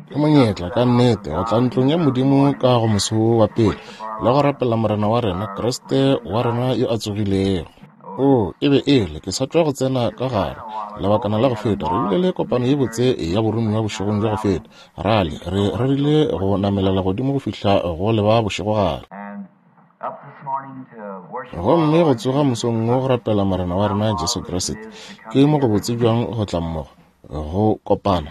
Ke monyetla, ka nnete, go tla ntlong ya Modimo ka go moso wo wa pele, le go rapela Morena wa rena, Kriste wa rena yo a tsogilego. Oo, e be e le, ke sa tšwa go tsena ka gare, lebakana la go feta, re bile le kopano ye botse ya boromiwa bošegong bja go feta. Rale, re rerile go namelela godimo go fihla go leba bošegogare. Gomme go tsoga mosong wo go rapela Morena wa rena Jesu Kriste, ke mo go botse bjang go tla mmogo, go kopana.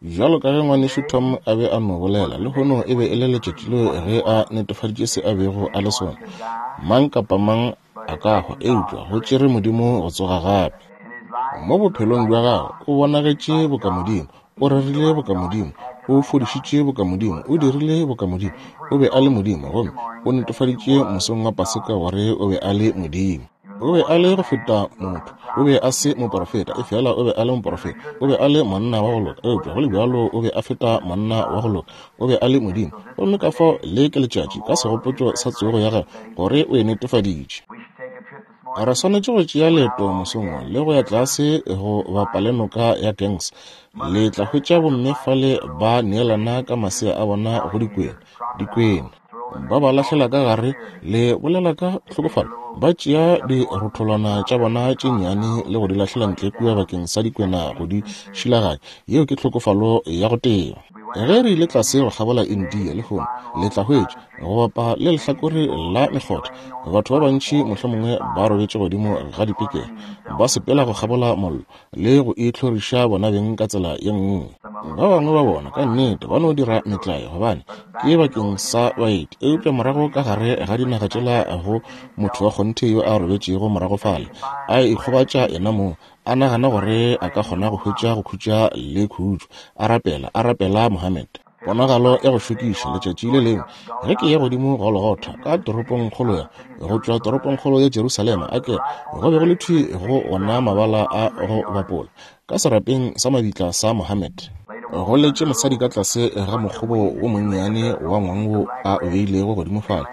Bjalo ka ge ngwanešu Tom a be a no bolela, lehono e be e le letšatši leo ge a netefaditše se a bego a le sona. Mang kapa mang a ka hwa, eupša go tšere Modimo go tsoga gape. Mo bophelong bja gagwe o bonagetše boka Modimo, o rerile boka Modimo, o fodišitše boka Modimo, o dirile boka Modimo, o be a le Modimo, gomme o netefaditše mosong wa Paseka gore o be a le Modimo. O be a le go feta motho. O be a se moporofeta, efela o be a le moporofeta. O be a le monna wa go loka, eupša go le bjalo o be a feta monna wa go loka. O be a le Modimo. Gomme ka fao le ke letšatši, ka segopotšo sa tsogo ya gagwe, gore o e netefaditše. Re swanetše go tšea leeto mosong wo le go ya tlase go bapa le noka ya Ganges. Le tla hwetša bomme fale ba neelana ka masea a bona go dikwena. Dikwena. Ba ba lahlela ka gare, le bolela ka hlokofalo, ba tšea dirotholwana tša bona tše nnyane le go di lahlela ntle kua bakeng sa dikwena go di šilaganya. Yeo ke hlokofalo ya go teba. Ge re ile tlase go kgabola India lehono, le tla hwetša, go bapa le lehlakore la mekgotha, batho ba bantši mohlomongwe ba robetše godimo ga dipekere, ba sepela go kgabola mollo, le go itlhoriša bona beng ka tsela ye nngwe. Ba bangwe ba bona ka nnete ba no dira metlae gobane ke bakeng sa baeti, eupša morago ka gare ga dinaga tšela go motho wa kgonthe yo a robetšego morago fale a ikgobatša yena mong, a nagana gore a ka kgona go hwetša go khutša le khutšo, a rapela, a rapela Mohammed. Ponagalo ya go šokiša, letšatši le lengwe ge ke ya godimo Golgotha ka toropongkgolo ya, go tšwa toropongkgolo ya Jerusalema, a ke go be go le thwi go ona mabala a go bapola, ka serapeng sa mabitla sa Mohammed, go letše mosadi ka tlase ga mokgobo wo monnyane wa ngwang wo a o beilego godimo fale,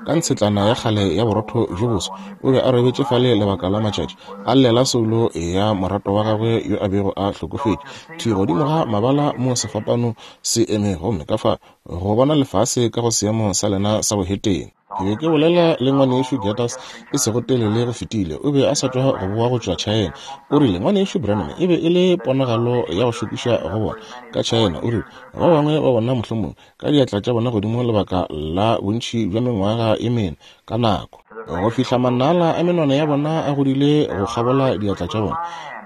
ka ntshetlana ya kgale ya borotho bjo boso. O be a robetše fale lebaka la matšatši, a llela soulo ya moratwa wa gagwe yo a bego a hlokofetše, thwi godimo ga mabala mo sefapano se eme, gomme ka fa go bona lefase ka go seemo sa lena sa bohetene. Ke be ke bolela le ngwanešu Getters e sego telele go fetile, o be a sa tšwa go boa go tšwa China. O rile, Ngwanešu Branham, e be e le ponagalo ya go šokiša go bona ka China. O rile, Ba bangwe ba bona mohlomongwe ka diatla tša bona godimo lebaka la bontši bja mengwaga e mene ka nako, go fihla manala a menwana ya bona a godile go kgabola diatla tša bona,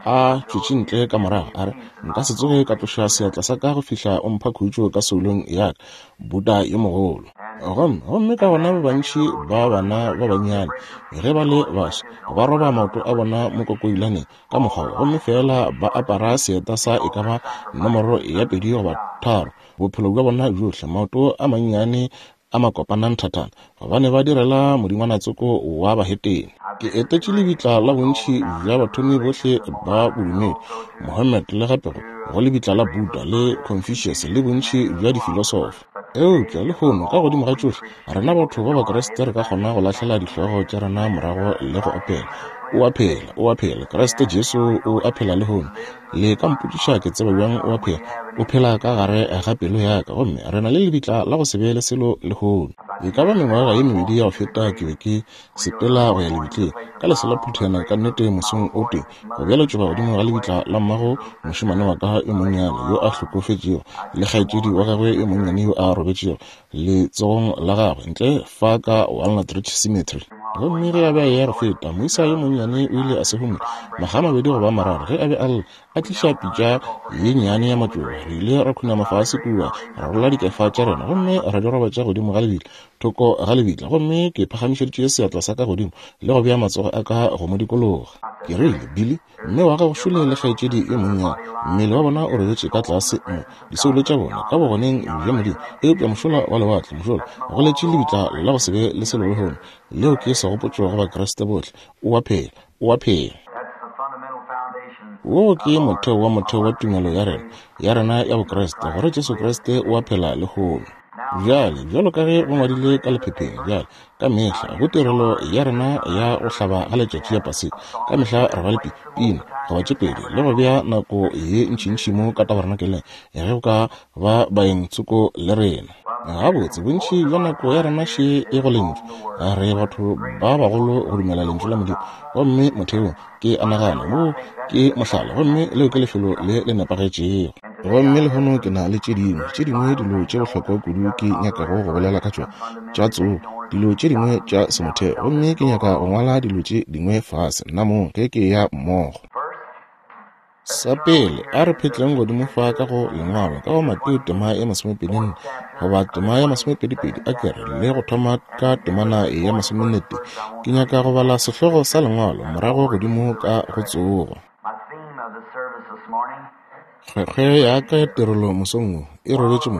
a tšwetše ntle ka morago. A re, Nka se tsoge ka tloša seatla sa ka go fihla o mpha khutšo ka soulong ya ka, Buddha yo mogolo. Gomme, gomme ka gona ba bantši ba bana ba bannyane, ge ba le baswa, ba roba maoto a bona mo kokoilaneng ka mokgwa wo, gomme feela ba apara seeta sa e ka ba nomoro ya 2 goba 3 bophelo bja bona bjohle, maoto a mannyane a makopana nthathana, gobane ba direla modingwanatsoko wa bahetene. Ke etetše lebitla la bontši bja bathomi bohle ba bodumedi, Mohammed le gape go lebitla la Buddha le Confucius le bontši bja difilosofa. Eupša lehono, ka godimo ga tšohle, rena batho ba Bakriste re ka kgona go lahlela dihlogo tša rena morago le go opela, O a phela, o a phela, Kriste Jesu o a phela lehono. Le ka mpotšiša ke tseba bjang o a phela? O phela ka gare ga pelo ya ka, gomme re na le lebitla la go se be le selo lehono. E ka ba mengwaga ye mebedi ya go feta ke be ke sepela go ya lebitleng ka lesela phuthana ka nnete mosong o tee go bjalo tšoba godimo ga lebitla la mmago mošemane wa ka yo monnyane yo a hlokofetšego le kgaetšedi wa gagwe yo monnyane yo a robetšego letsogong la gagwe ntle fa ka Walnut Ridge Cemetery. Gomme ge a be a eya go feta, moisa yo monnyane o ile a se humula makga a mabedi goba a mararo ge a be a lla, a tliša pitša ye nnyane ya matšoba. Re ile ra khunama fase kua, ra rola dikefa tša rena gomme ra di robatša godimo ga lebitla, thoko ga lebitla. Gomme ke phagamišeditše seatla sa ka godimo le go bea matsogo a ka go mo dikologa. Ke rile, Billy, Mme wa gago šole le kgaetšedi yo monnyane, mmele wa bona o robetše ka tlase mo, disoulo tša bona ka bogoneng bja Modimo. Eupša mošola wa lewatle, mošola, go letše lebitla la go se be le selo lehono. Leo ke segopotšo go Bakriste bohle. O a phela. O a phela. Woo ke motheo wa motheo wa tumelo ya rena, ya rena ya Bokriste, gore Jesu Kriste o a phela lehono. Bjale, bjalo ka ge go ngwadilwe ka lephepheng, bjale, ka mehla go tirelo ya rena ya go hlaba ga letšatši ya Paseka, ka mehla re ba le pi, pina goba tše pedi, le go bea nako ye ntšintši mo ka tabernakeleng, ge go ka ba baeng tsoko le rena. Gabotse, bontši bja nako ya rena še e go Lentšu. Re batho ba bagolo go dumela Lentšu la Modimo. Gomme motheong, ke a nagana, wo ke mohlala, gomme leo ke lefelo le le nepagetšego. Gomme lehono ke na le tše dingwe, tše dingwe dilo tše bohlokwa kudu ke nyakago go bolela ka tšona, tša tsogo, dilo tše dingwe tša semotheo. Gomme ke nyaka go ngwala dilo tše dingwe fase, nnamong, ge ke eya mmogo. Sa pele, a re phetleng godimo fa ka go Lengwalo, ka go Mateo tema ya masomepedinne, goba tema ya masomepedipedi, a ke re, le go thoma ka temana ya masomennetee. Ke nyaka go bala sehlogo sa Lengwalo, morago godimo ka go tsogo. Kgwekgwe ya ka ya tirelo mosong wo e robetše mo,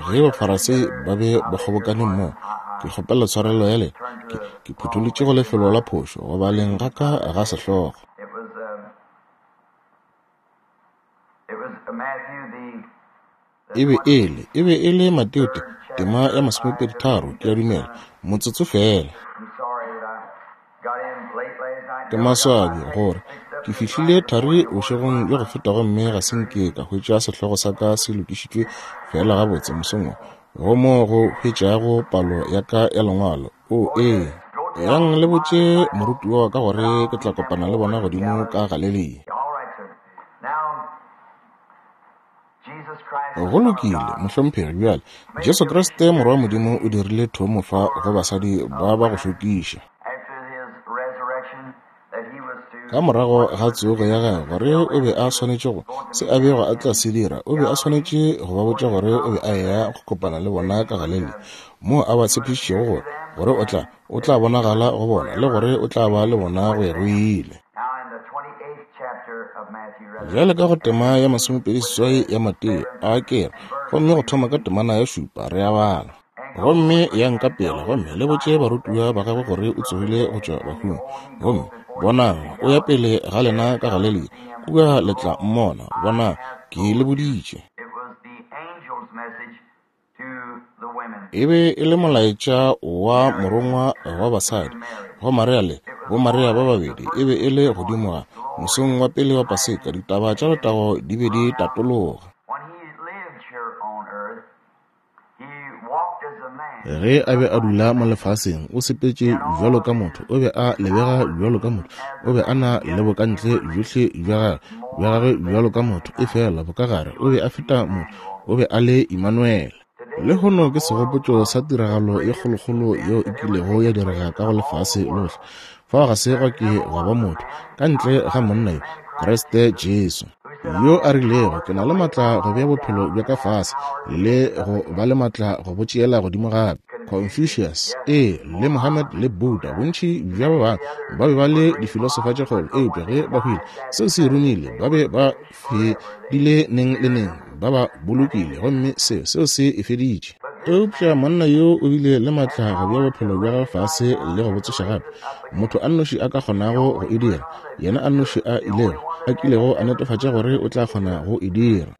ge Bafarasei ba be ba kgobokane mmogo. Ke kgopela tshwarelo ya lena, ke, ke phutholotše go lefelo la phošo go baleng ga ka ga sehlogo. E be e le, e be e le Mateo te, tema ya masomepeditharo, ke a dumela, motsotso feela. Ke maswabi gore ke fihlile thari bošegong bja go feta gomme ga se nke ka hwetša sehlogo sa ka se lokišitšwe feela gabotse mosong wo, go mo go hwetšago palo ya ka ya Lengwalo. O, ee. Yang le botše morutiwa wa ka gore ke tla kopana le bona godimo ka Galelia. Go lokile, mohlomphegi. Bjale, Jesu Kriste, Morwa wa Modimo, o dirile thomo fa go basadi ba ba go šokiša. Ka morago ga tsogo ya gagwe, gore o be a swanetše go, se a bego a tla se dira, o be a swanetše go ba botša gore o be a eya go kopana le bona ka Galelia, moo a ba tshepišitšego gore, gore o tla, o tla bonagala go bona, le gore o tla ba le bona go ya go ile. Bjale ka go tema ya masomepedi seswai ya Mateo, a ke re, gomme go thoma ka temana ya šupa, re a bala. Gomme yang ka pele gomme le botše barutiwa ba gagwe gore o tsogile go tšwa bahung. Gomme bonang, o ya pele ga lena ka Galelia, kua le tla mmona. Bonang, ke le boditše. E be e le molaetša wa morongwa wa basadi go Maria le boMaria ba babedi. E be e le godimo ga mosong wa pele wa Paseka, ditaba tša letago di be di tatologa. Ge a be a dula mo lefaseng, o sepetše bjalo ka motho, o be a lebega bjalo ka motho, o be a na le bokantle bjohle bja gagwe, bja gagwe bjalo ka motho, efela bokagare o be a feta motho, o be a le Imanuele. Lehono ke segopotšo sa tiragalo ye kgolokgolo yeo e kilego ya direga ka go lefase lohle. Fao ga se gwa ke gwa ba motho, ka ntle ga monna yo, Kriste Jesu, yo a rilego, Ke na le matla go bea bophelo bja ka fase le go ba le matla go bo tšeela godimo gape. Confucius, ee, le Mohammed le Buddha, bontši bja ba bangwe ba be ba le difilosofa tše kgolo, eupša ge ba hwile, seo se e romile, ba be ba fedile neng le neng, ba ba bolokile, gomme seo, seo se e feditše. Eupša monna yo o bile le matla go bea bophelo bja gagwe fase le go bo tsoša gape. Motho a nnoši a ka kgonago go e dira, yena a nnoši a ilego, a kilego a netefatša gore o tla kgona go e dira.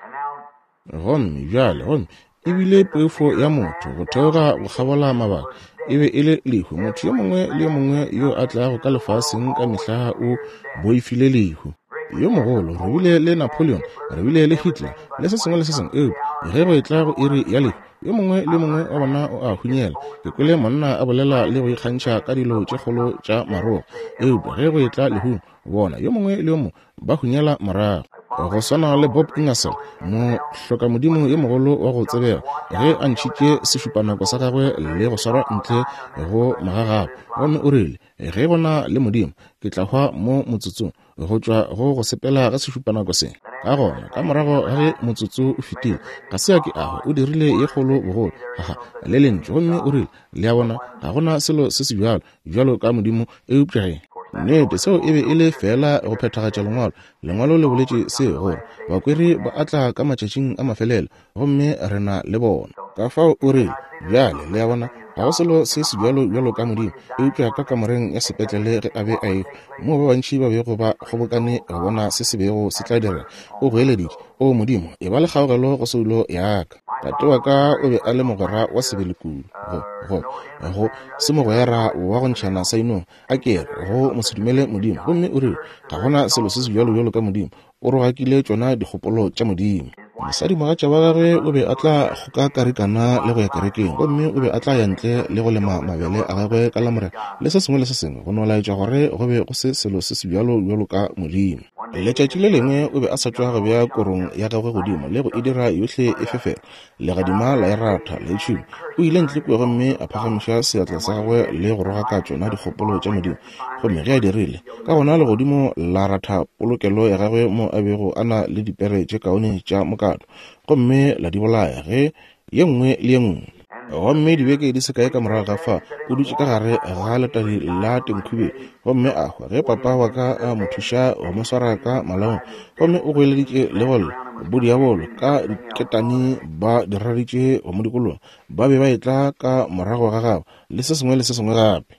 Gomme bjale, gomme e bile poifo ya motho go theoga go kgabola mabaka, e be e le lehu. Motho yo mongwe le yo mongwe yo a tlago ka lefaseng ka mehla o boifile lehu. Yo mogolo, re bile le Napoleon, re bile le Hitler, le se sengwe le se sengwe, eupša ge go etla go iri ya lehu, yo mongwe le mongwe wa bona o a hunyela. Ke kwele monna a bolela le go ikgantšha ka dilo tše kgolo tša marogo, eupša ge go etla lehung, bona, yo mongwe le yo mongwe ba hunyela morago. Go swana le Bob Ingersoll, mohlokamodimo yo mogolo wa go tsebega, ge a ntšhitše sešupanako sa gagwe le go swarwa ntle go magagabo, gomme o rile, Ge go na le Modimo, ke tla hwa mo motsotsong go tšwa go go sepela ga sešupanako se. Ka gona, ka morago ga ge motsotso o fetile, ga se a ke a hwa, o dirile ye kgolo bogolo, haha, le lentšu, gomme o rile, Le a bona, ga go na selo se se bjalo, bjalo ka Modimo, eupša ge. Nnete, seo e be e le feela go phethagatša Lengwalo. Lengwalo le boletše seo, gore, Bakweri ba a tla ka matšatšing a mafelelo, gomme re na le bona. Ka fao o rile, Bjale, le a bona, ga go selo se sebjalo bjalo ka Modimo, eupša ka kamoreng ya sepetlele ge a be a ehwa, moo ba bantši ba bego ba kgobokane go bona se se bego se tla direga, o goeleditše, O Modimo, eba le kgaogelo go soulo ya ka. Tate wa ka o be a le mogwera wa sebele kudu, go, go, go se mogwera wa go ntšhana sa inong, a ke re, go mosedumele Modimo. Gomme o rile, Ga go na selo se sebjalo bjalo ka Modimo. O rogakile tšona dikgopolo tša Modimo. Mosadimogatša wa gagwe o be a tla kgoka karikana le go ya kerekeng, gomme o be a tla ya ntle le go lema mabele a gagwe ka Lamorena, le se sengwe le se sengwe, go no laetša gore go be go se selo se sebjalo bjalo ka Modimo. Letšatši le lengwe o be a sa tšwa go bea korong ya gagwe godimo le go e dira yohle e fefela. Legadima la e ratha, la e tšhuma. O ile ntle kua gomme a phagamiša seatla sa gagwe le go rogaka tšona dikgopolo tša Modimo. Gomme ge a dirile, ka gona legodimo la ratha polokelo ya gagwe mo a bego a na le dipere tše kaone tša mokato, gomme la di bolaya ge ye nngwe le ye nngwe. Gomme dibeke di se kae ka morago ga fa, o dutše ka gare ga letadi la tenkhubeng gomme a hwa ge papa wa ka a mo thuša go mo swara ka malaong. Gomme o goeleditše le go lla, bodiabolo ka diketane ba diraritše go mo dikologa, ba be ba etla ka morago ga gagwe le se sengwe le se sengwe gape.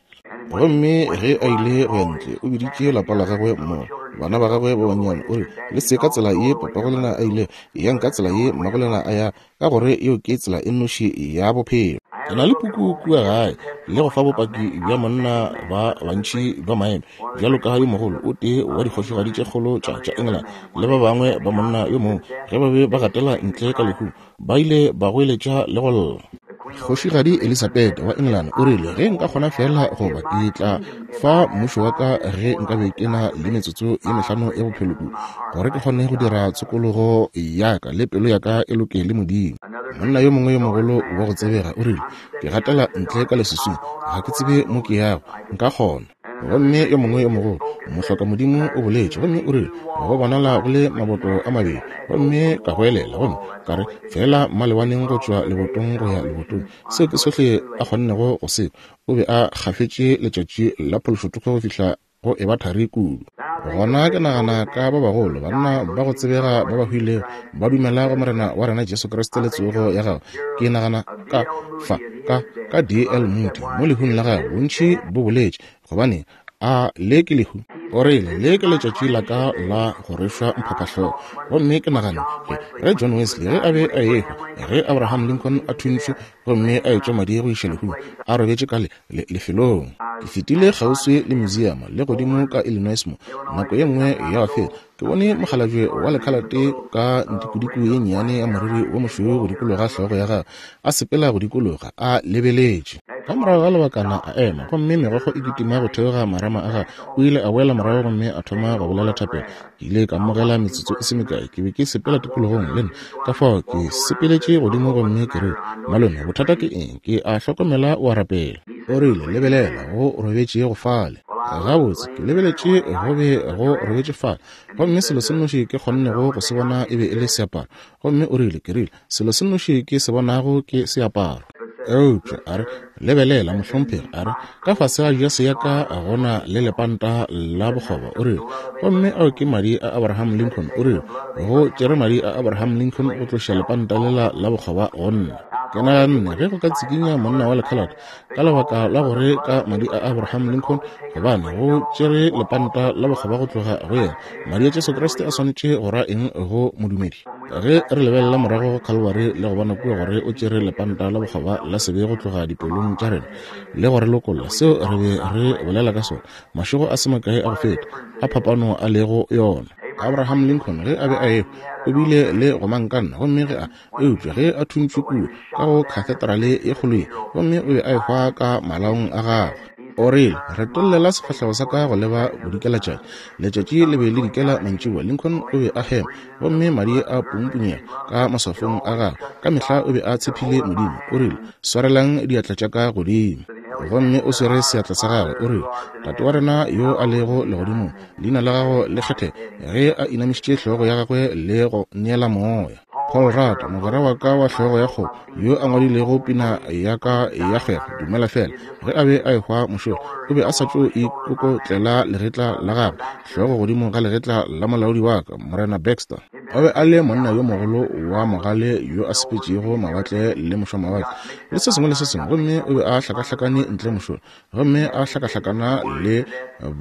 Gomme ge a ile go ya ntle, o biditše lapa la gagwe mmogo, bana ba gagwe ba bannyane, o rile, Le se ka tsela ye papagolena a ile, eyang ka tsela ye mmagolena a ya, ka gore yeo ke tsela e nnoši ya bophelo. Ke na le puku kua gae le go fa bopaki bja monna ba bantši ba maemo, bjalo ka yo mogolo o tee wa dikgošigadi tše kgolo tša tša England le ba bangwe ba monna yo mongwe, ge ba be ba gatela ntle ka lehung, ba ile ba goeletša le go lla. Kgošigadi Elisabeth wa England o rile, Ge nka kgona feela go ba, ke tla fa mmušo wa ka ge nka be ke na le metsotso ye mehlano ya bophelo kudu, gore ke kgone go dira tshokologo ya ka le pelo ya ka e loke le Modimo. Monna yo mongwe yo mogolo wa go tsebega o rile, Ke gatela ntle ka leswiswing, ga ke tsebe mo ke yago, nka kgona. Gomme yo mongwe yo mogolo mohlokamodimo o boletše, gomme o rile, Go bonala go le maboto a mabedi. Gomme ka goelela, gomme ka re, Feela mmalewaneng go tšwa lebotong go ya lebotong. Seo ke sohle a kgonnego go se kwa. O be a gafetše letšatši la phološothoko go fihla go eba thari kudu. Gona ke nagana ka ba bagolo, banna ba go tsebega ba ba hwilego, ba dumela go Morena wa rena Jesu Kriste le tsogo ya gagwe. Ke nagana ka fa, ka, ka D. L. Moody, mo lehung la gagwe, bontši bo boletše, gobane a le ke lehu. O rile, Le ke letšatši la ka la go rwešwa mphaphahlogo. Gomme ke naganne, ge, ge John Wesley, ge a be a ehwa, ge Abraham Lincoln a thuntšwe gomme a etšwa madi go iša lehung, a robetše ka le, le, lefelong. Ke fetile kgauswi le museum, le godimo ka Illinois mo, nako ye nngwe ya go feta. Ke bone mokgalabje wa lekhalate ka ntikudiku ye nnyane ya moriri wo mošweu go dikologa hlogo ya gagwe, a sepela go dikologa, a lebeletše. Ka morago ga lebakana a ema, gomme megokgo e kitima go theoga marama a gagwe. O ile a boela morago gomme a thoma go bolela thapelo. Ke ile ka mmogela metsotso e se mekae. Ke be ke sepela tikologong le nna, ka fao ke sepeletše godimo gomme ke rile, Malome, bothata ke eng? Ke a hlokomela o a rapela. O rile, Lebelela, go robetše go fale. Gabotse, ke lebeletše go be go robetše fale, gomme selo se nnoši ke kgonnego go se bona e be e le seaparo. Gomme o rile, ke rile, selo se nnoši ke se bonago ke seaparo. Eupša a re, lebelela, mohlomphegi, a re, ka fase ga jase ya ka go na le lepanta la bokgoba. O rile, gomme ao ke madi a Abraham Lincoln. O rile, go tšere madi a Abraham Lincoln go tloša lepanta lela la bokgoba go nna. Ke naganne ge go ka tsikinya monna wa lekhalate ka lebaka la gore ka madi a Abraham Lincoln, gobane go tšere lepanta la bokgoba go tloga go yena, madi a Jesu Kriste a swanetše go ra eng go modumedi? Ge re lebelela morago go Calvary le go bona kua gore o tšere lepanta la bokgoba la sebe go tloga dipelong tša rena le go re lokolla, seo re be re bolela ka sona mašego a se makae a go feta, a phapano a lego yona. Abraham Lincoln, ge a be a ehwa, o bile le gomangkanna, gomme ge a Eupša ge a thuntšwe kua ka go khatheterale ye kgolo ye, gomme o be a ehwa ka malaong a gagwe. O rile, Retollela sefahlego sa ka go leba bodikelatšatši. Letšatši le be le dikela mantšiboa. Lincoln o be a hema, gomme madi a pumpunyega ka maswafong a gagwe. Ka mehla o be a tshephile Modimo. O rile, Swarelang diatla tša ka godimo. Gomme o swere seatla sa gagwe, o rile, Tate wa rena yo a lego legodimong, leina la gago le kgethege, ge a inamišitše hlogo ya gagwe le go neela moya. Paul Rudd, mogwera wa ka wa hlogo ya kgomo, yo a ngwadilego pina ya ka ya kgwebo, Dumela Fela, ge a be a ehwa mošola, o be a sa tšo ikokotlela legetla la gagwe, hlogo godimo ga legetla la molaodi wa ka, Morena Baxter. O be a le monna yo mogolo wa mogale yo a sepetšego mawatle le mošwamawatle le se sengwe le se sengwe, gomme o be a hlakahlakane ntle mošola, gomme a hlakahlakana le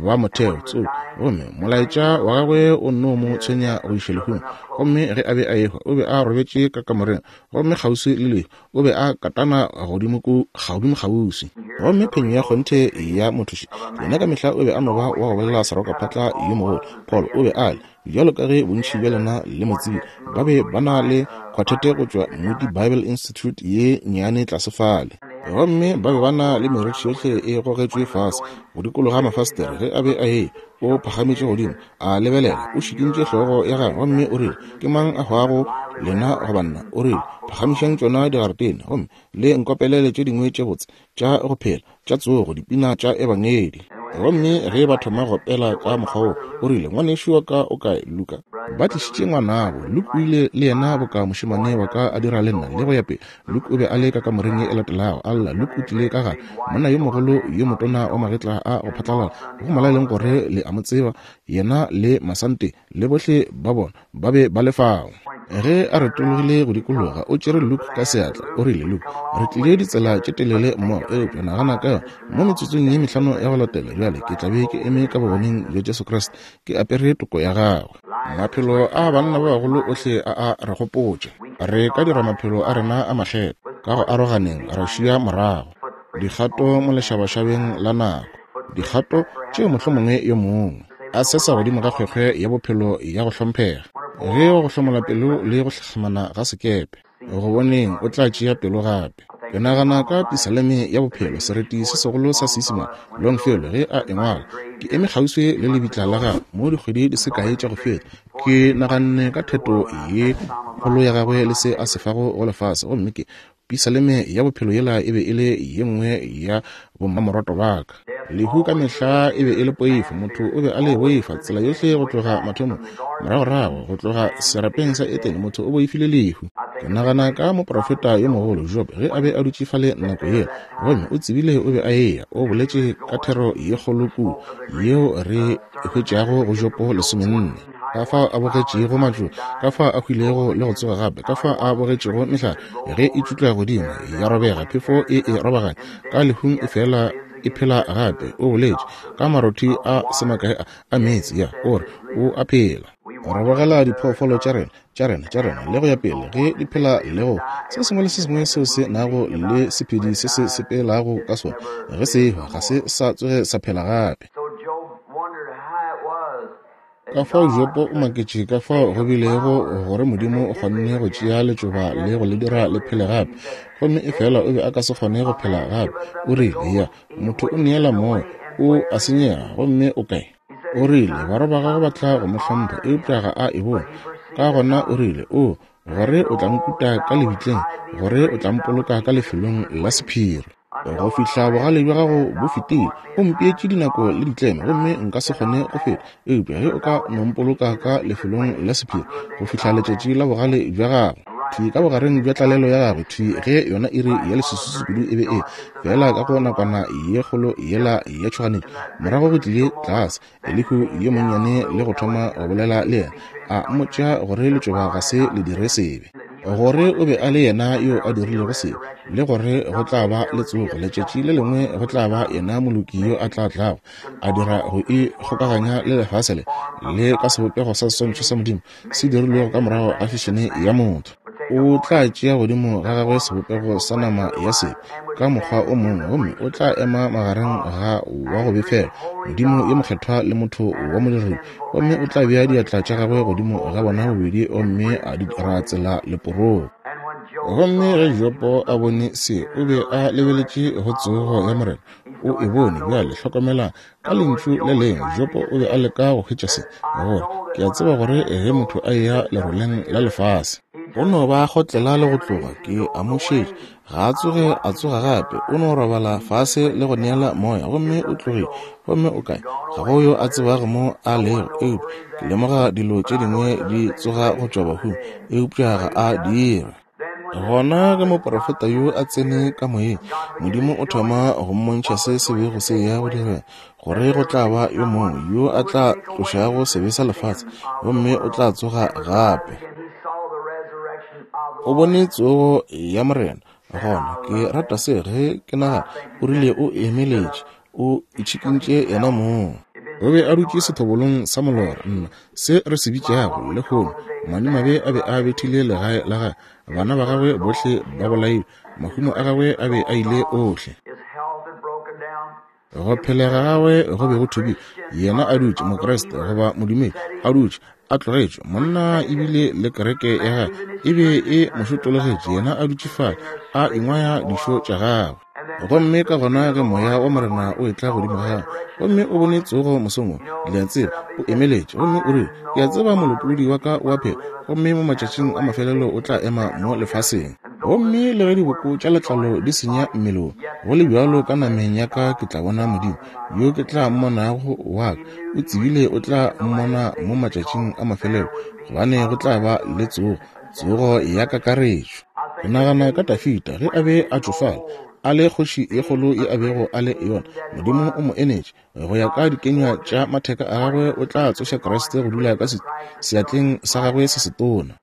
ba motheo tsoko. Gomme molaetša wa gagwe o nno mo tshwenya go iša lehung. Gomme ge a be a ehwa, o be a robetše ka kamoreng, gomme kgauswi le lehu, o be a katana godimo ku, godimo kgauswi. Gomme phenyo ya kgonthe ya mothuši, yena ka mehla o be a no ba wa go bolela serokaphatla yo mogolo. Paul o be a le, bjalo ka ge bontši bja lena le mo tsebile, ba be ba na le khwathete go tšwa Moody Bible Institute ye nnyane tlase fale. Gomme ba be ba na le merithi yohle e gogetšwe fase go dikologa mafastere ge a be a eya. O phagametše godimo, a lebelela, o šikintše hlogo ya gagwe gomme o rile, Ke mang a hwago, lena goba nna? O rile, Phagamišang tšona digaretene gomme le nkopelele tše dingwe tše botse tša go phela, tša tsogo, dipina tša Ebangedi. Gomme ge ba thoma go opela ka mokgwa wo, o rile, Ngwanešu wa ka o kae, Luka? Ba tlišitše ngwanabo. Luke o ile le yena boka mošemane wa ka a dira le nna, le go ya pele. Luke o be a le ka kamoreng ye e latelago, a lla. Luke o tlile ka gare, monna yo mogolo yo motona wa magetla a go phatlalala, go molaleng gore le a mo tseba, yena le Masante le bohle ba bona ba be ba le fao. Ge a retologile go dikologa, o tšere Luke ka seatla. O rile, Luke, re tlile ditsela tše telele mmogo, eupša nagana ka yona, mo metsotsong ye mehlano ya go latela bjale ke tla be ke eme ka bogoneng bja Jesu Kriste, ke apere toko ya gagwe. Maphelo a banna ba bagolo ohle a a re gopotša. Re ka dira maphelo a rena a makgethwa ka go aroganeng ra šia morago dikgato mo lešabašabeng la nako, dikgato tšeo mohlomongwe yo mongwe a sesa godimo ga kgwekgwe ya bophelo ya go hlomphega. Ge go hlomola pelo le go hlahlamana ga sekepe go boneng o tla tšea pelo gape. Ke nagana ka Pisaleme ya Bophelo, sereti se segolo sa Seisemane, Longfellow ge a e ngwala. Ke eme kgauswi le lebitla la gagwe mo dikgwedi di se kae tša go feta. Ke naganne ka theto ye kgolo ya gagwe le se a se fago go lefase, gomme ke Pisaleme ya Bophelo yela e be e le ye nngwe ya bommamorwato ba ka. Lehu ka mehla e be e le poifo, motho o be a le boifa tsela yohle go tloga mathomong. Moragorago go tloga serapeng sa Etene, motho o boifile lehu. Ke nagana ka moprofeta yo mogolo Job ge a be a dutše fale nako yela, gomme o tsebile o be a eya. O boletše ka thero ye kgolo kudu yeo re e hwetšago go Jopo 14. Ka fao a bogetšego matšoba, ka fao a hwilego le go tsoga gape, ka fao a bogetšego mehlare ge e tšutla godimo ya robega, phefo e e robaganya, ka lehung e fela e phela gape. O boletše ka marothi a se makae a meetse, ya o re o a phela. Re bogela diphoofolo tša rena, tša rena, tša rena, le go ya pele, ge di phela le go se sengwe le se sengwe seo se nago le sephedi se se sepelago ka sona, ge se ehwa ga se sa tsoge sa phela gape. Ka fao Jopo o maketše ka fao go bilego gore Modimo o kgonne go tšea letšoba le go le dira le phele gape, gomme efela o be a ka se kgone go phela gape. O rile, Ya, motho o neela moya, o a senyega, gomme o kae? O rile, Barwa ba gagwe ba tla go mo hlompha, eupša ga a e bone. Ka gona o rile, O, gore o tla nkuta ka lebitleng, gore o tla mpoloka ka lefelong la sephiri. Go fihla bogale bja gago bo fetile, o mpeetše dinako le ditlemo, gomme nka se kgone go feta. Eupša ge o ka no mpoloka ka lefelong la sephiri go fihla letšatši la bogale bja gago, thwi ka bogareng bja tlalelo ya gagwe, thwi ge yona iri ya leswiswi kudu e be e fela ka go nakwana ye kgolo yela ya tšhoganetšo, morago go tlile tlase Elihu yo monnyane le go thoma go bolela le yena, a mmotša gore letšoba ga se le dire sebe, gore o be a le yena yo a dirilego sebe, le gore go tla ba le tsogo letšatši le lengwe, go tla ba yena moloki yo a tla tlago a dira go ikgokaganya le lefase le, le ka sebopego sa seswantšho sa Modimo se dirilwego ka morago ga fešene ya motho. O tla tšea godimo ga gagwe sebopego sa nama ya sebe ka mokgwa o mongwe, gomme o tla ema magareng ga wa go befela Modimo yo mokgethwa le motho wa modiredi, gomme o tla bea diatla tša gagwe godimo ga bona bobedi gomme a dira tsela leporong. Gomme ge Jopo a bone se, o be a lebeletše go tsogo ya Morena. O e bone. Bjale hlokomelang, Ka lentšu le lengwe, Jobo o be a leka go hwetša se, gore, Ke a tseba gore ge motho a eya leroleng la lefase, o no ba kgotlela le go tloga, ke a mo šetša, ga a tsoge a tsoga gape, o no robala fase le go neela moya, gomme o tlogile, gomme o kae? Ga go yo a tsebago mo a lego, eupša ke lemoga dilo tše dingwe di tsoga go tšwa bahung, eupša ga a dire. Gona ge moprofeta yo a tsene ka moyeng, Modimo o thoma go mmontšha se se bego se eya go direga, gore go tla ba yo mongwe yo a tla tlošago sebe sa lefase, gomme o tla tsoga gape. O bone tsogo ya Morena. Gona ke rata se ge ke nagana, o rile o emeletše, o itšhikintše yena mong. O be a dutše sethobolong sa molora, nna, se re se bitšago lehono. Madimabe a be a bethile legae la gagwe, bana ba gagwe bohle ba bolailwe, mahumo a gagwe a be a ile ohle. Go phelega ga gagwe go be go thubile. Yena a dutše, Mokriste goba modumedi, a dutše, a tlogetšwe. Monna ebile le kereke ya gagwe e be e mo šotologetše, yena a dutše fale, a ingwaya dišo tša gagwe. Gomme ka gona ge Moya wa Morena o etla godimo ga gagwe, gomme o bone tsogo mosong wo, le a tseba, o emeletše, gomme o rile, Ke a tseba Molopolodi wa ka o a phela, gomme mo matšatšing a mafelelo o tla ema mo lefaseng. Gomme le ge diboko tša letlalo di senya mmele wo, go le bjalo ka nameng ya ka ke tla bona Modimo, yo ke tla mmonago wa ka. O tsebile o tla mmona mo matšatšing a mafelelo, gobane go tla ba le tsogo, tsogo ya kakaretšo. Ke nagana ka Dafida ge a be a tšofala, a le kgoši ye kgolo ye a bego a le yona. Modimo o mo enetše, go ya ka dikenywa tša matheka a gagwe o tla tsoša Kriste go dula ka seatleng sa gagwe se setona.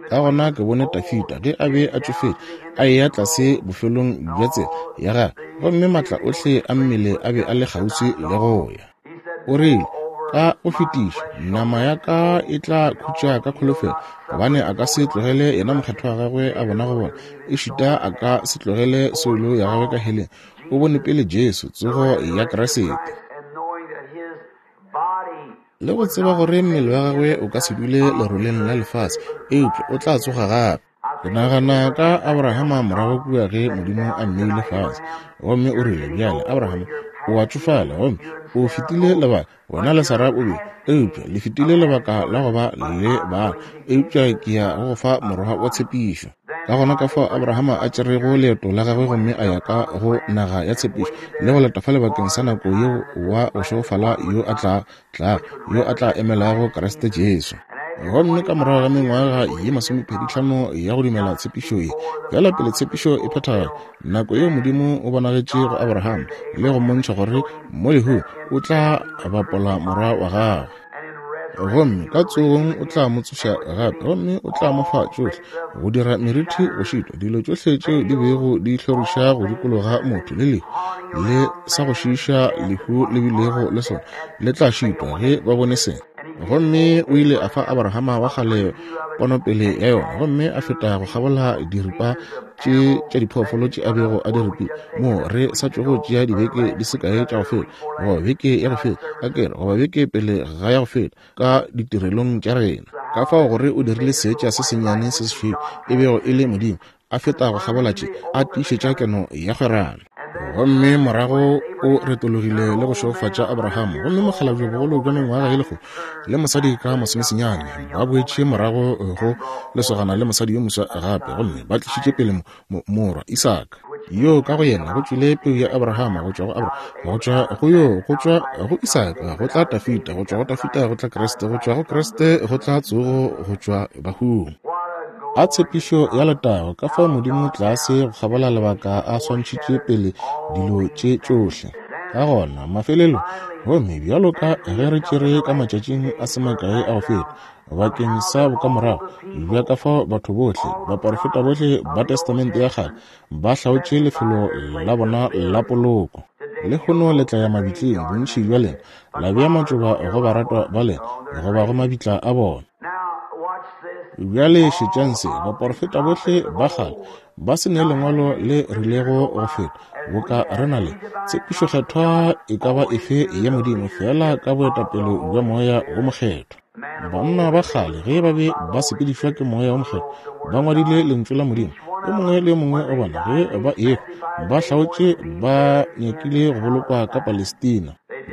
Ka gona ke bone Dafida ge a be a tšofetše, a eya tlase bofelong bja tsela ya gagwe, gomme maatla ohle a mmele a be a le kgauswi le go ya. O rile, Ka go fetiša, nama ya ka e tla khutša ka kholofelo, gobane a ka se tlogele yena mokgethwa wa gagwe a bona go bona, ešita a ka se tlogele soulo ya gagwe ka heleng. O bone pele Jesu, tsogo ya Kriste. Le go tseba gore mmele wa gagwe o ka se dule leroleng la lefase, eupša o tla tsoga gape. Ke nagana ka Abrahama morago kua ge Modimo a mmeile fase, gomme o rile, Bjale, Abrahama, o a tšofala, gomme o fetile lebaka, wena le Sarah o be, eupša le fetile lebaka la go ba le bana, eupša ke ya go go fa morwa wa tshepišo. Ka gona ka fao Abrahama a tšerego leeto la gagwe gomme a ya ka go naga ya tshepišo, le go leta fale bakeng sa nako yeo wa go šegofala yo a tla tlago, yo a tla emelago Kriste Jesu. Gomme ka morago ga mengwaga ye masomepeditlhano ya go dumela tshepišo ye, bjala pele tshepišo e phethagala, nako yeo Modimo o bonagetše go Abrahama le go mmontšha gore mo lehung o tla bapola morwa wa gagwe, gomme ka tsogong o tla mo tsoša gape, gomme o tla mo fa tšohle, go dira merithi go šitwa, dilo tšohle tšeo di bego di hloriša go dikologa motho le lehu le sa go šiiša lehu le bilego le sona le tla šitwa ge ba bone se. Gomme o ile a fa Abrahama wa kgale ponopele ya yona, gomme a feta go kgabola diripa tše tša diphoofolo tše a bego a di ripile, moo re sa tšogo tšea dibeke di se kae tša go feta, goba beke ya go feta, a ke re, goba beke pele ga ya go feta, ka ditirelong tša rena. Ka fao gore o dirile seetša se sennyane se sešweu, e bego e le Modimo, a feta go kgabola tše, a tiišetša keno ya kgwerano. Gomme morago o retologile le go šegofatša Abraham, gomme mokgalabje bogolo bja mengwaga e lekgolo le mosadi ka masomesenyane ba boetše morago go lesogana le mosadi yo moswa gape, gomme ba tlišitše pele morwa Isaka, yo ka go yena go tšwile peu ya Abrahama, go tšwa go Abrahama, go tšwa go yo, go tšwa go Isaka go tla Dafida, go tšwa go Dafida go tla Kriste, go tšwa go Kriste go tla tsogo go tšwa bahung. A tshepišo ya letago, ka fao Modimo tlase go kgabola lebaka a swantšhitše pele dilo tše tšohle. Ka gona, mafelelo, gomme bjalo ka ge re tšere ka matšatšing a se makae a go feta, bakeng sa bokamorago bja ka fao batho bohle, baporofeta bohle ba Testamente ya Kgale, ba hlaotše lefelo la bona la poloko. Lehono le tla ya mabitleng, bontši bja lena, la bea matšoba go baratwa ba lena, goba go mabitla a bona. Bjale šetšang se, baporofeta bohle ba kgale ba se ne lengwalo le rilego go feta boka re na le tshepišo kgethwa e ka ba efe ya Modimo, feela ka boetapele bja Moya wo Mokgethwa. Banna ba kgale ge ba be ba sepedišwa ke Moya wo Mokgethwa ba ngwadile Lentšu la Modimo. Yo mongwe le yo mongwe wa bona ge ba ehwa ba hlaotše ba nyakile go bolokwa ka Palestina.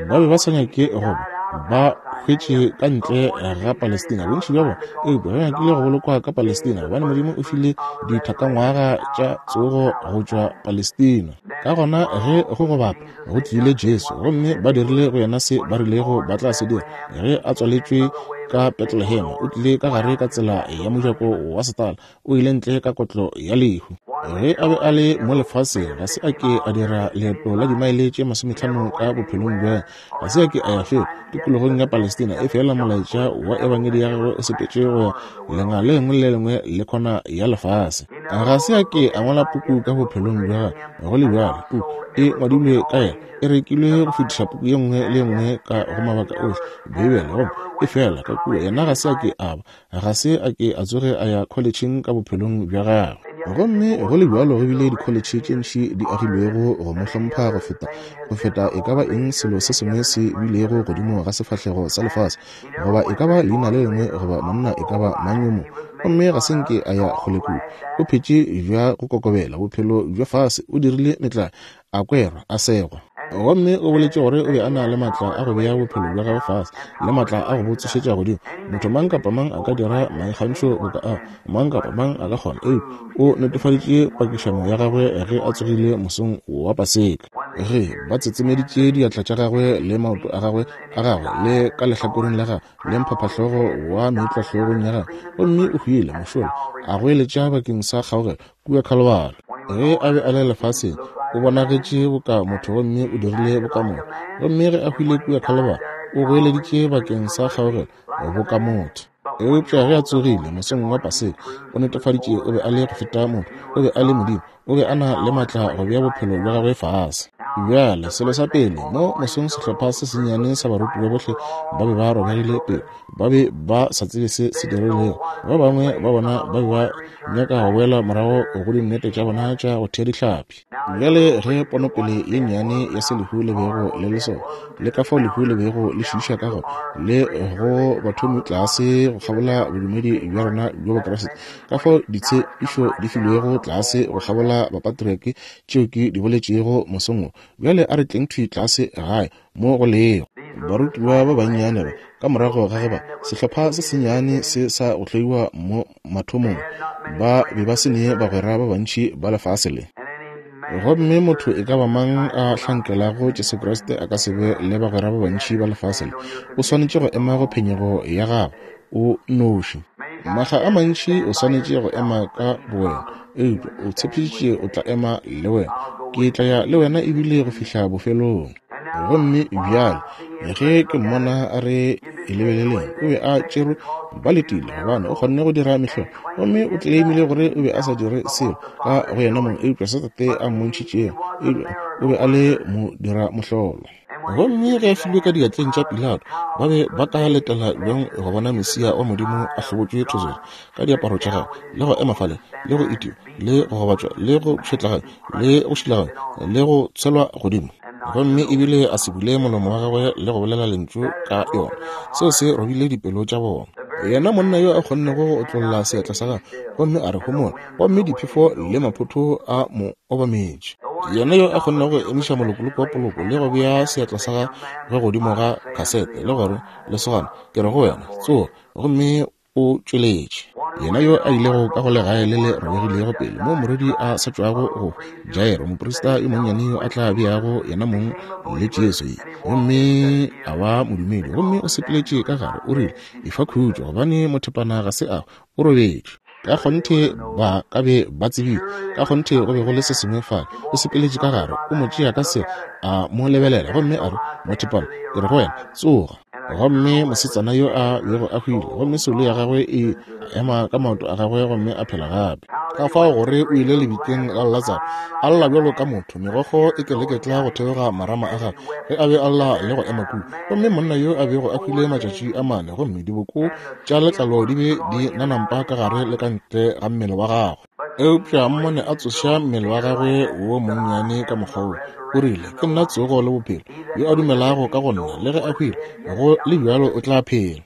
Ba be ba sa nyake go ba ba hwetše ka ntle ga Palestina, bontši bja bona, eupša ba nyakile go bolokwa ka Palestina gobane Modimo o file dithakangwaga tša tsogo go tšwa Palestina. Ka gona ge go go bapa go tlile Jesu, gomme ba dirile go yena se ba rilego ba tla se dira ge a tswaletšwe ka Bethlehem. O tlile ka gare ka tsela ya mojako wa setala, o ile ntle ka kotlo ya lehu. Ge a be a le mo lefaseng, ga se a ke a dira leeto la dimaele tše 50 ka bophelong bja Ga se a ke a ya felo tikologong ya Palestina, efela molaetša wa ebangedi ya gagwe o sepetše go ya lenga le lengwe le lengwe le khona ya lefase. Ga se a ke a ngwala puku ka bophelong bja gagwe, go le bjalo puku e ngwadilwe ka yena, e rekilwe go fetiša puku ye nngwe le ye nngwe ka go mabaka ohle, Beibele. Gomme efela ka kua yena ga se a ke a ba Ga se a ke a tsoge a ya kholetšheng ka bophelong bja gagwe. Gomme go le bjalo go bile dikholetšhe tše ntši di agilwego go mo hlompha go feta, go feta e ka ba eng selo se sengwe se bilego godimo ga sefahlego sa lefase, goba e ka ba leina le lengwe goba monna e ka ba mang yo mongwe. Gomme ga se nke a ya kgole kudu. O phetše bja go kokobela, bophelo bja fase, o dirile metlae, a kwerwa, a segwa. Gomme o boletše gore o be a na le maatla a go bea bophelo bja gagwe fase, le maatla a go bo tsošetša godimo. Motho mang kapa mang a ka dira maikgantšho boka ao, mang kapa mang a ka kgona. Eupša o netefaditše pakišano ya gagwe ge a tsogile mosong wa Paseka. Ge ba tsetsemeditše diatla tša gagwe le maoto a gagwe, a gagwe le ka lehlakoreng la gagwe, le mphaphahlogo wa meetlwa hlogong ya gagwe, gomme o hwile mošola, a goeletša bakeng sa kgaogelo kua Khalibari. Ge a be a le lefaseng, o bonagetše boka motho gomme o dirile boka motho. Gomme ge a hwile kua Khalibari, o goeleditše bakeng sa kgaogelo boka motho. Eupša ge a tsogile mosong wa Paseka, o netefaditše o be a le go feta motho, o be a le Modimo, o be a na le maatla go bea bophelo bja gagwe fase. Bjale, selo sa pele, mo mosong sehlopha se sennyane sa barutiwa bohle ba be ba robegile pelo. Ba be ba sa tsebe se se diregilego. Ba bangwe ba bona ba be ba nyaka go boela morago go dinnete tša bona tša go thea dihlapi. Bjale ge ponopele ye nnyane ya se lehu le bego le le sona, le ka fao lehu le bego le šiiša ka gona, le go bathomi tlase go kgabola bodumedi bja rena bjo Bokriste, ka fao ditshepišo di filwego tlase go kgabola bapatriake tšeo ke di boletšego mosong wo, bjale a re tleng thwi tlase gae mo go lego. Barutiwa ba bannyane ba, ka morago ga ge ba, sehlopha se sennyane se sa go hloiwa mo mathomong, ba be ba se ne bagwera ba bantši ba lefase le. Gomme motho e ka ba mang a hlankelago Jesu Kriste a ka se be le bagwera ba bantši ba lefase le. O swanetše go ema go phenyego ya gago o noši. Makga a mantši o swanetše go ema ka bowena, eupša o tshepišitše o tla ema le wena. Ke tla ya le wena ebile go fihla bofelong. Gomme bjale ge ke mmona a re e lebeleleng, o be a tšerwe ba letile, gobane o kgonne go dira mehlolo. Gomme o tleimile gore o be a sa dire selo ka go yena mong, eupša se Tate a mmontšhitšego, eupša o be a le mo dira mohlolo. Gomme ge a filwe ka diatleng tša Pilato, ba be ba ka letela bjang go bona Mesia wa Modimo a hlobotšwe thozolo ka diaparo tša gagwe, le go ema fale, le go itiwa, le go gobatšwa, le go pšhetlaganywa, le go šilaganywa, le go tshelwa godimo? Gomme ebile a se bule molomo wa gagwe le go bolela lentšu ka yona. Seo se robile dipelo tša bona. Yena monna yo a kgonnego go otlolla seatla sa gagwe gomme a re, Homola, gomme diphefo le maphotho a mo obametše. Yena yo a kgonnego go emiša molokoloko wa poloko le go bea seatla sa gagwe godimo ga khasete le gore, Lesogana, ke re go wena, tsoga gomme o tšweletše. Yena yo a ilego ka go legae le le robegilego pele moo morwedi a sa tšwago go Jairo, moprista yo monnyane yo a tla beago yena mong le Jesu, gomme a ba modumedi, gomme o sepeletše ka gare, o rile, Efa khutšo, gobane mothepana ga se a, o robetše. Ka kgonthe ba ka be ba tsebile. Ka kgonthe go be go le se sengwe fale. O sepeletše ka gare, o mo tšea ka se, a mo lebelela, gomme a re, Mothepana, ke re go wena, tsoga. Gomme mosetsana yo a bego a hwile, gomme soulo ya gagwe e ema ka maoto a gagwe gomme a phela gape. Ka fao gore o ile lebitleng la Latsaro, a lla bjalo ka motho, megokgo e keleketla go theoga marama a gagwe ge a be a lla le go ema kua. Gomme monna yo a bego a hwile matšatši a mane, gomme diboko tša letlalo di be di nanampa ka gare le ka ntle ga mmele wa gagwe. Eupša mmone a tsoša mmele wa gagwe wo monnyane ka mokgwa wo, o rile, Ke nna tsogo le bophelo. Yo a dumelago ka go nna, le ge a hwile, go le bjalo o tla phela.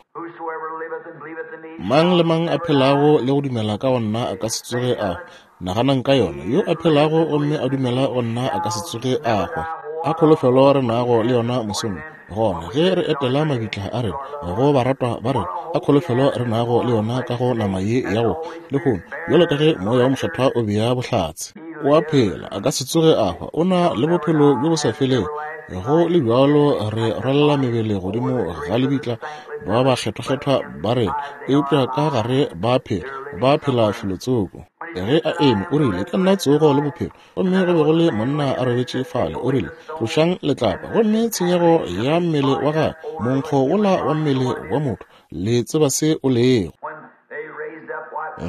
Mang le mang a phelago le go dumela ka go nna a ka se tsoge a hwa. Naganang ka yona, yo a phelago gomme a dumela go nna a ka se tsoge a hwa. A kholofelo re nago le yona mosong gona ge re etela mabitla a rena go baratwa ba rena, a kholofelo re nago le yona ka go nama ye ya go lehono, bjalo ka ge Moya wo Mokgethwa o bea bohlatse. O a phela, a ka se tsoge a hwa, o na le bophelo bjo bo sa felego. Go le bjalo re rwalela mebele godimo ga lebitla ba bakgethwakgethwa ba rena, eupša ka gare ba phela, ba phela felotsoko. Ge a eme, o rile, Ke nna tsogo le bophelo. Gomme go be go le monna a robetše fale, o rile, Tlošang letlapa. Gomme tshenyego ya mmele wa gagwe, monkgo wola wa mmele wa motho, le tseba se o lego.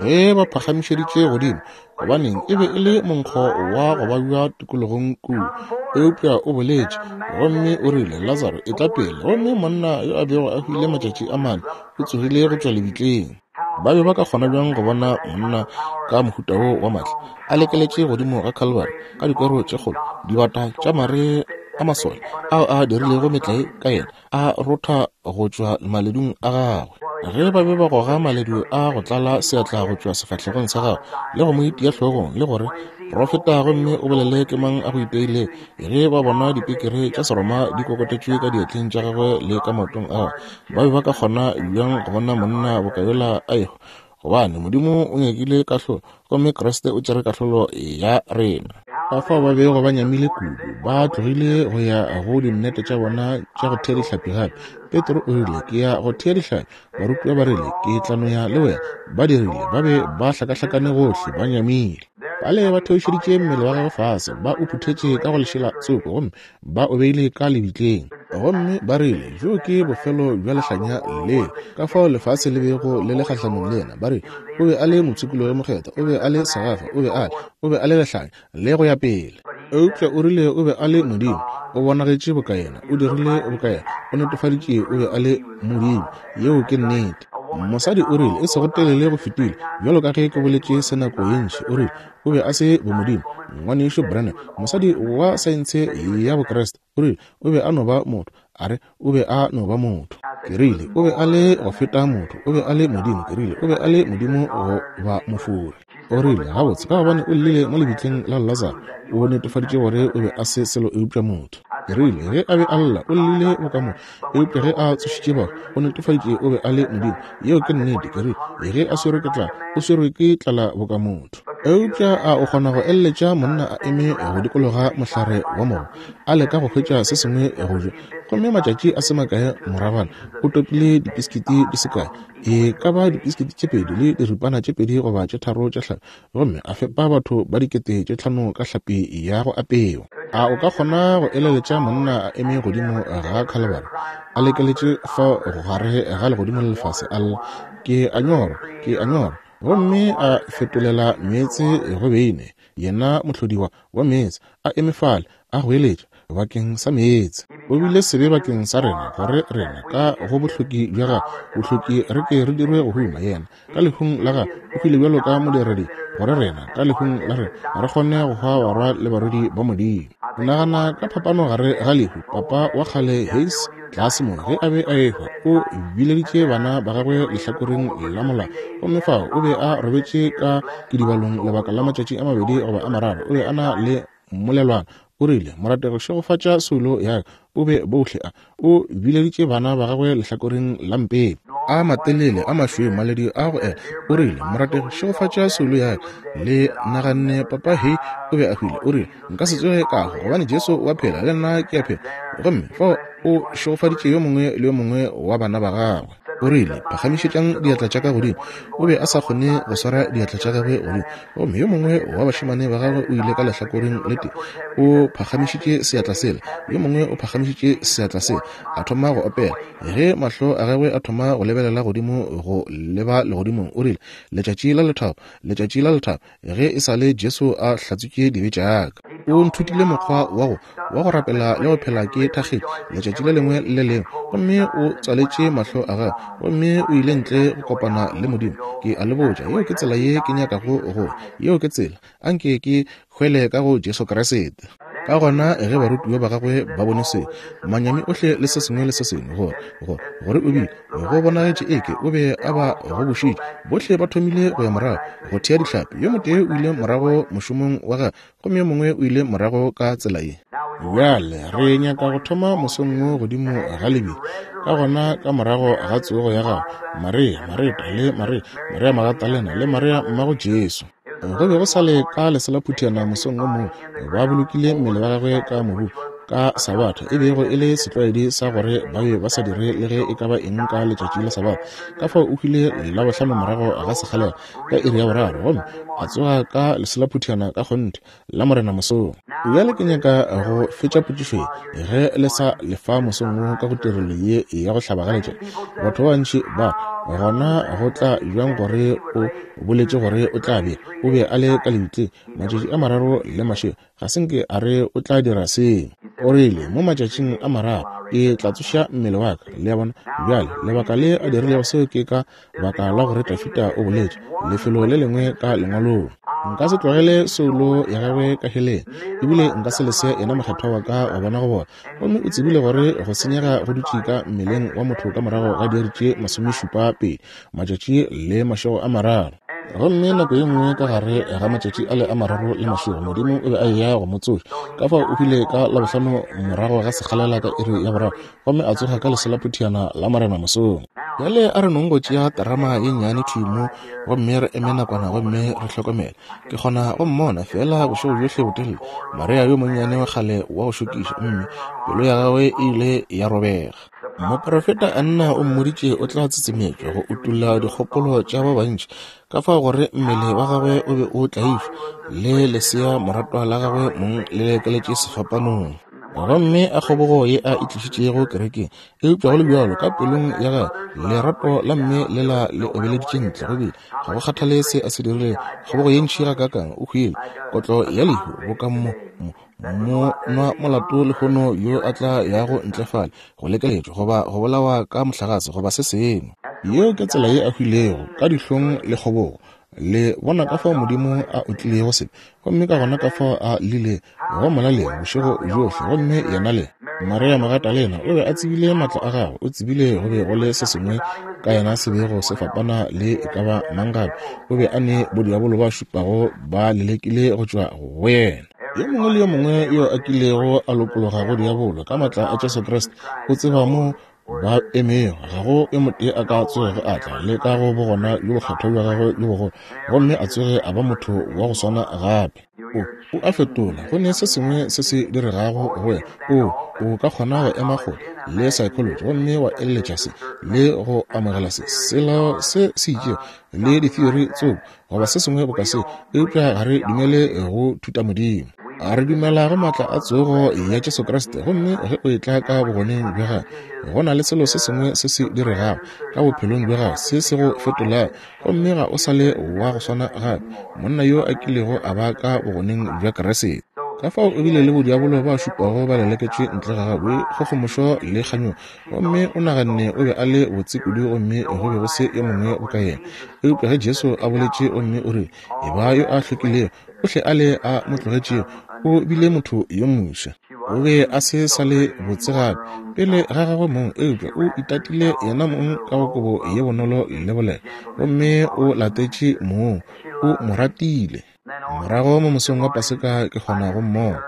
Ge ba phagamišeditše godimo, gobaneng, e be e le monkgo wa go babja tikologong kua. Eupša o boletše, gomme o rile, Lazaro, etla pele. Gomme monna yo a bego a hwile matšatši a mane o tsogile go tšwa lebitleng. Ba be ba ka kgona bjang go bona monna ka mohuta wo wa maatla a lekeletše godimo ga Calvary ka dikwero tše kgolo, dibata tša mare a masole ao a dirilego metlae ka yena a rotha go tšwa maledung a gagwe? Ge ba be ba goga maledu a go tlala seatla go tšwa sefahlegong sa gagwe le go mo itia hlogong le gore, Profeta gomme o bolele ke mang a go iteilego, ge ba bona dipikiri tša Seroma di kokotetšwe ka diatleng tša gagwe le ka maotong a gagwe, ba be ba ka kgona bjang go bona monna boka yola a ehwa? Gobane Modimo o nyakile kahlolo, gomme Kriste o tšere kahlolo ya rena. Ka fao ba bego ba nyamile kudu, ba tlogile go ya go dinnete tša bona tša go thea dihlapi gape. Petro o rile, Ke ya go thea dihlapi. Barutiwa ba rile, Ke tla no ya le wena. Ba dirile, ba be ba hlakahlakane gohle, ba nyamile. Bale ba theošeditše mmele wa gagwe fase, ba o phuthetše ka go lešela tsoko, gomme ba o beile ka lebitleng. Gomme ba rile, Bjo ke bofelo bja lehlanya le, ka fao lefase le bego le le kgahlanong le yena. Ba rile, O be a le mopshikologi mokgethwa, o be a le segafa, o be a le, o be a le lehlanya, le go ya pele. Eupša o rile o be a le Modimo, o bonagetše boka yena, o dirile boka yena, o netefaditše o be a le Modimo. Yeo ke nnete. Mosadi o rile, e sego telele go fetile, bjalo ka ge ke boletše se nako ye ntši, o rile, O be a se bomodimo. Ngwanešu Branham, mosadi wa saense ya Bokriste, o rile, O be a no ba motho. A re, O be a no ba motho. Ke rile, O be a le go feta motho. O be a le Modimo. Ke rile, O be a le Modimo go ba mofori. O rile, Gabotse, ka gobane o llile mo lebitleng la Lazaro, o netefaditše gore o be a se selo eupša motho. Ke rile, Ge a be a lla, o llile boka motho, eupša ge a tsošitše bahu, o netefaditše o be a le Modimo. Yeo ke nnete. Ke rile, Ge a swerwe ke tlala, o swerwe ke tlala boka motho. Eupša a o kgona go eleletša monna a eme go dikologa mohlare wa mogo, a leka go hwetša se sengwe go ja, gomme matšatši a se makae moragwana o topile dipiskiti di se kae, e ka ba dipiskiti tše pedi le diripana tše pedi goba tše tharo tša hlapi, gomme a fepa batho ba 5000 ka hlapi ya go apewa. A o ka kgona go eleletša monna a eme godimo ga Khalibari, a lekeletše fa gare ga legodimo le lefase, a lla, Ke a nyorwa, ke a nyorwa, gomme a fetolela meetse go beine, yena mohlodiwa wa meetse, a eme fale, a goeletša bakeng sa meetse. O bile sebe bakeng sa rena, gore rena ka go bohloki bja gagwe, bohloki re ke re dirwe go huma. Yena ka lehung la gagwe o hwile bjalo ka modiredi, gore rena ka lehung la rena re kgone go hwa barwa le barwedi ba Modimo. Nagana ka phapano gare ga lehu. Papa wa kgale Hayes tlase mo, ge a be a ehwa, o bileditše bana ba gagwe lehlakoreng la molao, gomme fao o be a robetše ka kidibalong lebaka la matšatši a mabedi goba a mararo. O be a na le mmolelwana. O rile, Morategi, šegofatša soulo ya ka. O be bohle a. O bileditše bana ba gagwe lehlakoreng la mpete. A matelele, a mašweu, maledi a go ela. O rile, Morategi, šegofatša soulo ya ka. Le naganne Papa Hay o be a hwile. O rile, Nka se tsoge ka hwa, gobane Jesu o a phela, le nna ke a phela. Gomme fao o šegofaditše yo mongwe le yo mongwe wa bana ba gagwe. O rile, Phagamišetšang diatla tša ka godimo. O be a sa kgone go swara diatla tša gagwe godimo. Gomme yo mongwe wa bašemane ba gagwe o ile ka lehlakoreng le tee, o phagamišitše seatla sela, yo mongwe o phagamišitše seatla sela, a thoma go opela. Ge mahlo a gagwe a thoma go lebelela godimo go leba legodimong, o rile, Letšatši la lethabo, letšatši la lethabo, ge e sa le Jesu a hlatswitše dibe tša ka. O nthutile mokgwa wa go wa go rapela le go phela ke thakgetše letšatši le lengwe le le lengwe. Gomme o tswaletše mahlo a gagwe gomme o ile ntle go kopana le Modimo. Ke a le botša, yeo ke tsela ye ke nyakago go. Yeo ke tsela. Anke ke hwele ka go Jesu Kriste. Ka gona ge barutiwa ba gagwe ba bone se, manyami ohle le se sengwe le se sengwe, gore, gore, gore o bile, go bonagetše eke o be a ba gobošitše. Bohle ba thomile go ya morago, go thea dihlapi. Yo motee o ile morago mošomong wa gagwe, gomme yo mongwe o ile morago ka tsela ye. Bjale re nyaka go thoma mosong wo godimo ga lebila. Ka gona ka morago ga tsogo ya gagwe, Maria, Mareta, le Maria, Maria Magatalena, le Maria mmago Jesu. Go be go sa le ka leselaphuthana mosong wo mongwe, ba bolokile mmele wa gagwe ka mobu ka Sabatha, e bego e le setlwaedi sa gore ba be ba sa dire le ge e ka ba eng ka letšatši la Sabatha. Ka fao o hwile Labohlano morago ga sekgalela ka iri ya boraro, gomme A tsoga ka leselaphutiana ka kgonthe, Lamorena mosong. Bjale ke nyaka go fetša potšišo ye, ge le sa lefa mosong wo ka go tirelo ye ya go hlaba ga letšatši. Batho ba bantši ba re, Gona go tla bjang gore o boletše gore o tla be, o be a le ka lebitleng matšatši a mararo le mašego? Ga se nke a re o tla dira seo. O rile, Mo matšatšing a mararo ke tla tsoša mmele wa ka. Le a bona? Bjale, lebaka le a dirilego seo ke ka baka la gore Dafida o boletše lefelo le lengwe ka Lengwalong. Nka se tlogele soulo ya gagwe ka heleng, ebile nka se lese yena mokgethwa wa ka wa bona go bola. Gomme o tsebile gore go senyega go dutše ka mmeleng wa motho ka morago ga diiri tše masomešupa pedi, matšatši le mašego a mararo. Gomme nako ye nngwe ka gare ga matšatši ale a mararo le mašego, Modimo o be a eya go mo tsoša. Ka fao o hwile ka Labohlano morago ga sekgalela ka iri ya boraro, gomme a tsoga ka leselaphuthiyana la Morena mosong. Bjale a re nong go tšea terama ye nnyane thwi mo, gomme re eme nakwana gomme re hlokomele. Ke kgona go mmona feela bošego bjohle botelele, Maria yo monnyane wa kgale wa go šokiša, mme pelo ya gagwe e ile ya robega. Moprofeta Anna o mmoditše o tla tsetsemetšwa go utolla dikgopolo tša ba bantši, ka fao gore mmele wa gagwe o be o tlaišwa, le lesea moratwa la gagwe mong le lekeletše sefapanong. Gomme a kgobogo ye a e tlišitšego kerekeng, eupša go le bjalo ka pelong ya gagwe lerato la mme lela le obeleditše ntle go bile ga go kgathale se a se dirilego, kgobogo ye ntši gakaakang, o hwile kotlo ya lehu boka mo, mo, mo nwa molato lehono yo a tla yago ntle fale go lekeletšwa goba go bolawa ka mohlagase goba se sengwe. Yeo ke tsela ye a hwilego, ka dihlong le kgobogo. Le bona ka fao Modimo a otlilego sebe, gomme ka gona ka fao a llile go molaleng bošego bjohle, gomme yena le Maria Magatalena o be a tsebile matla a gagwe, o tsebile go be go le se sengwe ka yena se bego se fapana le e ka ba mang gape. O be a ne bodiabolo ba šupago ba lelekile go tšwa go yena. Yo mongwe le yo mongwe yo a kilego a lokologa go diabolo ka matla a Jesu Kriste o tseba mo ba emego. Ga go yo motee a ka tsogego a tla le ka go bogona bjo bokgethwa bja gagwe bjo bogolo gomme a tsoge a ba motho wa go swana gape. O, o a fetola. Go ne se sengwe se se diregago go wena. O, o ka kgona go ema kgole le psychology gomme wa eleletša se le go amogela se, selo se se itšego le ditheory tsoko goba se sengwe boka se, eupša ga re dumele go thutamodimo. A re dumela go maatla a tsogo ya Jesu Kriste, gomme ge o etla ka bogoneng bja gagwe, go na le selo se sengwe se se diregago ka bophelong bja gago se se go fetolago, gomme ga o sa le wa go swana gape, monna yo a kilego a ba ka bogoneng bja Kriste. Ka fao o bile le bodiabolo ba šupago ba leleketšwe ntle ga gagwe, boikgogomošo le kganyogo, gomme o naganne o be a le botse kudu gomme go be go se yo mongwe boka yena. Eupša ge Jesu a boletše gomme o rile, Eba yo a hlwekilego, ohle ale a mo tlogetšego, o bile motho yo moswa. O be a se sa le botse gape pele ga gagwe mong, eupša o itatile yena mong ka go kobo ye bonolo le boleta, gomme o latetše mong, o mo ratile. Morago mo mosong wa Paseka ke kgona go mmona.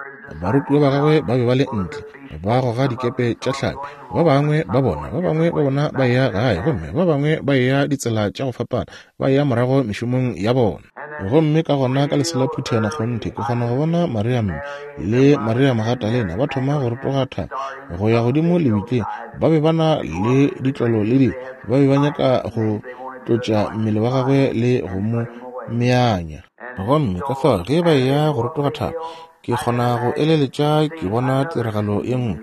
Barutiwa ba gagwe ba be ba le ntle ba goga dikepe tša hlapi. Ba bangwe ba bona, ba bangwe ba bona ba eya gae, gomme ba bangwe ba eya ditsela tša go fapana, ba eya morago mešomong ya bona. Gomme ka gona ka lesela phuthana kgonthe ke kgona go bona Maria mme le Maria Magatalena ba thoma go rotoga thaba go ya godimo lebitleng. Ba be ba na le ditlolo le dilo, ba be ba nyaka go tlotša mmele wa gagwe le go mo meanya. Gomme ka fao ge ba eya go rotoga thaba, ke kgona go eleletša ke bona tiragalo ye nngwe.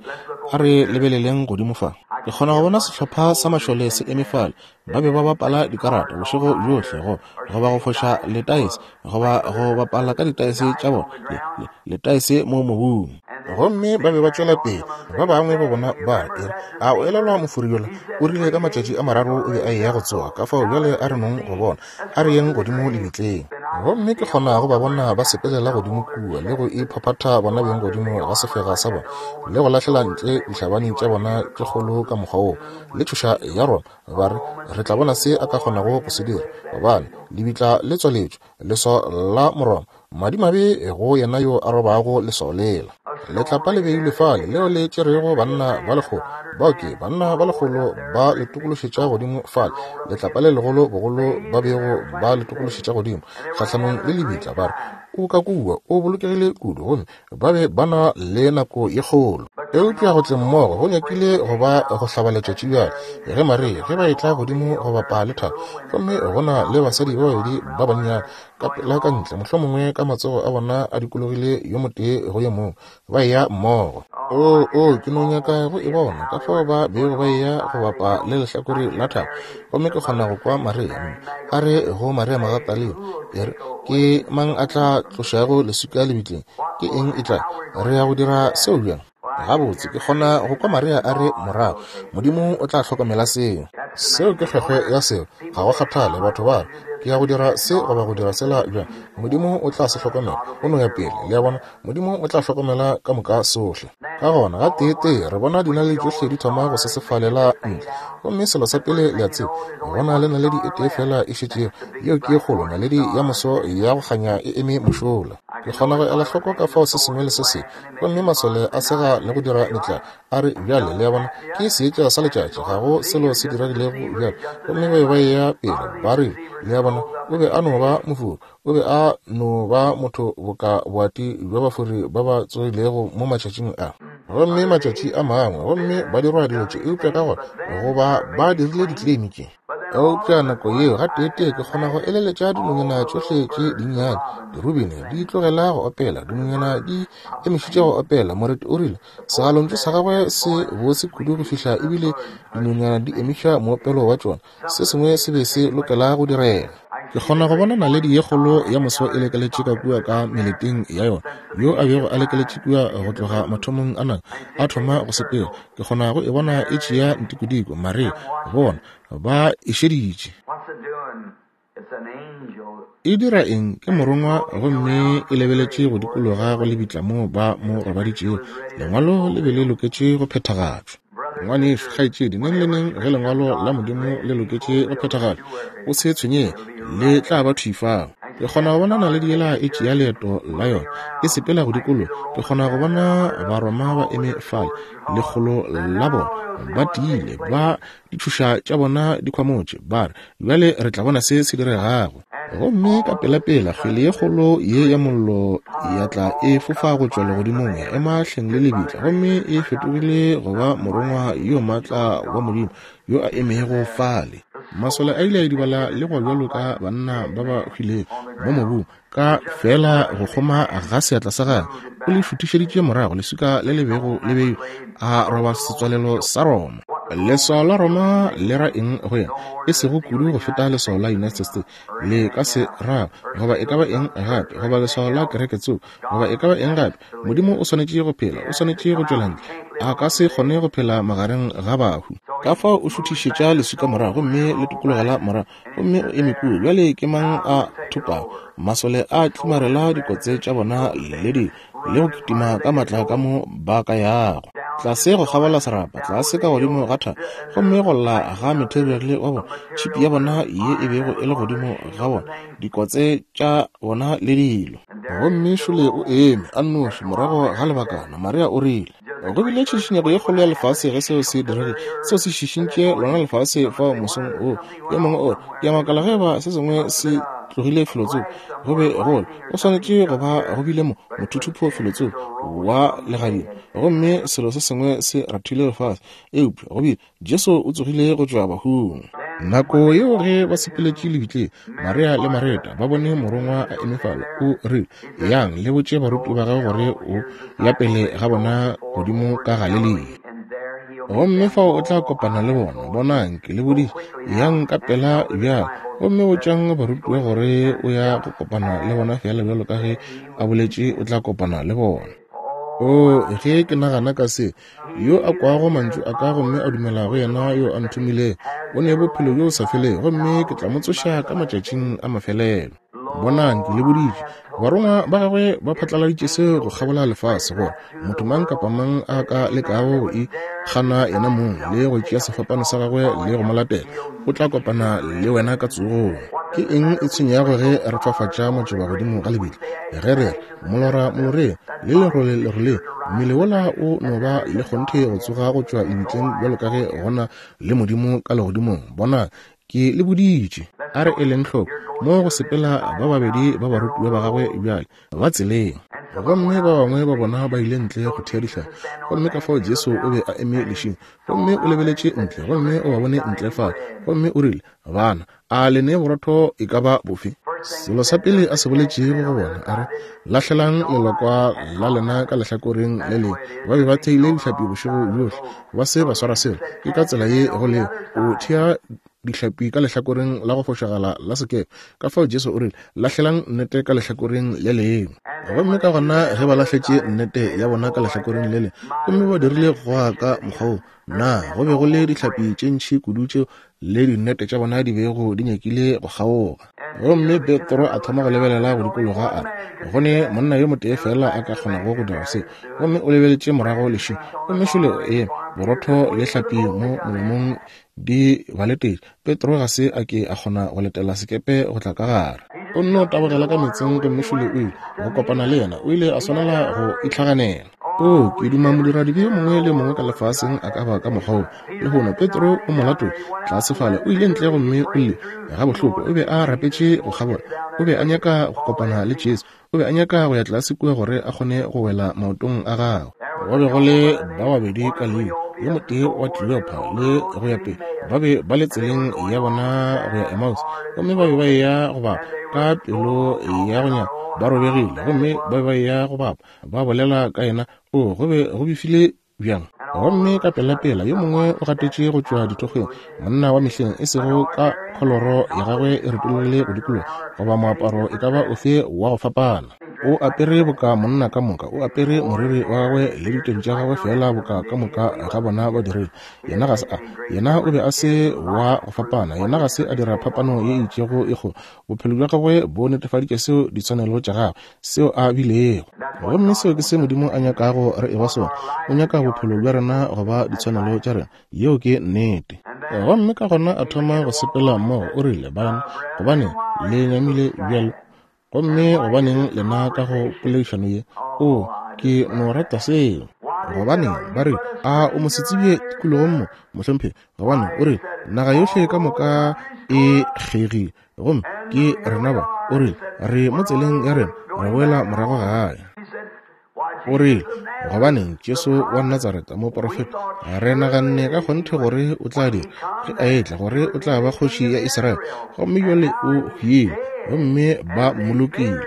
A re lebeleleng godimo fa. Ke kgona go bona sehlopha sa mašole se eme fale. Ba be ba bapala dikarata bošego bjohle, go, goba go foša letaese, goba go bapala ka ditaese tša bona, le, le, letaese mo mobung. Gomme ba be ba tšwela pele, ba bangwe ba bona ba re, A o elelwa mofori yola? O rile ka matšatši a mararo o be a eya go tsoga, ka fao bjale a re nong go bona. A re yeng godimo lebitleng. Gomme ke kgona go ba bona ba sepelela godimo kua le go iphaphatha bona beng godimo ga sefega sa bona, le go lahlela ntle dihlabani tša bona tše kgolo ka mokgwa woo, le tšhoša ya Roma, ba re, Re tla bona se a ka kgonago go se dira, gobane lebitla le tswaletšwe, leswao la Moroma, Madimabe go yena yo a robago leswao lela. Letlapa le beilwe fale leo le tšerego banna ba lekgolo. Bao ke banna ba lekgolo ba le tokološetša godimo fale, letlapa le legolo bogolo ba bego ba le tokološetša godimo kgahlanong le lebitla, ba re, O ka kua, o bolokegile kudu, gomme ba be ba na le nako ye kgolo. Eupša go tleng mmogo go nyakile go ba go hlaba letšatši bjale, ge Maria, ge ba etla godimo go bapa le thaba, gomme go na le basadi ba babedi ba bannyane ka pela ka ntle, mohlomongwe ka matsogo a bona a dikologile yo motee go yo mongwe, ba eya mmogo. Oo, oo, ke no nyaka go e bona, ka fao ba bego ba eya go bapa le lehlakore la thaba. Gomme ke kgona go kwa Maria a re go Maria Magatalena, e re, Ke mang a tla tlošago leswika lebitleng? Ke eng e tla? Re ya go dira seo bjang? Gabotse, ke kgona go kwa Maria a re morago, Modimo o tla hlokomela seo. Seo ke kgwekgwe ya seo. Ga go kgathale batho ba re, Ke ya go dira se goba go dira sela bjang. Modimo o tla se hlokomela. O no ya pele. Le a bona? Modimo o tla hlokomela ka moka sohle. Ka gona, gateetee re bona dinaledi tšohle di thoma go sesefalela ntle. Gomme selo sa pele le a tseba, go na le naledi e tee feela e šetšego, yeo ke ye kgolo, naledi ya moso ya go kganya e eme mošola. Ke kgona go ela hloko ka fao se sengwe le se sengwe. Gomme masole a sega le go dira metlae, a re, Bjale, le a bona, ke seetša sa letšatši, ga go selo se diregilego bjale. Gomme ba be ba eya pele, ba rile, Le a bona, o be a no ba mofori. O be a no ba motho boka boati bja bafori ba ba tsogilego mo matšatšing a. Gomme matšatši a mangwe, gomme ba dirwa dilo tše, eupša ka gore go ba ba dirile ditleimi tše. Eupša nako yeo gateetee ke kgona go eleletša dinonyana tšohle tše dinnyane, dirubini, di tlogela go opela, dinonyana di emišitše go opela. Moreti o rile, Segalontšu sa gagwe se bose kudu go fihla ebile dinonyana di emiša moopelo wa tšona. Se sengwe se be se lokela go direga. Ke kgona go bona naledi ye kgolo ya moso e lekeletše ka kua ka meleteng ya yona, yo a bego a lekeletše kua go tloga mathomong a nako, a thoma go sepela. Ke kgona go e bona e tšea ntikodiko, Maria, bona, ba e šeditše. E dira eng? Ke morongwa, gomme e lebeletše go dikologa go lebitla moo ba mo robaditšego. Lengwalo le be le loketše go phethagatšwa. Ngwanešu, kgaetšedi, neng le neng ge Lengwalo la Modimo le loketše go phethagatšwa, o se tshwenyege, le tla ba thwi fao. Ke kgona go bona naledi yela e tšea leeto la yona, e sepela go dikologa. Ke kgona go bona Baroma ba eme fale, lekgolo la bona, ba tiile, ba ditšhoša tša bona di khwamotše, ba re, Bjale re tla bona se se diregago. Gomme ka pelapela kgwele ye kgolo ye ya mollo ya tla e fofa go tšwa legodimong ya ema hleng le lebitla, gomme e fetogile go ba morongwa yo maatla wa Modimo yo a emego fale. Masole a ile a idibala le go bjalo ka banna ba ba hwilego mo mobung, ka feela go kgoma ga seatla sa gagwe o le šuthišeditše morago leswika le le bego le beilwe, a roba setswalelo sa Roma. Leswao la Roma le ra eng go yena? E sego kudu go feta leswao la United States le ka se ra, goba e ka ba eng gape, goba leswao la kereke tsoko, goba e ka ba eng gape. Modimo o swanetše go phela, o swanetše go tšwela ntle. A ka se kgone go phela magareng ga bahu. Ka fao o šuthišetša leswika morago gomme le tokologela morago, gomme o eme kua. Bjale ke mang a thopago? Masole a tlimarela dikotse tša bona le di le go kitima ka matla ka mo ba ka yago tlase go kgabola serapa, tlase ka godimo ga thaba, gomme go lla ga materiale wa bona, tšhipi ya bona ye e bego e le godimo ga bona, dikotse tša bona le dilo. Gomme šole o eme a nnoši. Morago ga lebakana, Maria o rile, Go bile tšhišinyego ye kgolo ya lefase ge seo se diregile. Seo se šišintše lona lefase fao mosong wo. Yo mongwe o re, Ke a makala ge eba se sengwe se tlogile felotsoko. Go be go le, go swanetše go ba go bile mo, mothuthupo felotsoko wa legadima, gomme selo se sengwe se rathile lefase. Eupša go bile, Jesu o tsogile go tšwa bahung. Nako yeo ge ba sepeletše lebitleng, Maria le Mareta ba bone morongwa a eme fale. O rile, Yang le botše barutiwa ba gagwe gore o ya pele ga bona godimo ka Galilea, gomme fao o tla kopana le bona. Bonang, ke le boditše. Yang ka pela bjale, gomme botšang barutiwa gore o ya go kopana le bona feela bjalo ka ge a boletše o tla kopana le bona. Oo, ge ke nagana ka se, Yo a kwago mantšu a ka gomme a dumela go yena yo a nthomilego, o ne bophelo bjo sa felego, gomme ke tla mo tsoša ka matšatšing a mafelelo. Bonang, ke le boditše. Barongwa ba gagwe ba phatlaladitše se go kgabola lefase, gore motho mang kapa mang a ka lekago go ikgana yena mong le go tšea sefapano sa gagwe le go mo latela, o tla kopana le wena ka tsogong. Ke eng e tshwenyago ge re fafatša matšoba godimo ga lebitla? Ge re re, Molora moloreng, le lerole leroleng, mmele wola o no ba le kgonthe go tsoga go tšwa lebitleng bjalo ka ge gona le Modimo ka legodimong. Bona, ke le boditše. A re eleng hloko mo go sepela ba babedi ba barutiwa ba gagwe bjale, ba tseleng. Gomme ba bangwe ba bona ba ile ntle go thea dihlapi. Gomme ka fao Jesu o be a eme lešing, gomme o lebeletše ntle, gomme o ba bone ntle fale, gomme o rile, Bana, a le ne borotho e ka ba bofe? Selo sa pele a se boletšego go bona, a re, Lahlelang lelokwa la lena ka lehlakoreng le lengwe. Ba be ba theile dihlapi bošego bjohle, ba se ba swara selo. Ke ka tsela ye go lego. O thea dihlapi ka lehlakoreng la go fošagala la sekepe. Ka fao Jesu o rile, Lahlelang nnete ka lehlakoreng le lengwe. Gomme ka gona ge ba lahletše nnete ya bona ka lehlakoreng le lengwe, gomme ba dirile go goga ka mokgwa wo, na go be go le dihlapi tše ntši kudu tšeo le dinnete tša bona di bego di nyakile go kgaoga. Gomme Petro a thoma go lebelela go dikologa, a re, Go ne monna yo motee feela a ka kgonago go dira se. Gomme o lebeletše morago lešing, gomme šole o eme, borotho le hlapi mo molomong di ba letetše. Petro ga se a ke a kgona go letela sekepe go tla ka gare. O nno tabogela ka meetseng gomme šole o ile go kopana le yena. O ile a swanela go itlhaganela. Oo, ke duma modiradibe yo mongwe le yo mongwe ka lefaseng a ka ba ka mokgwa wo. Lehono Petro o molato tlase fale, o ile ntle gomme o lle gabohloko. O be a rapetše go kgabola. O be a nyaka go kopana le Jesu. O be a nyaka go ya tlase kua gore a kgone go wela maotong a gagwe. Go be go le ba babedi ka leo, yo motee wa Kleopa le go ya pele. Ba be ba le tseleng ya bona go ya Emmaus, gomme ba be ba eya go bapa ka pelo ya go nyama, ba robegile, gomme ba be ba eya go bapa, ba bolela ka yena. O, go be go befile bjang! Gomme ka pelapela yo mongwe o gatetše go tšwa dithokgweng, monna wa mehleng, e sego ka kholoro ya gagwe e retologile go dikologa, goba moaparo e ka ba ofe wa go fapana. O apere boka monna ka moka, o apere moriri wa gagwe le diteng tša gagwe feela boka ka moka ga bona ba dirile. Yena ga se a, yena o be a se wa go fapana, yena ga se a dira phapano ye e itšego e kgolo. Bophelo bja gagwe bo netefaditše seo ditshwanelo tša gagwe, seo a bilego. Gomme seo ke se Modimo a nyakago re eba sona. O nyaka bophelo bja rena go ba ditshwanelo tša rena. Yeo ke nnete. Gomme ka gona a thoma go sepela mmogo, o rile, Bana, gobaneng le nyamile bjalo? Gomme gobaneng lena ka go poledišano ye? Oo, ke no rata seo. Gobaneng, ba rile, a o mosetsebje tikologong mo, mohlomphegi? Gobane o rile, naga yohle ka moka e kgegile. Gomme ke rena ba, o rile, re mo tseleng ya rena re boela morago gae. O rile, gobaneng, Jesu wa Natsaretha, moprofeta, re naganne ka kgonthe gore o tla dira, ge a etla, gore o tla ba kgoši ya Israele. Gomme bjale o hwile, gomme ba mmolokile,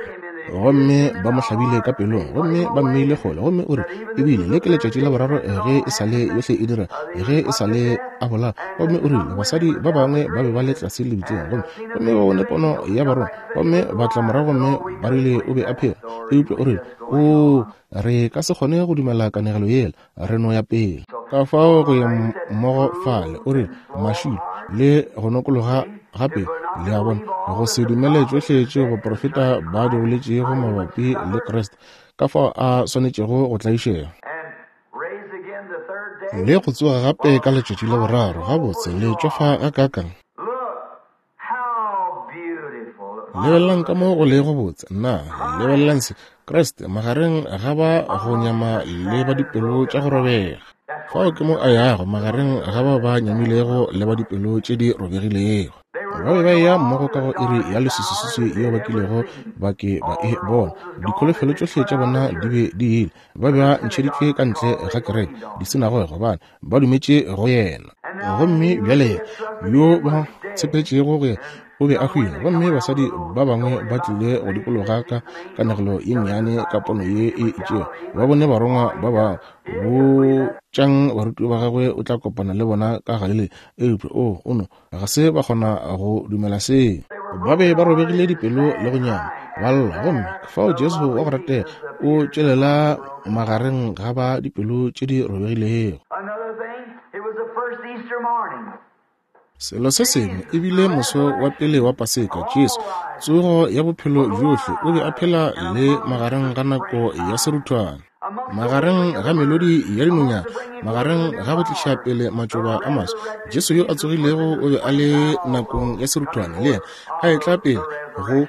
gomme ba mo hlabile ka pelong, gomme ba mmeile kgole. Gomme o re, ebile le ke letšatši la boraro ge e sa le yohle e dira, ge e sa le a bolaya. Gomme o rile, basadi ba bangwe ba be ba le tlase lebitleng, gomme, gomme ba bone pono ya barongwa, gomme ba tla morago gomme ba rile o be a phela. Eupša o rile, Oo, re ka se kgone go dumela kanegelo yela, re no ya pele. Ka fao go ya mmogo fale, o rile, mašilo le go nokologa gape, le a bona, go se dumele tšohle tšeo baprofeta ba di boletšego mabapi le Kriste, ka fao a swanetšego go tlaišega le go tsoga gape ka letšatši la boraro. Gabotse, le tšofa gakaakang? Lebelelang ka mo go lego botse. Nna, lebelelang se. Kriste magareng ga ba go nyama le ba dipelo tša go robega. Fao ke mo a yago, magareng ga ba ba nyamilego le ba dipelo tše di robegilego. Ba be ba eya mmogo ka go iri ya leswiswiswiswi yeo ba kilego ba ke ba e bona. Dikholofelo tšohle tša bona di be di ile. Ba be ba ntšheditšwe ka ntle ga kereke, disinagoge, gobane ba dumetše go yena. Gomme bjale yo ba tshepetšego go yena o be a hwile. Gomme basadi ba bangwe ba tlile go dikologa ka kanegelo ye nnyane, ka pono ye e itšego. Ba bone barongwa ba ba botšang barutiwa ba gagwe o tla kopana le bona ka Galilea. Eupša o, o no, ga se ba kgona go dumela seo. Ba be ba robegile dipelo le go nyama, ba lla. Gomme fao Jesu wa go ratega o tšwelela magareng ga ba dipelo tše di robegilego. Selo se sengwe, e bile moso wa pele wa Paseka, Jesu, tsogo ya bophelo bjohle, o be a phela le magareng ga nako ya seruthwane, magareng ga melodi ya dinonyana, magareng ga go tliša pele matšoba a maswa. Jesu yo a tsogilego o be a le nakong ya seruthwane le yena, a etla pele go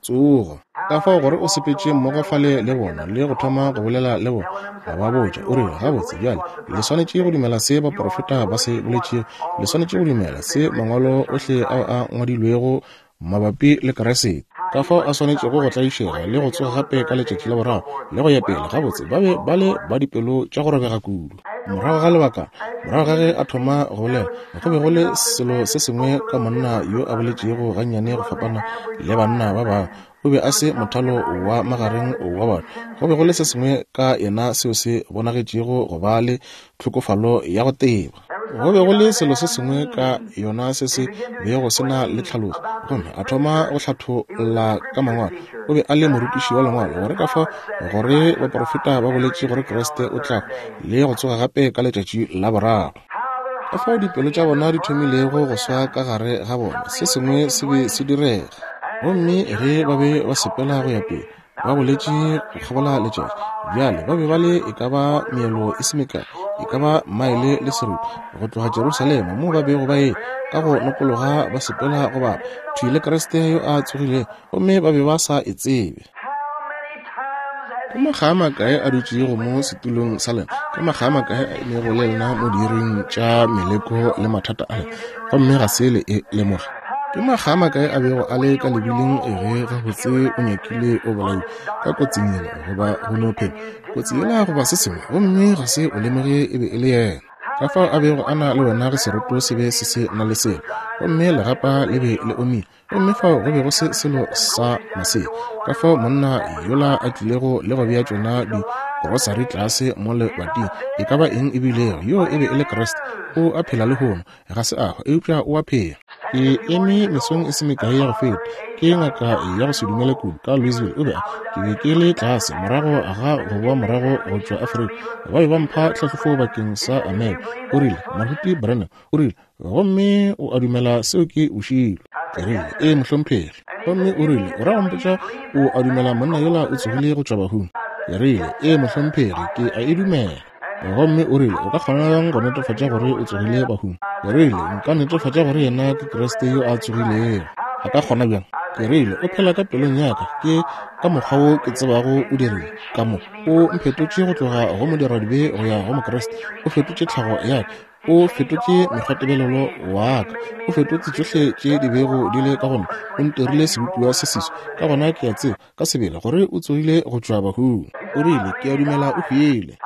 tsogo. Ka fao gore o sepetše mmogo fale le bona le go thoma go bolela le bona, a ba botša, o rile, Gabotse, bjale, le swanetše go dumela se baprofeta ba se boletšego. Le swanetše go dumela se Mangwalo ohle ao a ngwadilwego mabapi le Kriste, ka fao a swanetšego go tlaišega le go tsoga gape ka letšatši la boraro, le go ya pele. Gabotse, ba be ba le ba dipelo tša go robega kudu. Morago ga lebakana, morago ga ge a thoma go bolela, go be go le selo se sengwe ka monna yo a boletšego gannyane go fapana le banna ba bangwe. O be a se mothalo wa magareng wa batho. Go be go le se sengwe ka yena seo se bonagetšego go ba le tlhokofalo ya go teba. Go be go le selo se sengwe ka yona se se bego se na le tlhaloso. Gomme a thoma go hlatholla ka Mangwalo. O be a le morutiši wa Lengwalo, gore ka fao gore baprofeta ba boletše gore Kriste o tla le go tsoga gape ka letšatši la boraro. Ka fao dipelo tša bona di thomilego go swa ka gare ga bona, se sengwe se be se direga. Gomme ge ba be ba sepela go ya pele, ba boletše go kgabola letšatši. Bjale ba be ba le e ka ba meelo e se mekae, e ka ba maele le seripa go tloga Jerusalema, moo ba bego ba e ka go nokologa ba sepela go bapa thwi le Kriste yo a tsogilego, gomme ba be ba sa e tsebe. Ke makga a makae a dutšego mo setulong sa lena, ke makga a makae a emego le lena mo diiring tša meleko le mathata a lena, gomme ga se le e lemoge. Ke makga a makae a bego a le ka lebiling ge gabotse o nyakile o bolaiwa ka kotsing yela goba go no phema kotsi yela goba se sengwe, gomme ga se o lemoge e be e le yena. Ka fao a bego a na le wena ge seroto se be se se na le selo, gomme legapa le be le omile, gomme fao go be go se selo sa masea. Ka fao monna yola a tlilego le go bea tšona digrosari tlase mo lebating, e ka ba eng e bilego, yoo e be e le Kriste. O a phela lehono. Ga se a hwa, eupša o a phela. Ke eme mesong e se mekae ya go feta, ke ngaka ya go se dumele kudu ka Louisville. O be a, ke be ke le tlase morago ga go boa morago go tšwa Afrika. Ba be ba mpha tlhahlofo bakeng sa ameba. O rile, Moruti Branham, o rile, gomme o a dumela seo ke bošilo? Ke rile, Ee, mohlomphegi. Gomme o rile, O ra go mpotša o a dumela monna yola o tsogile go tšwa bahung? Ke rile, Ee, mohlomphegi, ke a e dumela. Gomme o rile, O ka kgona bjang go netefatša gore o tsogile bahung? Ke rile, Nka netefatša gore yena ke Kriste yo a tsogilego. A ka kgona bjang? Ke rile, O phela ka pelong ya ka. Ke ka mokgwa wo ke tsebago o dirile. Ka mo o mphetotše go tloga go modiradibe go ya go Mokriste. O fetotše tlhago ya ka. O fetotše mekgwatebelelo wa ka. O fetotše tšohle tše di bego di le ka go nna. O ntirile sebopiwa se seswa. Ka gona ke a tseba ka sebele gore o tsogile go tšwa bahung. O rile, Ke a dumela o hwile.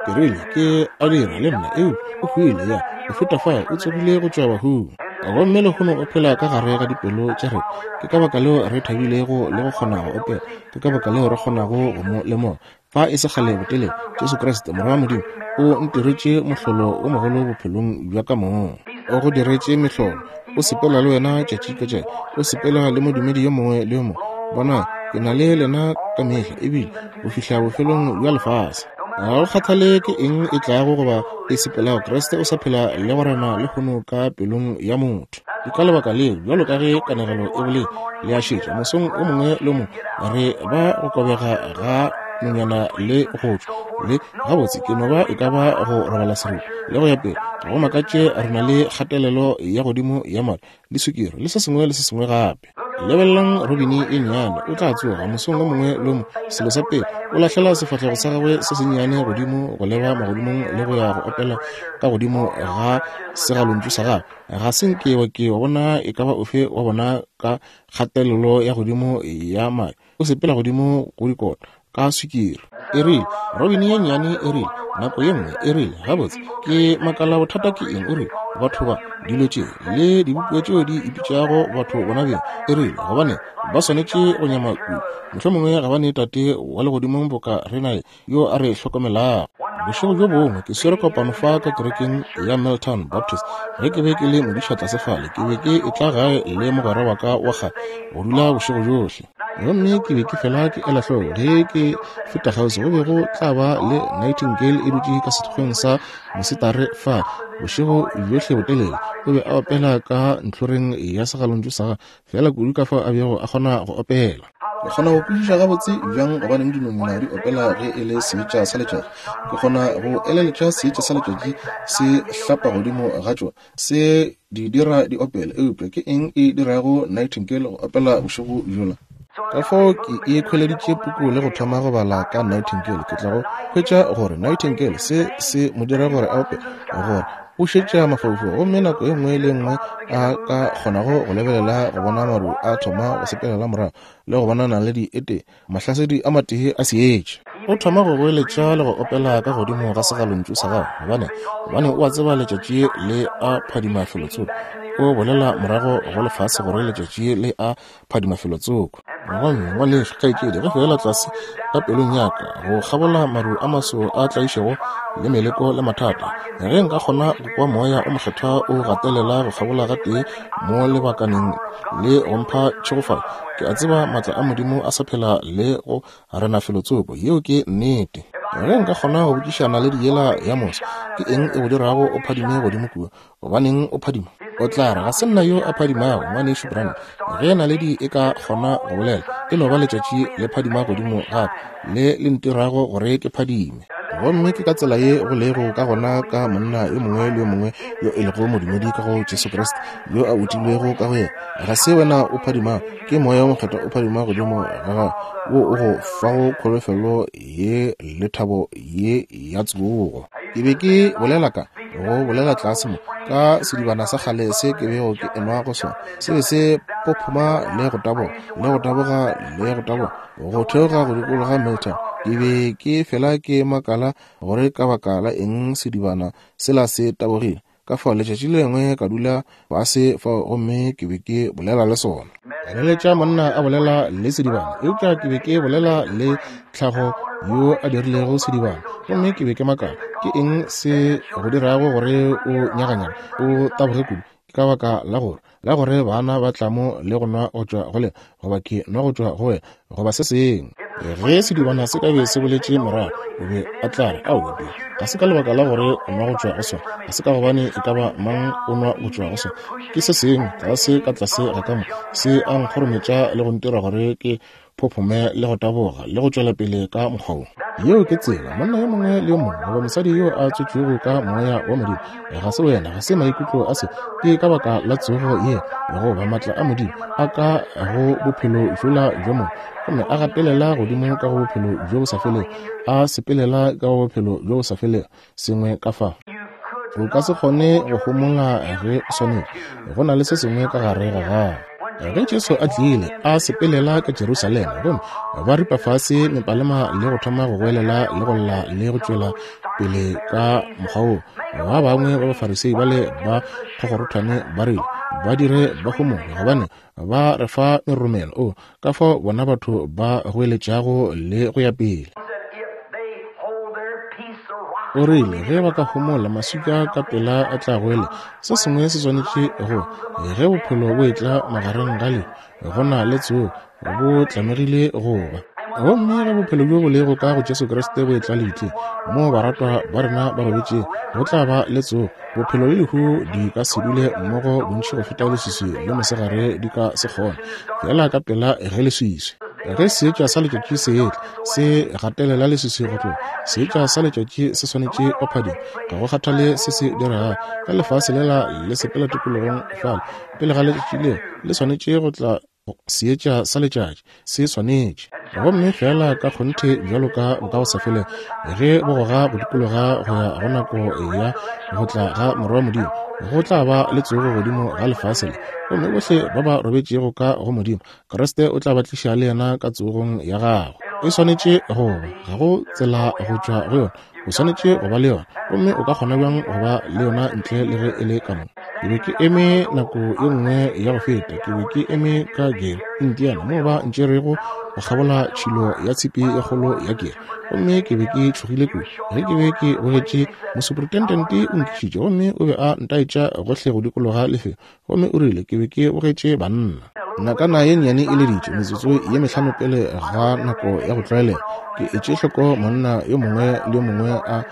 Ke rile, Ke a dira le nna, eupša o hwile, ya, go feta fao, o tsogile go tšwa bahung. Gomme lehono o phela ka gare ga dipelo tša rena. Ke ka baka leo re thabilego le go kgona go opela. Ke ka baka leo re kgonago go mo lemoga. Fa e se kgale botelele, Jesu Kriste, Morwa wa Modimo, o ntiretše mohlolo o mogolo bophelong bja ka mong. O go diretše mehlolo. O sepela le wena tšatši ka tšatši. O sepela le modumedi yo mongwe le yo mongwe. Bona, ke na le lena ka mehla, ebile go fihla bofelong bja lefase. Ga go kgathale ke eng e tlago goba e sepelago, Kriste o sa phela le go rena lehono ka pelong ya motho. Ke ka lebaka leo, bjalo ka ge kanegelo e boletše, le a šetša, mosong o mongwe le o mongwe re ba go kobega ga nonyana le go tšwa le gabotse ke no ba e ka ba go robala seripa le go ya pele. Ga go makatše re na le kgatelelo ya godimo ya madi le sukiri le se sengwe le se sengwe gape. Lebelelang robini e nnyane, o tla tsoga mosong o mongwe le o mongwe, selo sa pele o lahlela sefahlego sa gagwe se sennyane godimo go leba magodimong le go ya go opela ka godimo ga segalontšu sa gagwe. Ga se nke wa ke wa bona e ka ba ofe wa bona ka kgatelelo ya godimo ya madi, o sepela godimo go dikota ka swikiri. E rile, Robini ye nnyane e rile, nako ye nngwe, e rile, Gabotse, ke makala bothata ke eng? O rile, Batho ba, dilo tše, le dibopiwa tšeo di ipitšago batho bona beng, e rile, gobane ba swanetše go nyama kudu. Mohlomongwe ga ba ne Tate wa Legodimong boka re naye, yo a re hlokomelago. Bošego bjo bongwe ke swere kopano fa ka kerekeng ya Milltown Baptist. Ge ke be ke le modiša tlase fale, ke be ke etla gae le mogwera wa ka wa kgale go dula bošego bjohle. Gomme ke be ke fela ke ela hloko ge ke feta kgauswi go be go tla ba le nightingale e dutše ka sethokgweng sa mosetare fa bošego bjohle botelele. O be a opela ka ntlhoreng ya segalontšu sa gagwe, fela kudu ka fao a bego a kgona go opela. Ke kgona go kwešiša gabotse bjang gobaneng dinonyana di opela ge e le seetša sa letšatši. Ke kgona go eleletša seetša sa letšatši se hlapa godimo ga tšona, se di dira di opele. Eupša ke eng e dirago nightingale go opela bošego bjola? Ka fao ke ikhweleditše puku le go thoma go bala ka nightingale. Ke tla go hwetša gore nightingale se se mo dira gore a opele, gore o šetša mafaufau, gomme nako e nngwe le e nngwe a ka kgonago go lebelela go bona maru a thoma go sepelela morago le go bona naledi e tee, mahlasedi a matee a seetša. O thoma go goeletša le go opela ka godimo ga segalontšu sa gagwe, gobane, gobane o a tseba letšatši le a phadima felotsoko. O bolela morago go lefase gore letšatši le a phadima felotsoko. Gomme, ngwanešu, kgaetšedi, ge feela tlase ka pelong ya ka, go kgabola maru a maso a tlaišego le meleko le mathata, ge nka kgona go kwa Moya o Mokgethwa o gatelela go kgabola gatee mo lebakaneng le go mpha tšhegofalo, ke a tseba maatla a Modimo a sa phela le go rena felotsoko. Yeo ke nnete. Ge nka kgona go botšiša naledi yela ya moso, ke eng e go dirago o phadime godimo kua? Gobaneng o phadima? O tla re, Ga se nna yo a phadimago, Ngwanešu Branham. Ge naledi e ka kgona go bolela, e no ba letšatši le phadima godimo gape, le le ntirago gore ke phadime. Gomme ke ka tsela ye go lego ka gona ka monna yo mongwe le yo mongwe yo e lego modumedi ka go Jesu Kriste, yo a utilwego ka go yena. Ga se wena o phadimago, ke Moya wo Mokgethwa o phadima godimo ga gago, wo o go fago kholofelo ye le thabo ye ya tsogo. Ke be ke bolela ka go bolela tlase mo ka sedibana sa kgale se ke bego ke enwa go sona. Se be se phophoma le go taboga le go taboga le go taboga go theoga go dikologa Milltown. Ke be ke fela ke makala gore ka baka la eng sedibana sela se tabogile. Ka fao letšatši le lengwe ka dula fase fao gomme ke be ke bolela le sona. Ka leletša monna a bolela le sedibana, eupša ke be ke bolela le tlhago yo a dirilego sedibana. Gomme ke be ke makala, ke eng se go dirago gore o nyaganyaga, o taboge kudu? Ke ka baka la gore, la gore bana ba tla mo le go nwa go tšwa go lena, goba ke nwa go tšwa go wena, goba se sengwe. Ge sedibana se ka be se boletše morago, o be a tla re, Aowa, Bill, ga se ka lebaka la gore o nwa go tšwa go sona, ga se ka gobane e ka ba mang o nwa go tšwa go sona. Ke se sengwe tlase ka tlase ga ka mo, se a nkgorometša le go ntira gore ke phophome le go taboga le go tšwela pele ka mokgwa wo. Yeo ke tsela monna yo mongwe le yo mongwe goba mosadi yo a tswetšwego ka moya wa Modimo. Ga se wena, ga se maikutlo a se, ke ka baka la tsogo ye goba matla a Modimo a ka go bophelo bjola bjo mongwe, gomme a gatelela godimo ka go bophelo bjo bo sa felego, a sepelela ka go bophelo bjo bo sa felego, sengwe ka fa. O ka se kgone go homola ge o swanetše. Go na le se sengwe ka gare ga gago. Ge Jesu a tlile, a sepelela ka Jerusalema, gomme ba ripa fase mepalema le go thoma go goelela le go lla le go tšwela pele ka mokgwa woo, ba bangwe ba Bafarisei bale ba kgokgorothwane ba rile, Ba dire ba homole, gobane ba re fa meromelo. O, ka fao bona batho ba goeletšago le go ya pele. O rile, ge ba ka homola, maswika ka pela a tla goele. Se sengwe se swanetše go, ge bophelo bo etla magareng ga lehu, go na le tsogo, bo tlamegile go ba. Gomme ge bophelo bjo bo lego ka go Jesu Kriste bo etla lebitleng, moo baratwa ba rena ba robetšego, go tla ba le tsogo. Bophelo le lehu di ka se dule mmogo bontši go feta leswiswi le mosegare di ka se kgone, feela ka pela ge leswiswi. Ge seetša sa letšatši se etla, se gatelela leswiswi go tloga. Seetša sa letšatši se swanetše go phadima, ga go kgathale se se diregago. Ge lefase lela le sepela tikologong fale, pele ga letšatši leo, le swanetše go tla seetša sa letšatši, se swanetše. Gomme feela ka kgonthe bjalo ka Bokagosafelego, ge bo goga go dikologa go ya go nako ya go tla ga Morwa wa Modimo, go tla ba le tsogo godimo ga lefase le, gomme bohle ba ba robetšego ka go Modimo, Kriste o tla ba tliša le yena ka tsogong ya gagwe. E swanetše go ba, ga go tsela go tšwa go yona. O swanetše go ba le yona. Gomme o ka kgona bjang go ba le yona ntle le ge e le ka mo? Ke be ke eme nako ye nngwe ya go feta, ke be ke eme ka Gary, Indiana, moo ba ntšerego go kgabola tšhilo ya tshipi ye kgolo ya kere. Gomme ke be ke tšhogile kudu. Ge ke be ke bogetše, mosuprintendente o nkišitše gomme o be a ntaetša gohle go dikologa lefelo. Gomme o rile ke be ke bogetše banna. Nakana ye nnyane e leditše, metsotso ye mehlano pele ga nako ya go tlwaelega. Ke etše hloko monna yo mongwe le yo mongwe a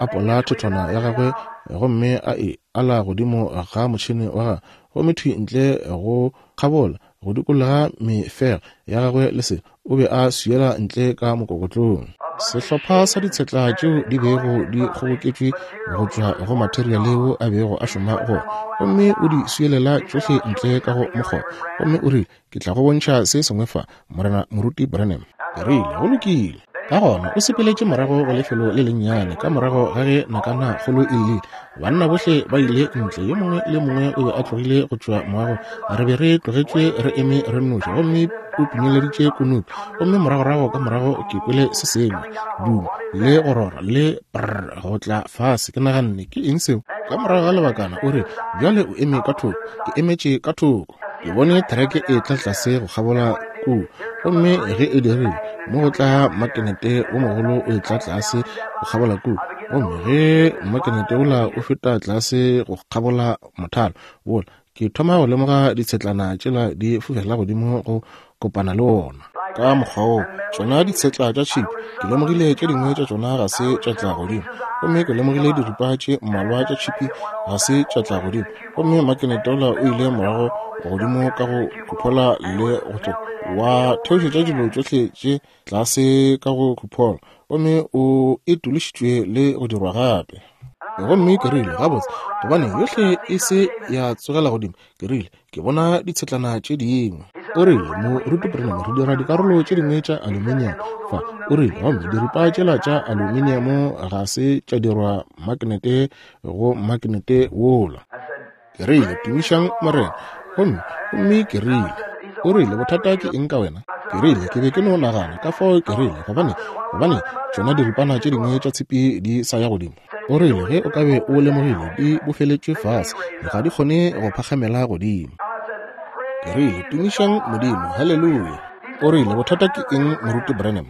apola thethwana ya gagwe gomme a e ala godimo ga motšhene wa gagwe, gomme thwi ntle go kgabola. go dikologa mefega ya gagwe le se, o be a swiela ntle ka mokokotlong. Sehlopha sa ditshetla tšeo di bego di kgoboketšwe go tšwa go materiale wo a bego a šoma go, gomme o di swielela tšohle ntle ka go mokgoba. Gomme o rile, Ke tla go bontšha se sengwe fa, Morena Moruti Branham. Ke rile, Go lokile. Ka gona o sepeletše morago go lefelo le lennyane ka morago ga ge nakana kgolo e llile. Banna bohle ba ile ntle, yo mongwe le yo mongwe o be a tlogile go tšwa moagong. Re be re tlogetšwe re eme re nnoši, gomme o pinyeleditše kunupi. Gomme moragorago ka morago ke kwele se sengwe, dumo le go rora le prr go tla fase. Ke naganne, Ke eng seo? Ka morago ga lebakana o re, Bjale o eme ka thoko. Ke emetše ka thoko. Ke bone thereke e tla tlase go kgabola kua, gomme ge e dirile, mo go tla makenete wo mogolo o etla tlase go kgabola kua, gomme ge makenete wola o feta tlase go kgabola mothalo wola, ke thoma go lemoga ditshetlana tšela di fofela godimo go kopana le wona. Ka mokgwa woo, tšona ditshetla tša tšhipi, ke lemogile tše dingwe tša tšona ga se tša tla godimo, gomme ke lemogile diripa tše mmalwa tša tšhipi ga se tša tla godimo, gomme makenete wola o ile morago godimo ka go khuphola le go tloga, wa theošetša dilo tšohle tše tlase ka go khuphola, gomme o e tološitšwe le go dirwa gape. Gomme ke rile, Gabotse, gobane yohle e se ya tsogela godimo, ke rile, Ke bona ditshetlana tše dingwe. O rile, Moruti Branham, re dira dikarolo tše dingwe tša aluminium fa. O rile, Gomme diripa tšela tša aluminium ga se tša dirwa makenete go makenete wola. Ke rile, Tumišang Morena. Gomme, gomme ke rile, O rile, Bothata ke eng ka wena? Ke rile, Ke be ke no nagana. Ka fao ke rile, Gobane, gobane tšona diripana tše dingwe tša tshipi di sa ya godimo. O rile, Ge o ka be o lemogile, di bofeletšwe fase, ga di kgone go phagamela godimo. Ke rile, Tumišang Modimo! Haleluya! O rile, Bothata ke eng, Moruti Branham?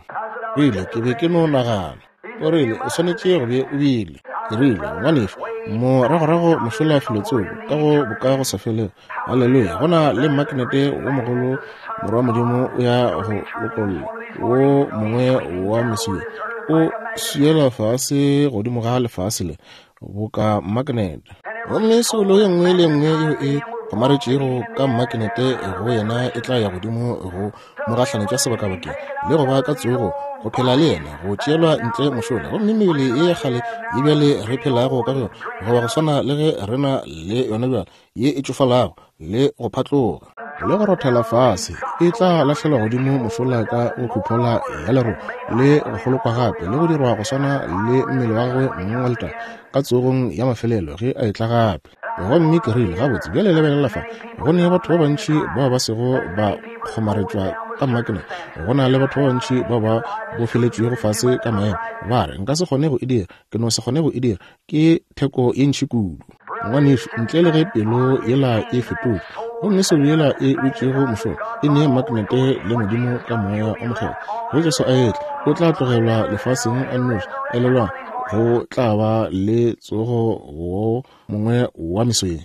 Ke rile, Ke be ke no nagana. O rile, O swanetše go be o bile. Ke rile, Ngwanešu, moragorago mošola felotsoko, ka go Bokagosafelego, Haleluya! Go na le mmaknete wo mogolo, Morwa wa Modimo o ya go lokolla wo mongwe wa mesuwe, o swiela fase godimo ga lefase le, boka mmaknete. Gomme soulo ye nngwe le ye nngwe yeo e kgomaretšego ka mmaknete go yena e tla ya godimo go mo gahlanetša sebakabakeng le go ba ka tsogo, go phela le yena, go tšeelwa ntle mošola. Gomme mebele ye ya kgale ye bjale re phelago ka go yona, goba go swana le ge re na le yona bjale, ye e tšofalago le go phatloga le go rothela fase, e tla lahlelwa godimo mošola ka go khuphola ya lerole le go kgolokwa gape le go dirwa go swana le mmele wa gagwe mong wa letago ka tsogong ya mafelelo ge a etla gape. Gomme ke rile, Gabotse, bjale lebelela fa, go ne batho ba bantši bao ba sego ba kgomaretšwa ka mmakeneng. Go na le batho ba bantši bao ba bofeletšwego fase ka maemo. Ba re, Nka se kgone go e dira. Ke no se kgone go e dira. Ke theko ye ntši kudu. Ngwanešu, ntle le ge pelo yela e fetotšwe, gomme soulo yela e wetšego mošola e ne magnete le Modimo ka Moya o Mokgethwa, ge Jesu a etla, o tla tlogelwa lefaseng a nnoši. Elelwang, go tla ba le tsogo wo mongwe wa meso ye.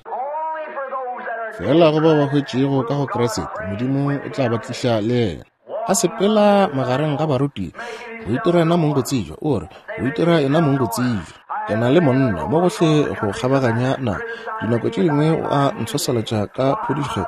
Feela go ba ba hwetšego ka go Kriste, Modimo o tla ba tliša le yena. A sepela magareng ga barutiwa, go itira yena mong go tsebja. O re, go itira yena mong go tsebja. Ke na le monna mo gohle go kgabaganya naga. Dinako tše dingwe o a ntshwasalatša ka phodišo.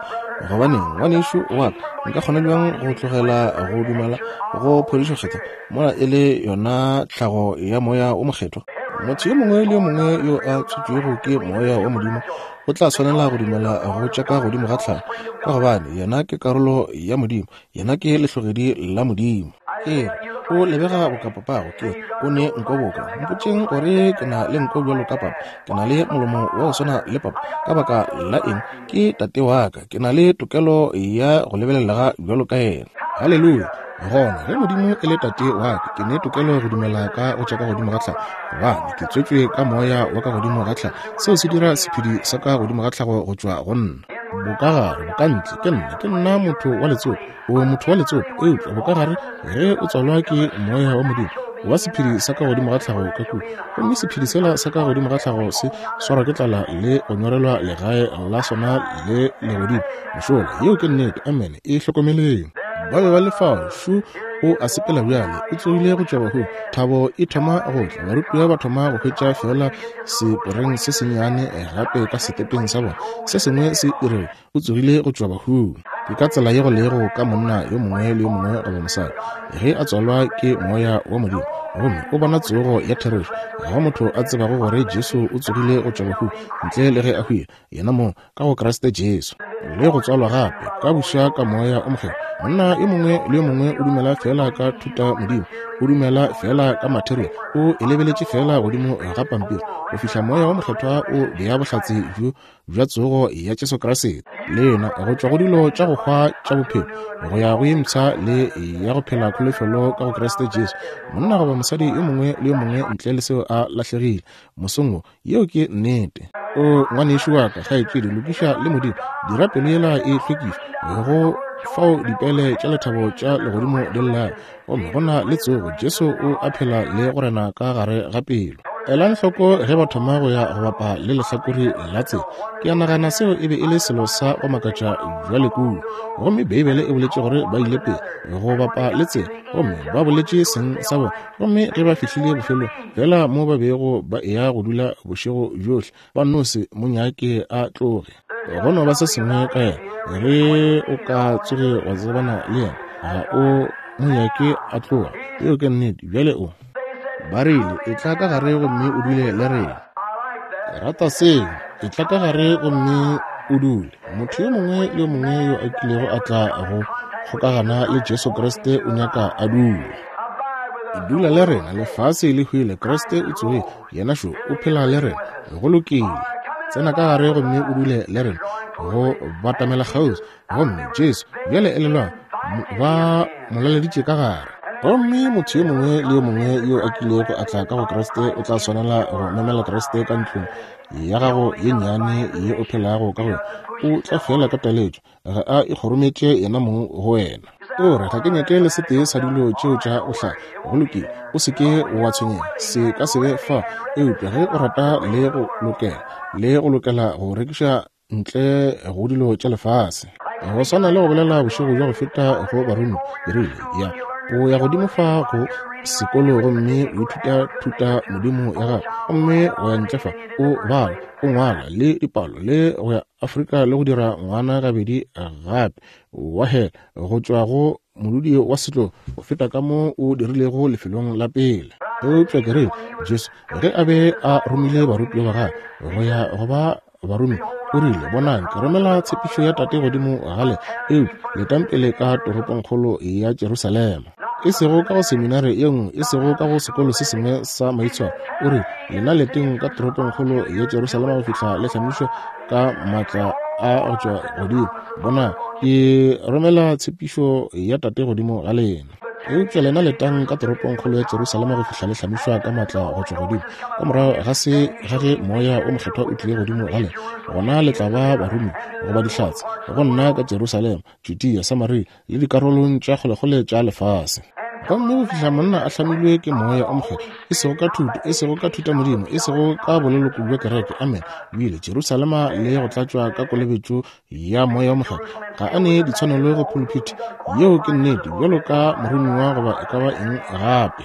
Gobaneng, ngwanešu wa ka, nka kgona bjang go tlogela go dumela go phodišo kgethwa mola e le yona tlhago ya Moya wo Mokgethwa? Motho yo mongwe le yo mongwe yo a tswetšwego ke Moya wa Modimo o tla swanela go dumela go tša ka godimo ga tlhago, ka gobane yena ke karolo ya Modimo, yena ke lehlogedi la Modimo. Ke re, o lebega boka papago, ke re, o ne nko boka. Mpotšeng gore ke na le nko bjalo ka papa, ke na le molomo wa go swana le papa. Ka baka la eng? Ke tate wa ka, ke na le tokelo ya go lebelelega bjalo ka yena. Haleluya! Gona, ge Modimo e le tate wa ka, ke ne tokelo go dumela ka go tša ka godimo ga tlhago, gobane ke tswetšwe ka Moya wa ka godimo ga tlhago. Seo se dira sephedi sa ka godimo ga tlhago go tšwa go nna. Bokagare, bokantle, ke nna, ke nna motho wa letsopa. O motho wa letsopa, eupša bokagare, ge o tswalwa ke Moya wa Modimo, o ba sephedi sa ka godimo ga tlhago ka kua. Gomme sephedi sela sa ka godimo ga tlhago se swarwa ke tlala le go nyorelwa legae la sona le legodimo. Mošola, yeo ke nnete. Amene. E hlokomeleng. Ba be ba le fao. Šo o a sepela bjale, o tsogile go tšwa bahung. Thabo e thoma go tla. Barutiwa ba thoma go hwetša feela seporeng se sennyane gape ka setepeng sa bona. Se sengwe se e re, O tsogile go tšwa bahung. Ke ka tsela ye go lego ka monna yo mongwe le yo mongwe goba mosadi, ge a tswalwa ke Moya wa Modimo, gomme o bona tsogo ya therešo. Ga go motho a tsebago gore Jesu o tsogile go tšwa bahung, ntle le ge a hwile, yena mong, ka go Kriste Jesu, le go tswalwa gape, ka buša ka Moya o Mokgethwa. Monna yo mongwe le yo mongwe o dumela feela ka thutamodimo, o dumela feela ka material, o e lebeletše feela godimo ga pampiri, go fihla Moya wo Mokgethwa o bea bohlatse bjo bja tsogo ya Jesu Kriste lena, go tšwa go dilo tša go hwa tša bophelo go ya go ye mpsha le ya go phela kholofelo ka go Kriste Jesu. Monna goba mosadi yo mongwe le yo mongwe ntle le seo a lahlegile mosong wo. Yeo ke nnete. O ngwanešu wa ka, kgaetšedi, lokiša le Modimo. Dira pelo yela e hlwekišwe go fao dipele tša lethabo tša legodimo di llago. Gomme go na le tsogo, Jesu o a phela le go rena ka gare ga pelo. Elang hloko ge ba thoma go ya go bapa le lehlakore la tsela. Ke a nagana seo e be e le selo sa go makatša bjale kua. Gomme Beibele e boletše gore ba ile pele go bapa le tsela, gomme ba boletše seng sa bona. Gomme ge ba fihlile bofelong, feela mo ba bego ba eya go dula bošego bjohle, ba no se mo nyake a tloge. Go no ba se sengwe ka yena, ge o ka tsoge wa tsebana le yena, ga o mo nyake a tloga. Yeo ke nnete. Bjale o. Ba rile, Etla ka gare gomme o dule le rena. Ke rata seo. Etla ka gare gomme o dule. Motho yo mongwe le yo mongwe yo a kilego a tla go kgokagana le Jesu Kriste o nyaka a dula. Dula le rena, lefase le hwile, Kriste o tsogile, yena šo o phela le rena. Go lokile. Tsena ka gare gomme o dule le rena, go batamela kgauswi. Gomme Jesu, bjale elelwang, ba mo laleditše ka gare. Gomme motho yo mongwe le yo mongwe yo a kilego a tla ka go Kriste o tla swanela go memela Kriste ka ntlong ya gago ye nnyane ye o phelago ka go yona. O tla feela ka taletšo, ga a ikgorometše yena mong go wena. O re, ga ke nyake le setee sa dilo tšeo tša bohlale. Go lokile, o se ke wa tshwenyega, se ka se be fa. Eupša ge o rata le go lokela, le go lokela go rekiša ntle go dilo tša lefase. Go swana le go bolela bošego bja go feta go baromiwa, ke rile, Ya, o ya godimo fa go sekolo gomme o ithuta thuta modimo ya gago, gomme o ya ntle fa o bala, o ngwala le dipalo le go ya Afrika le go dira ngwana gabedi gape wa hela go tšwa go modudi wa setlo go feta ka mo o dirilego lefelong la pele. Eupša ke re, Jesu ge a be a romile barutiwa ba gagwe go ya go ba baromi, o rile, Bonang, ke romela tshepišo ya Tate godimo ga lena, eupša letang pele ka toropongkgolo ya Jerusalema. E sego ka go seminare ye nngwe, e sego ka go sekolo se sengwe sa maitshwaro. O re, Lena leteng ka toropongkgolo ya Jerusalema go fihla le hlamišwa ka maatla a go tšwa godimo. Bona, ke romela tshepišo ya Tate godimo ga lena. Eupša lena letang ka toropongkgolo ya Jerusalema go fihla le hlamišwa ka maatla go tšwa godimo. Ka morago ga se ga ge Moya o Mokgethwa o tlile godimo ga lena, gona le tla ba baromi goba dihlatse go nna ka Jerusalema, Judea, Samaria le dikarolong tša kgolekgole tša lefase. Gomme go fihla monna a hlamilwe ke Moya o Mokgethwa, e sego ka thuto, e sego ka thutamodimo, e sego ka boleloko bja kereke, amen, o ile Jerusalema le go tlatšwa ka kolobetšo ya Moya o Mokgethwa. Ga a ne ditshwanelo go phuluphithi, yeo ke nnete, bjalo ka moromiwa goba e ka ba eng gape.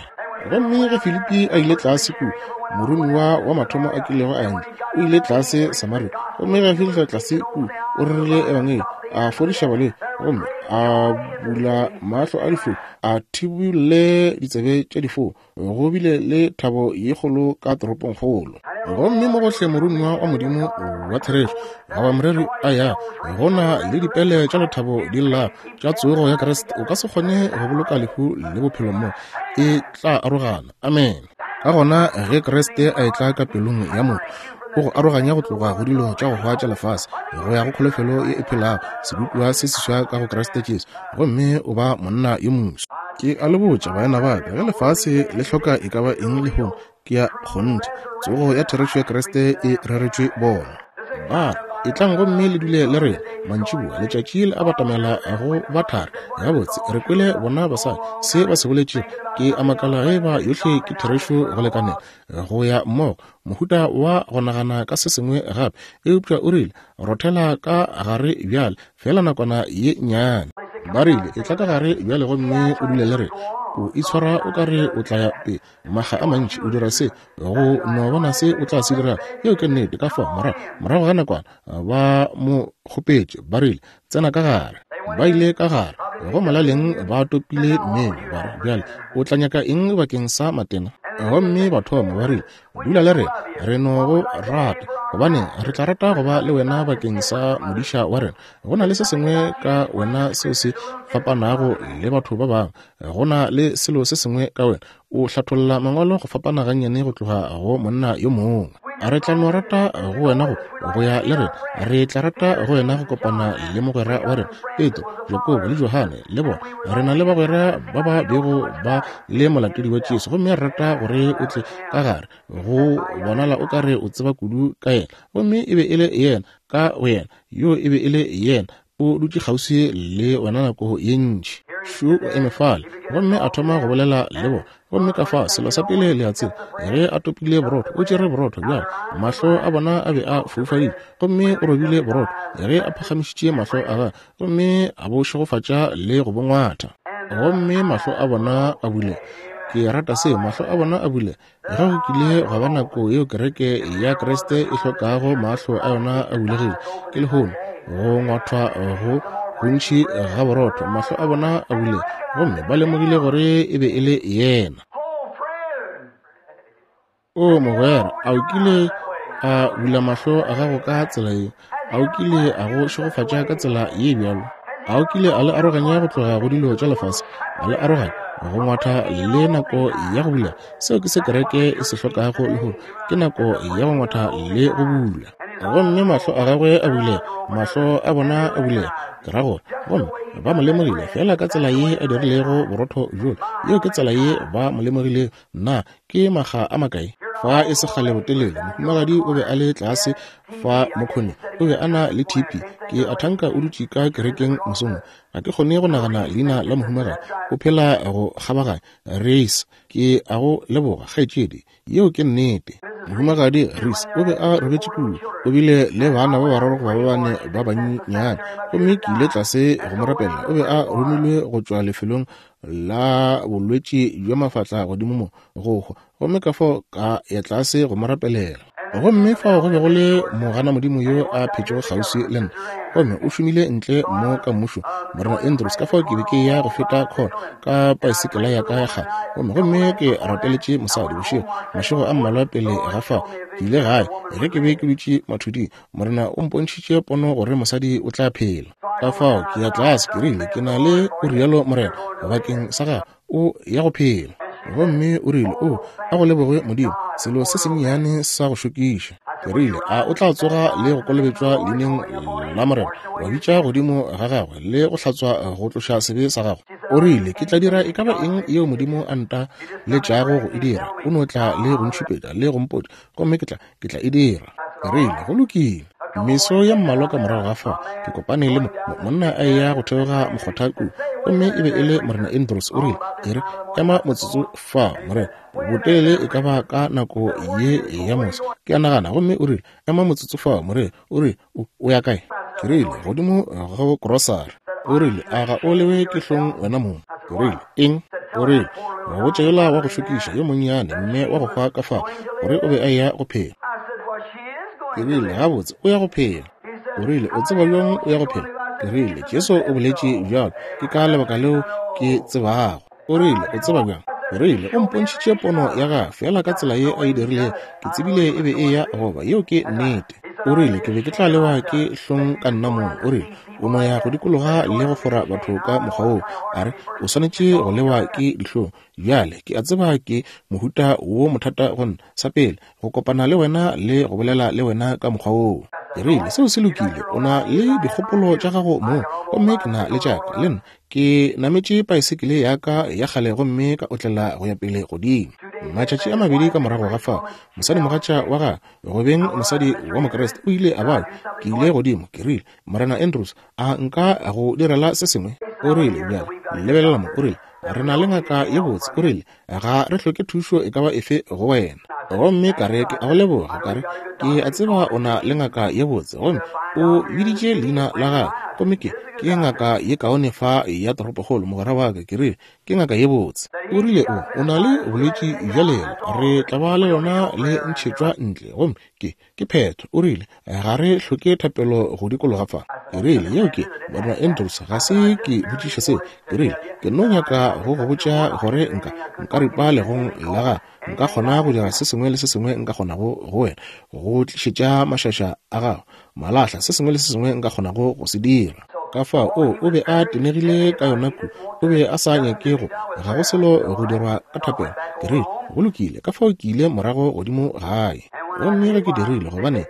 Gomme ge Filipi a ile tlase kua, moromiwa wa mathomo a kilego a ya ntle, o ile tlase Samaria. Gomme ge a fihla tlase kua, o rerile ebangedi, a fodiša balwetši, gomme a bula mahlo a difofu, a thibolle ditsebe tša difofu. Go bile le thabo ye kgolo ka toropongkgolo. Gomme mo gohle moromiwa wa Modimo wa therešo goba moreri a ya, go na le dipele tša lethabo di lla tša tsogo ya Kriste. O ka se kgone go boloka lehu le bophelo mo, e tla arogana. Amen. Ka gona ge Kriste a etla ka pelong ya motho, o go aroganya go tloga go dilo tša go hwa tša lefase go ya go kholofelo ye e phelago, sebopiwa se seswa ka go Kriste Jesu, gomme o ba monna yo moswa. Ke a le botša, baena ba ka, ge lefase le hloka e ka ba eng lehono, ke ya kgonthe, tsogo ya therešo ya Kriste e reretšwe bona. Ba re, Etlang gomme le dule le rena mantšiboa, letšatši le a batamela go ba thari. Gabotse, re kwele bona basadi, se ba se boletšego. Ke a makala ge eba yohle ke therešo go lekanela go ya mmogo, mohuta wa go nagana ka se sengwe gape. Eupša o rile, Rothela ka gare bjale, feela nakwana ye nnyane. Ba rile, Etla ka gare bjale gomme o dule le rena. O itshwara o ka re o tla ya pele. Makga a mantši o dira se, go no bona se o tla se dira. Yeo ke nnete. Ka fao, morago, morago ga nakwana, ba mo kgopetše, ba rile, Tsena ka gare. Ba ile ka gare, go molaleng ba topile mmemo, ba re, Bjale o tla nyaka eng bakeng sa matena? Gomme ba thoma, ba rile, Dula le rena, re no go rata, gobane re tla rata go ba le wena bakeng sa modiša wa rena. Go na le se sengwe ka wena seo se fapanago le batho ba bangwe. Go na le selo se sengwe ka wena. O hlatholla Mangwalo go fapana gannyane go tloga go monna yo mongwe. Re tla no rata go wena go, go ya le rena. Re tla rata go wena go kopana le mogwera wa rena, Petro, Jakobo le Johane, le bona. Re na le bagwera ba ba bego ba le molatedi wa Jesu, gomme re rata gore o tle ka gare. Go bonala o ka re o tseba kudu ka yena. Gomme e be e le yena, ka go yena. Yo e be e le yena. O dutše kgauswi le wena nako ye ntši. Šo o eme fale, gomme a thoma go bolela le bona. Gomme ka fa, selo sa pele le a tseba, ge a topile borotho, o tšere borotho bjale. Mahlo a bona a be a foufadile, gomme o robile borotho, ge a phagamišitše mahlo a gagwe, gomme a bo šegofatša le go bo ngwatha. Gomme mahlo a bona a bulega. Ke rata seo, mahlo a bona a bulega. Ge go kile gwa ba nako yeo kereke ya Kriste e hlokago mahlo a yona a bulegile, ke lehono, go ngwathwa go gontši ga borotho, mahlo a bona a bulega, gomme ba lemogile gore e be e le yena. O mogwera, a o kile a bula mahlo a gago ka tsela ye? A o kile a go šegofatša ka tsela ye bjalo? A o kile a le aroganya go tloga go dilo tša lefase, a le aroganya go ngwatha le nako ya go bula? Seo ke se kereke e se hlokago lehono, ke nako ya go ngwatha le go bula. Gomme mahlo a gagwe a bulega, mahlo a bona a bulega, ke ra gore, gomme ba mo lemogile feela ka tsela ye a dirilego borotho bjola. Yeo ke tsela ye ba mo lemogilego. Na ke makga a makae? Fa e se kgale botelele, mohumagadi o be a le tlase fa mokgone, o be a na le TB. Ke a thanka o dutše ka kerekeng mosong. Ga ke kgone go nagana leina la mohumagadi. O phela go kgabaganya. Reis, ke a go leboga, kgaetšedi. Yeo ke nnete. Mohumagadi Reis o be a robetše kua. O bile le bana ba bararo goba ba bane ba bannyane. Gomme ke ile tlase go mo rapelela. O be a romilwe go tšwa lefelong la bolwetši bja mafatla godimo mo go hwa, gomme ka fao ka ya tlase go mo rapelela. Gomme fao go be go le mogana modimo yo a phetšego kgauswi le nna, gomme o šomile ntle mo ka mmušo, Morena Andrews. Ka fao ke be ke ya go feta khona ka paesekela ya ka ya kgale, gomme gomme ke rapeletše mosadi bošego, mašego a mmalwa pele ga fao. Ke ile gae, ge ke be ke dutše mathuding, Morena o mpontšhitše pono gore mosadi o tla phela. Ka fao ke ya tlase, ke rile, ke na le, o rialo Morena, bakeng sa gago, o ya go phela. Gomme o rile, O, a go lebogwe Modimo, selo se sennyane sa go šokiša. Ke rile, A o tla tsoga le go kolobetšwa leineng la Morena, wa bitša godimo ga gagwe le go hlatswa go tloša sebe sa gago? O rile, Ke tla dira e ka ba eng yeo Modimo a nta letšago go e dira. O no tla le go ntšhupetša le go mpotša, gomme ke tla, ke tla e dira. Ke rile, Go lokile. Meso ya mmalwa ka morago ga fao, ke kopane le mo, monna a eya go theoga mokgotha kua, gomme e be e le Morena Andrews. O rile, E re, ema motsotso fa, morena, botelele e ka ba ka nako ye ya moso, ke a nagana. Gomme o rile, Ema motsotso fa, morena. O rile, O, o ya kae? Ke rile, Godimo go krosari. O rile, A ga o lewe ke hlong wena mong? Ke rile, Eng? O rile, Go botša yola wa go šokiša yo monnyane mme wa go hwa ka fao, gore o be a eya go phela. Ke rile, Gabotse, o ya go phela. O rile, O tseba bjang o ya go phela? Ke rile, Jesu o boletše bjalo, ke ka lebaka leo ke tsebago. O rile, O tseba bjang? O rile, O mpontšhitše pono ya gagwe, feela ka tsela ye a e dirilego. Ke tsebile e be e ya go ba. Yeo ke nnete. O rile, Ke be ke tla lewa ke hlong ka nna mong. O rile, O no ya go dikologa le go fora batho ka mokgwa woo. A re, O swanetše go lewa ke dihlong. Bjale, ke a tseba ke mohuta wo mothata go nna, sa pele, go kopana le wena le go bolela le wena ka mokgwa woo. Ke rile, Seo se lokile. O na le dikgopolo tša gago mong, gomme ke na le tša ka, le nna. Ke nametše paesekele ya ka ya kgale gomme ka otlela go ya pele godimo. Matšatši a mabedi ka morago ga fao, mosadimogatša wa gagwe, go beng mosadi wa Mokriste, o ile a babja. Ke ile godimo, ke rile, Morena Andrews, a nka go direla se sengwe? O rile, Bjale, lebelela mo, o rile, re na le ngaka ye botse. O rile, Ga re hloke thušo e ka ba efe go wena. Gomme ka re, Ke a go leboga. Ka re, Ke a tseba o na le ngaka ye botse. Gomme o biditše leina la gagwe. Gomme ke, ke ngaka ye kaone fa ya toropokgolo, mogwera wa ka. Ke rile, Ke ngaka ye botse. O rile, O, o na le bolwetši bja lela. Re tla ba le lona le ntšhetšwa ntle. Gomme ke, Ke phetho. O rile, Ga re hloke thapelo go dikologa fa. Ke rile, Yeo ke, Morena Andrews, ga se ke botšiše seo. Ke rile, Ke no nyaka go go botša gore nka, nka ripa legong la gago. Nka kgona go dira se sengwe le se sengwe nka kgonago go wena, go tlišetša mašaša a gago malahla, se sengwe le se sengwe nka kgonago go se dira. Ka fao, o, o be a tenegile ka yona ku. O be a sa nyake go, ga go selo go dirwa ka thapelo. Ke rile, Go lokile. Ka fao ke ile morago godimo gae. Gomme ge ke dirile, gobane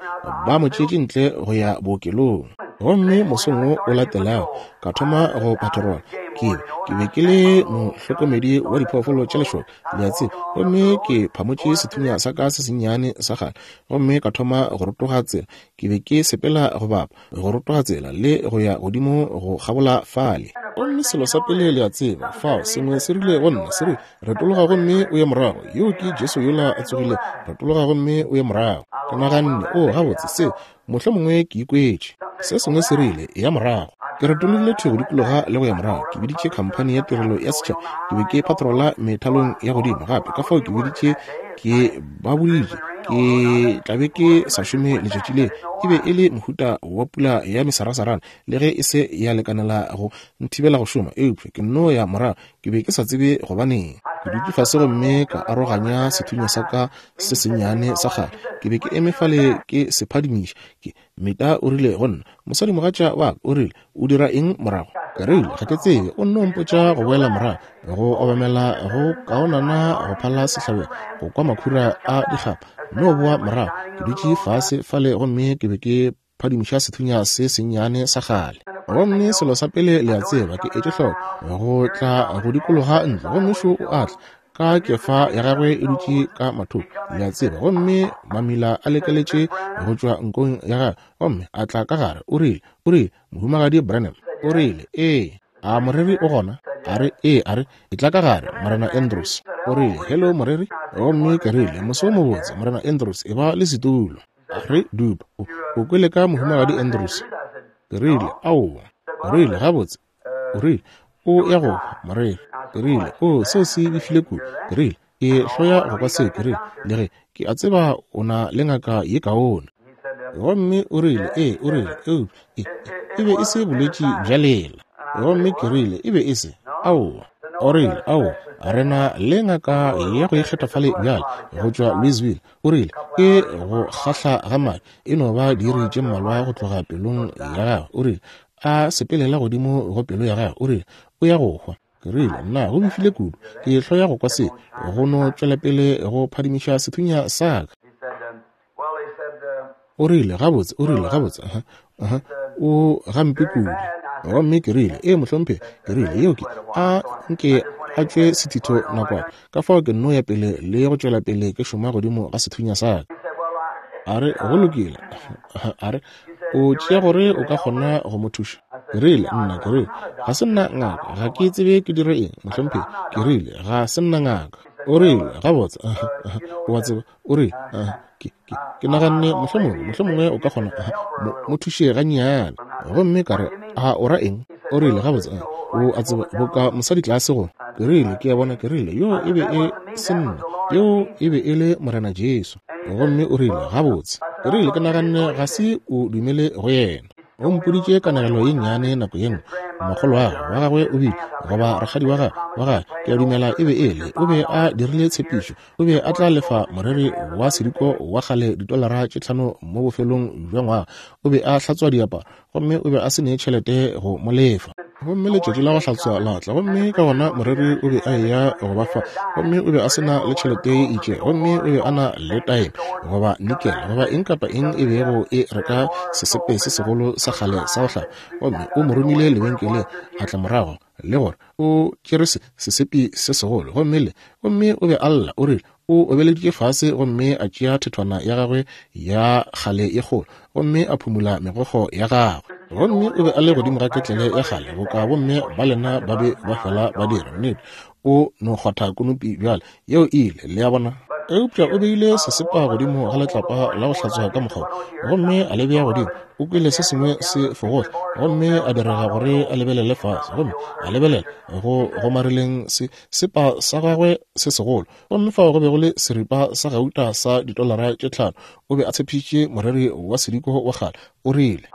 ba mo tšeetše ntle go ya bookelong. Gomme mosong wo o latelago, ka thoma go patrola. Ke be, ke be ke le mohlokomedi wa diphoofolo tša lešoka, le a tseba. Gomme ke phamotše sethunya sa ka se sennyane sa kgale, gomme ka thoma go rotoga tsela. Ke be ke sepela go bapa, go rotoga tsela le go ya godimo go kgabola fale. Gomme selo sa pele le a tseba, fao sengwe se rile go nna, se re, Retologa gomme o ye morago. Yoo ke Jesu yola a tsogile. Retologa gomme o ye morago. Ke naganne, O, gabotse, se, mohlomongwe ke ikwetše. Se sengwe se rile, Eya morago. Ke retologile thwi go dikologa le go ya morago. Ke biditše khamphani ya tirelo ya setšhaba. Ke be ke patrola methalong ya godimo gape, ka fao ke biditše, ke ba boditše ke tla be ke sa šome letšatši le. E be e le mohuta wa pula ya mesarasarana, le ge e se ya lekanela go nthibela go šoma, eupša ke nno ya morago. Ke be ke sa tsebe gobaneng. Ke dutše fase gomme ka aroganya sethunya sa ka se sennyane sa kgale. Ke be ke eme fale ke se phadimiša. Ke, Meta o rile go nna, mosadimogatša wa ka, o rile, O dira eng morago? Ke rile, Ga ke tsebe. O nno mpotša go boela morago, go obamela go kaonana go phala sehlabelo, go kwa makhura a dikgapa. Nno boa morago. Ke dutše fase fale gomme ke be ke phadimiša sethunya se sennyane sa kgale. Gomme selo sa pele le a tseba, ke etše hloko go tla go dikologa ntlo, gomme šo o a tla ka kefa ya gagwe e dutše ka mathoko, le a tseba, gomme mamila a lekeletše go tšwa nkong ya gagwe, gomme a tla ka gare, o rile, o rile, Mohumagadi Branham, o rile, Ee, a moreri o gona? A re, Ee, a re, etla ka gare, Morena Andrews. O rile, Hello, moreri. Gomme ke rile, Moso o mobotse, Morena Andrews, e ba le setulo. A re, Dupa, o, o kwele ka Mohumagadi Andrews? Ke rile, Aowa. O rile, Gabotse, o rile, o ya go hwa, moreri. Ke rile, O, seo se befile kudu. Ke rile, Ke hloya go kwa seo. Ke rile, Le ge, ke a tseba o na le ngaka ye kaone. Gomme o rile, Ee, o rile, eupša e, e be e se bolwetši bja lela. Gomme ke rile, E be e se? Aowa. O rile, Aowa, re na le ngaka ya go ikgetha fale bjale, go tšwa Louisville. O rile, Ke go kgahla ga madi, e no ba diiri tše mmalwa go tloga pelong ya gagwe. O rile, A sepelela godimo go pelo ya gagwe, o rile, O ya go hwa. Ke rile, Nna, go befile kudu. Ke hloya go kwa se, go no tšwelapele go phadimiša sethunya sa ka. O rile, Gabotse, o rile, gabotse, uh-huh, uh-huh, o gampe kudu. Gomme ke rile, Ee, mohlomphegi. Ke rile, Yeo ke, a nke a tšwe sethitho nakwana. Ka fao ke nno ya pele le go tšwela pele ke šoma godimo ga sethunya sa ka. A re, Go lokile. A re, O tšea gore o ka kgona go mo thuša? Ke rile, Nna, ke rile, ga se nna ngaka. Ga ke tsebe ke dire eng, mohlomphegi. Ke rile, Ga se nna ngaka. O rile, Gabotse, o a tseba, o rile, ke, ke, ke naganne mohlomongwe, mohlomongwe o ka kgona, mo, mo thuše gannyane. Gomme ka re, A o ra eng? O rile, Gabotse, o a tseba, boka mosadi tlase go. Ke rile, Ke a bona, ke rile, yoo e be e se nna, yoo e be e le Morena Jesu. Gomme o rile, Gabotse, ke rile, ke naganne ga se o dumele go yena. O mpoditše kanegelo ye nnyane nako ye nngwe. Makgolwagwe wa gagwe o bile, goba rakgadi wa gagwe, wa gagwe, ke a dumela e be e le, o be a dirile tshepišo, o be a tla lefa moreri wa sediko wa kgale ditolara tše tlhano mo bofelong bja ngwaga. O be a hlatswa diaparo, gomme o be a se ne tšhelete go mo lefa. Gomme letšatši la go hlatswa la tla, gomme ka gona moreri o be a eya go ba fa, gomme o be a se na le tšhelete ye itšego, gomme o be a na le taeme goba nikele goba eng kapa eng e bego e reka sesepe se segolo sa kgale sa go hlapa. Gomme o mo romile lebenkeleng, a tla morago le gore o tšere se, sesepe se segolo, gomme le, gomme o be a lla, o rile o obeleditše fase gomme a tšea thethwana ya gagwe ya kgale ye kgolo gomme a phumula megokgo ya gagwe. Gomme o be a le godimo ga ketlele ya kgale boka bomme ba lena ba be ba fela ba dira. Nnete, o no kgwatha konopi bjale, yeo e ile, le a bona. Eupša o beile sesepa godimo ga letlapa la go hlatswa ka mokgwa wo, gomme a le bea godimo. O kwele se sengwe se fogohla, gomme a direga gore a lebelele fase, gomme a lebelela go gomareleng se sepa sa gagwe se segolo, gomme fao go be go le seripa sa gauta sa ditolara tše tlhano. O be a tshepišitše moreri wa sediko wa kgale. O rile,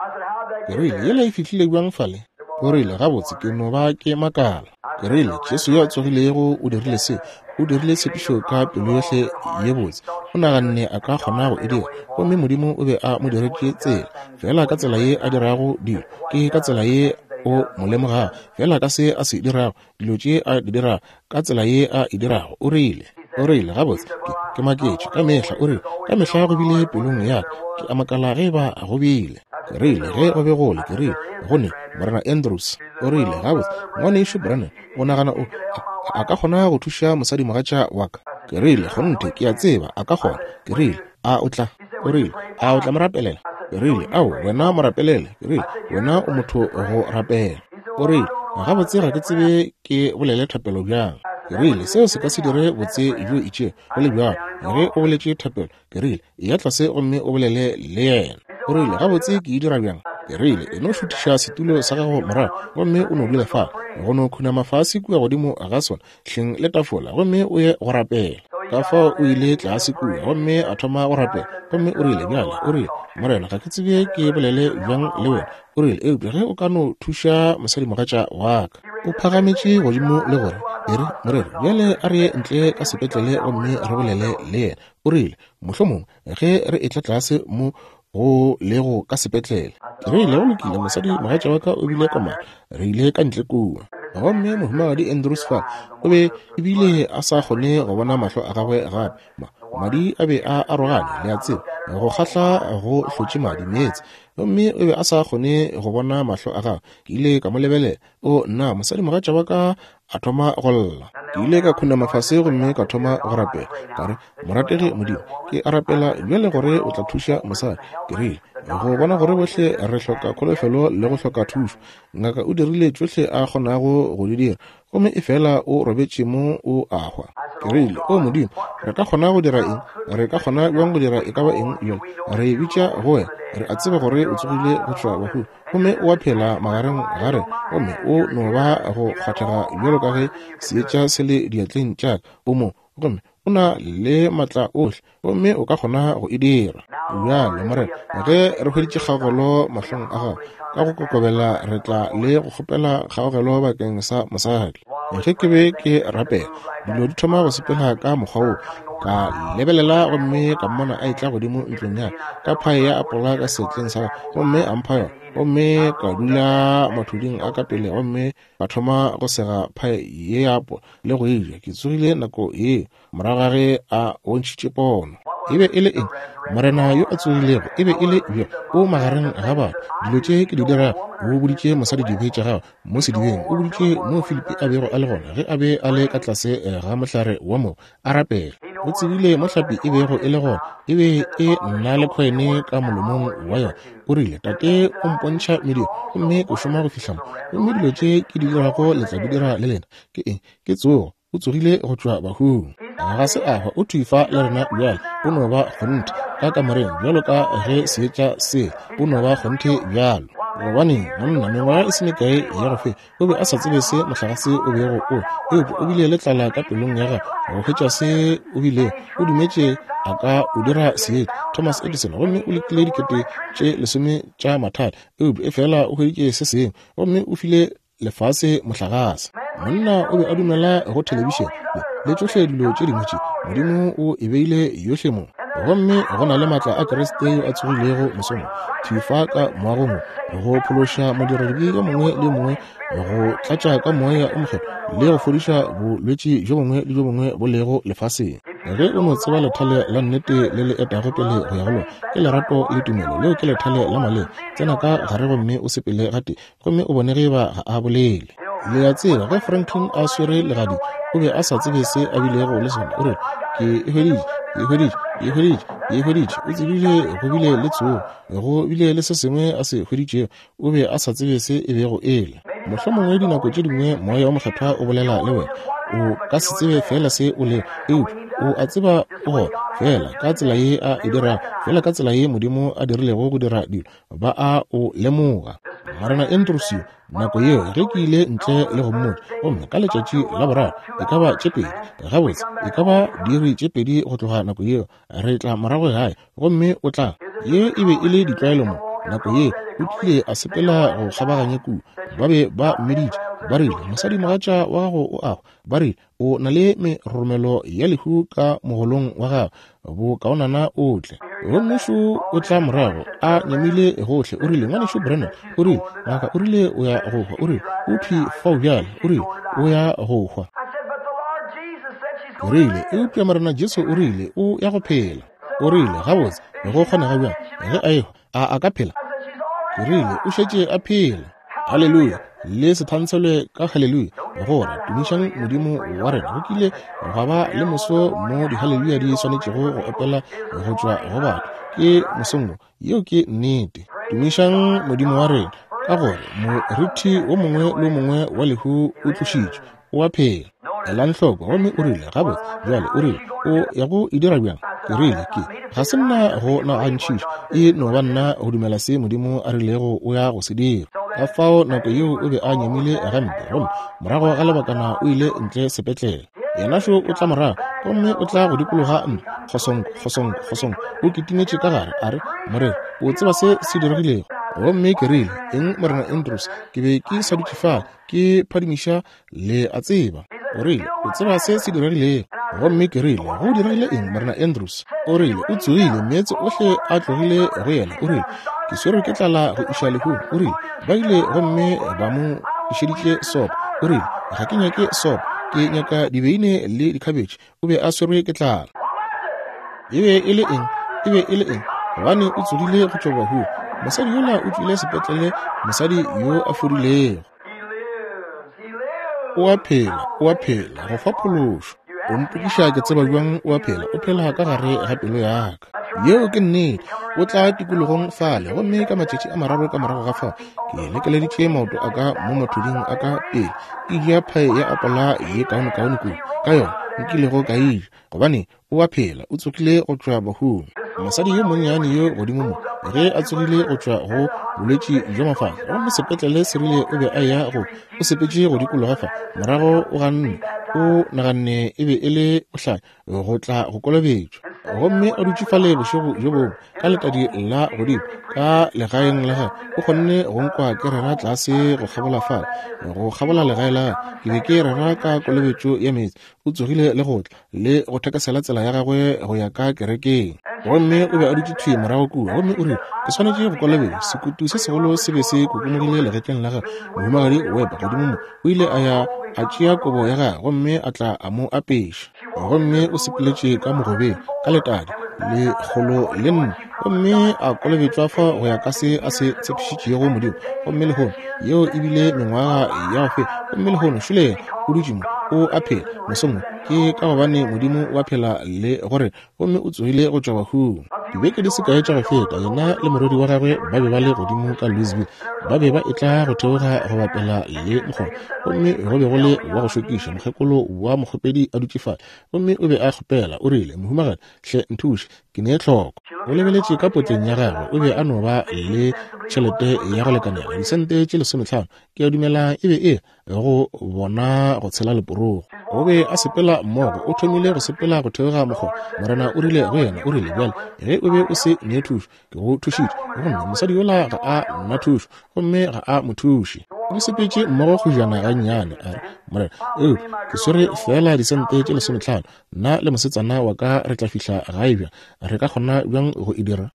Ke rile, Yela e fihlile bjang fale? O rile, Gabotse, ke no ba ke makala. Ke rile, Jesu yo a tsogilego o dirile se. O dirile tshepišo ka pelo yohle ye botse. O naganne a ka kgona go e dira, gomme Modimo o be a mo diretše tsela. Feela ka tsela ye a dirago dilo, ke ka tsela ye o mo lemogago. Feela ka se a se dirago, dilo tše a di dirago, ka tsela ye a e dirago. O rile, o rile, Gabotse, ke, ke maketše ka mehla. O rile, Ka mehla go bile pelong ya ka, ke a makala ge eba go bile. Ke rile, Ge go be go le, ke rile, go ne Morena Andrews. O rile, Gabotse, Ngwanešu Branham, o nagana o, a, a ka kgona go thuša mosadimogatša wa ka? Ke rile, Kgonthe, ke a tseba a ka kgona. Ke rile, A o tla? O rile, A o tla mo rapelela? Ke rile, Ao, wena mo rapelele. Ke rile, Wena o motho go rapela. O rile, Gabotse, ga ke tsebe ke bolele thapelo bjang. Ke rile, Seo se ka se dire botse bjo itšego, go le bjalo, ge o boletše thapelo. Ke rile, Eya tlase gomme o bolele le yena. O rile, Gabotse, ke e dira bjang? Ke rile, E no šuthiša setulo sa gago morago gomme o no dula fale, go no khunama fase kua godimo ga sona, hleng le tafola, gomme o ye go rapela. Ka fao o ile tlase kua gomme a thoma go rapela. Gomme o rile, Bjale, o rile, Morena, ga ke tsebe ke bolele bjang le wena. O rile, Eupša ge o ka no thuša mosadimogatša wa ka. O phagametše godimo le gore, E re, moreri, bjale a re ye ntle ka sepetlele gomme re bolele le yena. O rile, Mohlomongwe ge re etla tlase mo go lego ka sepetlele. Ke rile, Go lokile, mosadi mogatša wa ka o bile komana. Re ile ka ntle kua. Gomme Mohumagadi Andrews fa o be ebile a sa kgone go bona mahlo a gagwe gape. Ma, madi a be a arogane, le a tseba, go kgahla go hlotše madi meetse. Gomme o be a sa kgone go bona mahlo a gagwe. Ke ile ka mo lebelela. O, nna, mosadi mogatša wa ka a thoma go lla. Ke ile ka khunama fase gomme ka thoma go rapela. Ka re, Morategi Modimo, ke a rapela bjale gore o tla thuša mosadi. Ke rile, Go bona gore bohle re hloka kholofelo le go hloka thušo. Ngaka o dirile tšohle a kgonago go di dira, gomme efela o robetše mo o a hwa. Ke rile, O Modimo, re ka kgona go dira eng? Re ka kgona bjang go dira e ka ba eng bjale? Re bitša go wena. Re a tseba gore o tsogile go tšwa bahung. Gomme o a phela magareng ga rena, gomme o no ba go kgwathega bjalo ka ge seetša se le diatleng tša ka. O mo, gomme o na le maatla ohle, gomme o ka kgona go e dira. Bjale, Morena, ge re hweditše kgaogelo mahlong a Gago, ka go kokobela re tla le go kgopela kgaogelo bakeng sa mosadi. Ge ke be ke rapela, dilo di thoma go sepela ka mokgwa wo. Ka lebelela gomme ka mmona a etla godimo ntlong ya ka phae ya apola ka seatleng sa gagwe, gomme a mpha yona. Gomme ka dula mathuding a ka pele gomme ka thoma go sega phae ye ya apola le go e ja. Ke tsogile nako yeo morago ga ge a bontšhitše pono. E be e le eng? Morena yo a tsogilego e be e le bjo o magareng ga batho. Dilo tše ke di dirago, o boditše mosadi dibe tša gagwe mo sedibeng, o boditše mo Filipi a bego a le gona ge a be a le ka tlase ga mohlare wa mogo a rapela. O tsebile mo hlapi e bego e le gona, e be e na le khoene ka molomong wa yona. O rile, Tate o mpontšha mediro, gomme ke šoma go fihla mo. Gomme dilo tše ke di dirago le tla di dira le lena. Ke eng? Ke tsogo. O tsogile go tšwa bahung. Ga se a hwa, o thwi fa le rena bjale. O no ba kgonthe ka kamoreng bjalo ka ge seetša se, o no ba kgonthe bjalo. Gobaneng, monna, mengwaga e se mekae ya go feta, o be a sa tsebe se mohlagase o bego o, eupša o bile le tlala ka pelong ya gagwe go hwetša se o bilego. O dumetše a ka o dira seetša. Thomas Edison, gomme o lekile dikete tše lesome tša mathata, eupša efela o hweditše se sengwe, gomme o file lefase mohlagase. Monna o be a dumela go thelebišene le tšohle dilo tše dingwe tše. Modimo o e beile yohle mo. Gomme go na le maatla a Kriste yo a tsogilego mosong thwi fa ka moagong wo, go phološa modiradibe yo mongwe le yo mongwe, go tlatša ka Moya o Mokgethwa le go fodiša bolwetši bjo bongwe le bjo bongwe bo lego lefaseng. Ge o no tseba lethale la nnete le le etago pele go ya go lona, ke lerato le tumelo, leo ke lethale la maleba. Tsena ka gare gomme o sepele gatee, gomme o bone ge e ba ga a bolele. Le a tseba, ge Franklin a swere legadi, o be a sa tsebe se a bilego le sona. O rile, Ke e hweditše, ke e hweditše, ke e hweditše, ke e hweditše. O tsebile go bile le tsogo, go bile le se sengwe a se hweditšego. O be a sa tsebe se e bego e le. Mohlomongwe dinako tše dingwe Moya wo Mokgethwa o bolela le wena. O ka se tsebe feela se o lego, eupša o a tseba o gona. Feela ka tsela ye a e dirago, feela ka tsela ye Modimo a dirilego go dira dilo, ba a o lemoga. Morena Andrews yo, nako yeo ge ke ile ntle le go mmotša, gomme ka letšatši la boraro, e ka ba tše pedi, gabotse, e ka ba diiri tše pedi go tloga nako yeo, re tla morago gae, gomme o tla. Ye e be e le ditlwaelo mo nako ye, o tlile a sepela go kgabaganya kua. Ba be ba mmiditše, ba rile, Mosadimogatša wa gago o a hwa. Ba rile, O na le meroromelo ya lehu ka mogolong wa gago, bokaonana o tle. Gomme šo o tla morago, a nyamile gohle. O rile, Ngwanešu Branham, o rile, ngaka o rile o ya go hwa. O rile, O thwi fao bjale. O rile, O ya go hwa. Ke rile, Eupša Morena Jesu o rile o ya go phela. O rile, Gabotse, go kgonega bjang? Ge a ehwa, a a ka phela? Ke rile, O šetše a phela. Haleluya! Le se thantshelwe ka haleluya, gore tumišang Modimo wa rena. Go kile gwa ba le moso mo dihaleluya di swanetšego go opela go tšwa go batho. Ke mosong wo. Yeo ke nnete. Tumišang Modimo wa rena, ka gore morithi wo mongwe le wo mongwe wa lehu o tlošitšwe. O a phela. Elang hloko. Gomme o rile, Gabotse, bjale, o rile, o ya go e dira bjang? Ke rile, Ke, ga se nna go nagantšhiša. E no ba nna go dumela se Modimo a rilego o ya go se dira. Ka fao nako yeo o be a nyamile gampe, gomme morago ga lebakana o ile ntle sepetlele. Yena šo o tla morago, gomme o tla go dikologa ntlo, kgosonko, kgosonko, kgosonko. O kitimetše ka gare, a re, Moreri, o tseba se se diregilego? Gomme ke rile, Eng, Morena Andrews? Ke be ke sa dutše fale, ke phadimiša, le a tseba. O rile, O tseba se se diregilego? Gomme ke rile, Go diregile eng, Morena Andrews? O rile, O tsogile, meetse ohle a tlogile go yena. O rile, Ke swerwe ke tlala go iša lehung. O rile, Ba ile gomme ba mo išeditše sopo. O rile, Ga ke nyake sopo, ke nyaka dibeine le dikhabetšhe. O be a swerwe ke tlala. E be e le eng? E be e le eng? Gobane o tsogile go tšwa bahung. Mosadi yola o tšwile sepetlele, mosadi yo a fodilego. O a phela, o a phela, go fa phološo. O mpotšiša ke tseba bjang o a phela? O phela ka gare ga pelo ya ka. Yeo ke nnete. O tla tikologong fale, gomme ka matšatši a mararo ka morago ga fao, ke lekeleditše maoto a ka mo mathuding a ka pele, ke ja phae ya apola ye kaonekaone kudu ka yona nkilego ka e ja, gobane O a phela, o tsogile go tšwa bahung. Mosadi yo monnyane yo godimo mo, ge a tsogile go tšwa go bolwetši bja mafahla, gomme sepetlele se rile o be a eya go, o sepetše go dikologa fa, morago o ganne, o naganne e be e le bohlanya go tla go kolobetšwa. Gomme a dutše fale bošego bjo bongwe, ka letadi la godimo, ka legaeng la gagwe, o kgonne go nkwa ke rera tlase go kgabola fale, go kgabola legae la gagwe. Ke be ke rera ka kolobetšo ya meetse. O tsogile le go tla, le go thekesela tsela ya gagwe go ya ka kerekeng. Gomme o be a dutše thwi morago kua, gomme o rile, Ke swanetše go kolobetšwa. Sekutu se segolo se be se kokomogile legetleng la gagwe. Mohumagadi Webb godimo mo o ile a ya a tšea kobo ya gagwe gomme a tla a mo apeša. Gomme o sepeletše ka mogobeng ka letadi lekgolo le nne, gomme a kolobetšwa fa go ya ka se a se tshepišitšego Modimo. Gomme lehono, yeo e bile mengwaga ya go feta, gomme lehono šole yena o dutše mo, o a phela. Mosong wo, ke ka gobane Modimo o a phela le gore, gomme o tsogile go tšwa bahung. Dibeke di se kae tša go feta, yena le morwedi wa gagwe ba be ba le godimo ka Louisville. Ba be ba etla go theoga go bapela le mokgoro, gomme go be go le wa go šokiša mokgekolo wa mokgopedi a dutše fale, gomme o be a kgopela, o rile, Mohumagadi, hle nthuše, ke ne tlhoko. O lebeletše ka potleng ya gagwe, o be a no ba le tšhelete ya go lekanela disente tše lesometlhano, ke a dumela e be e go bona go tshela leporogo. O be a sepela mmogo, o thomile go sepela go theoga mokgoba. Morena o rile go yena, o rile, Bjale, ge o be o se ne thušo, ke go thušitše. Gomme mosadi yola ga a na thušo, gomme ga a mo thuše. O sepetše mmogo kgojana gannyane, a re, Morena, eupša ke swere feela disente tše lesometlhano. Nna le mosetsana wa ka re tla fihla gae bjang? Re ka kgona bjang go e dira?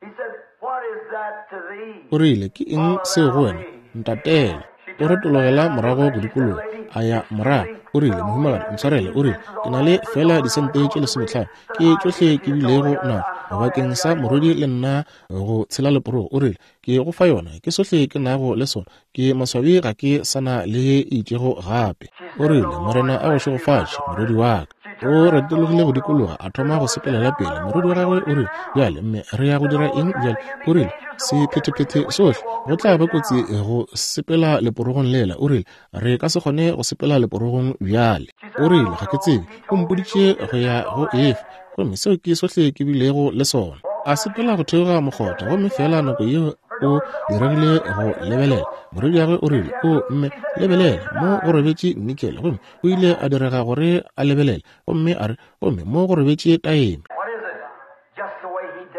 O rile, Ke eng seo go wena? Ntatele. O retologela morago go dikologa, a ya morago. O rile, Mohumagadi, ntshwarele. O rile, Ke na le feela disente tše lesometlhano. Ke tšohle ke bilego nago bakeng sa morwedi le nna go tshela leporogo. O rile, Ke go fa yona. Ke sohle ke nago le sona. Ke maswabi ga ke sa na le ye e itšego gape. O rile, Morena a go šegofatše, morwedi wa ka. O retologile go dikologa, a thoma go sepelela pele. Morwedi wa gagwe o rile, Bjale, mme, re ya go dira eng bjale? O rile, Sephethephethe sohle, go tla ba kotsi go sepela leporogong lela. O rile, Re ka se kgone go sepela leporogong bjale. O rile, Ga ke tsebe. O mpoditše go ya go efa, gomme seo ke sohle ke bilego le sona. A sepela go theoga mokgotha, gomme feela nako yeo o diregile go lebelela. Morwediagwe o rile, O, mme, lebelela, mo go robetše nikele. Gomme o ile a direga gore a lebelele, gomme a re, Gomme mo go robetše taeme.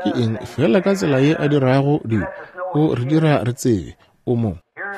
Ke eng? Feela ka tsela ye a dirago dilo, o re dira re tsebe o mo.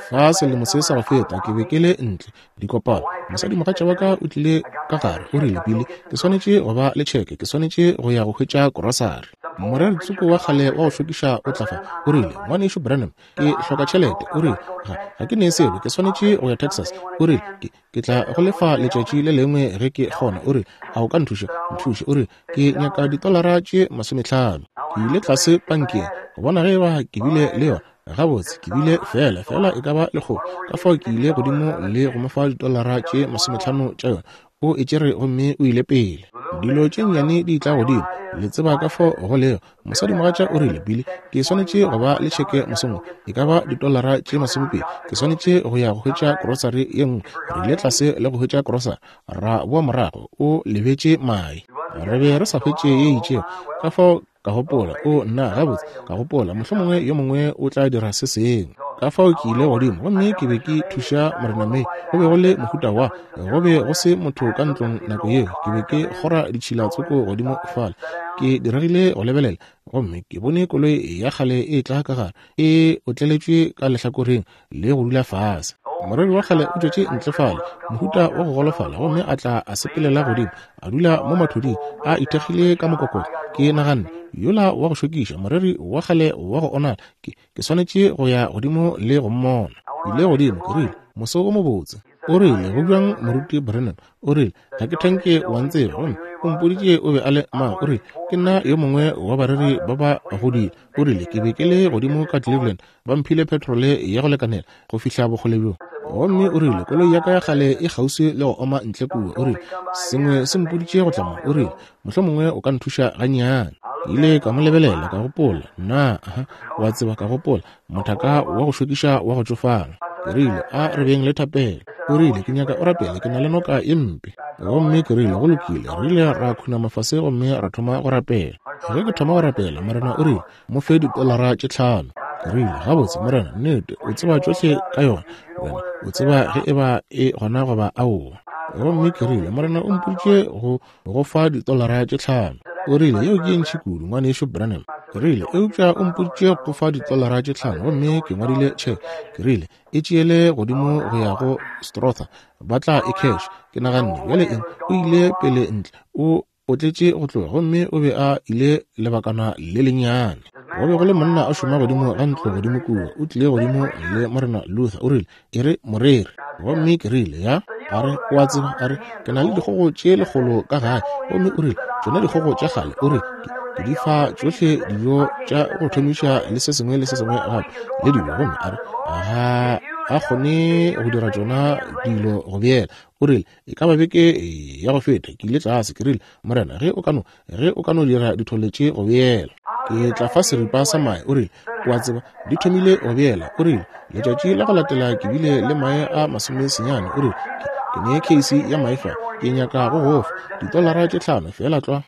Fa selemo se sa go feta ke be ke le ntle dikopano, mosadimogatša wa ka o tlile ka gare, o rile, Billy, ke swanetše go ba le tšheke, ke swanetše go ya go hwetša korosari. Moreri tsoko wa kgale wa go šokiša o tla fa, o rile, Ngwanešu Branham, ke hloka tšhelete. O rile, Ga, ga ke ne selo, ke swanetše go ya Texas. O rile, Ke, ke tla go lefa letšatši le lengwe ge ke kgona. O rile, A o ka nthuša? Nthuše. O rile, Ke nyaka ditolara tše 50. Ke ile tlase pankeng go bona ge eba ke bile le yona. Gabotse, ke bile feela, feela e ka ba lekgolo. Ka fao ke ile godimo le go mo fa ditolara tše 50 tša yona. O e tšere gomme o ile pele. Dilo tše nnyane di tla godimo, le tseba ka fao go lego. Mosadimogatša o rile, Billy, ke swanetše go ba le tšheke mosong wo, e ka ba ditolara tše 20. Ke swanetše go ya go hwetša krosari ye nngwe. Re ile tlase le go hwetša krosari, ra boa morago, o lebetše mae. Re be re sa hwetše ye itšego. Ka fao ka gopola, o nna, gabotse, ka gopola, mohlomongwe yo mongwe o tla dira se sengwe. Ka fao ke ile godimo, gomme ke be ke thuša Morena May. Go be go le mohuta wa, go be go se motho ka ntlong nako yeo. Ke be ke kgora ditšhila tsoko godimo fale. Ke diregile go lebelela, gomme ke bone koloi ya kgale e tla ka gare, e otleletšwe ka lehlakoreng le go dula fase. Moreri wa kgale o tšwetše ntle fale, mohuta wa go golofala, gomme a tla a sepelela godimo, a dula mo mathuding, a ithekgile ka mokokotlo. Ke naganne, Yola wa go šokiša, moreri wa kgale wa go onala, ke, ke swanetše go ya godimo le go mmona. Ke ile godimo, ke rile, Moso o mobotse. O rile, Go bjang, Moruti Branham? O rile, Ga ke thanke wa ntseba. Gomme o mpoditše o be a le mang. O rile, Ke nna yo mongwe wa bareri ba ba godile. O rile, Ke be ke le godimo ka Cleveland, ba mphile petrole ya go lekanela go fihla bokgole bjo. Gomme o rile, Koloi ya ka ya kgale e kgauswi le go oma ntle kua. O rile, Sengwe se mpoditše go tla mo. O rile, Mohlomongwe o ka nthuša gannyane. Ke ile ka mo lebelela, ka gopola, Nna, aha, wa tseba, ka gopola, mothaka wa go šokiša wa go tšofala. Ke rile, A re beng le thapelo. O rile, Ke nyaka o rapele, ke na le noka ye mpe. Gomme ke rile, Go lokile. Re ile ra khunama fase gomme ra thoma go rapela. Ge ke thoma go rapela, Morena o rile, Mo fe ditolara tše 5. Ke rile, Gabotse, Morena, nnete, o tseba tšohle ka yona. Wena o tseba ge eba e gona goba aowa. Gomme ke rile, Morena o mpoditše go go fa ditolara tše 5. O rile, Yeo ke ye ntši kudu, Ngwanešu Branham. Ke rile, Eupša o mpoditše go fa ditolara tše 5, gomme ke ngwadile tšheke. Ke rile, E tšeele godimo go ya go Strother, ba tla e cash. Ke naganne, Bjale eng? O ile pele ntle, o otletše go tloga, gomme o be a ile lebakana le lennyane. Go be go le monna a šoma godimo ga ntlo godimo kua, o tlile godimo le Morena Luther, o rile, E re, moreri. Gomme ke rile, Ya. A re, O a tseba, a re, ke na le dikgogo tše 100 ka gae. Gomme o rile, Tšona dikgogo tša kgale, o rile, ke, ke di fa tšohle dijo tša go thomiša le se sengwe le se sengwe gape, le dilo. Gomme a re, Ga a kgone go dira tšona dilo go beela. O rile, E ka ba beke ya go feta, ke ile tlase, ke rile, Morena, ge o ka no, ge o ka no dira dithole tše go beela, ke tla fa seripa sa mae. O rile, O a tseba, di thomile go beela. O rile, Letšatši la go latela ke bile le mae a 90. O rile, Ke, ke ne keisi ya mae fa, ke nyaka go go fa ditolara tše 5, feela tlwa.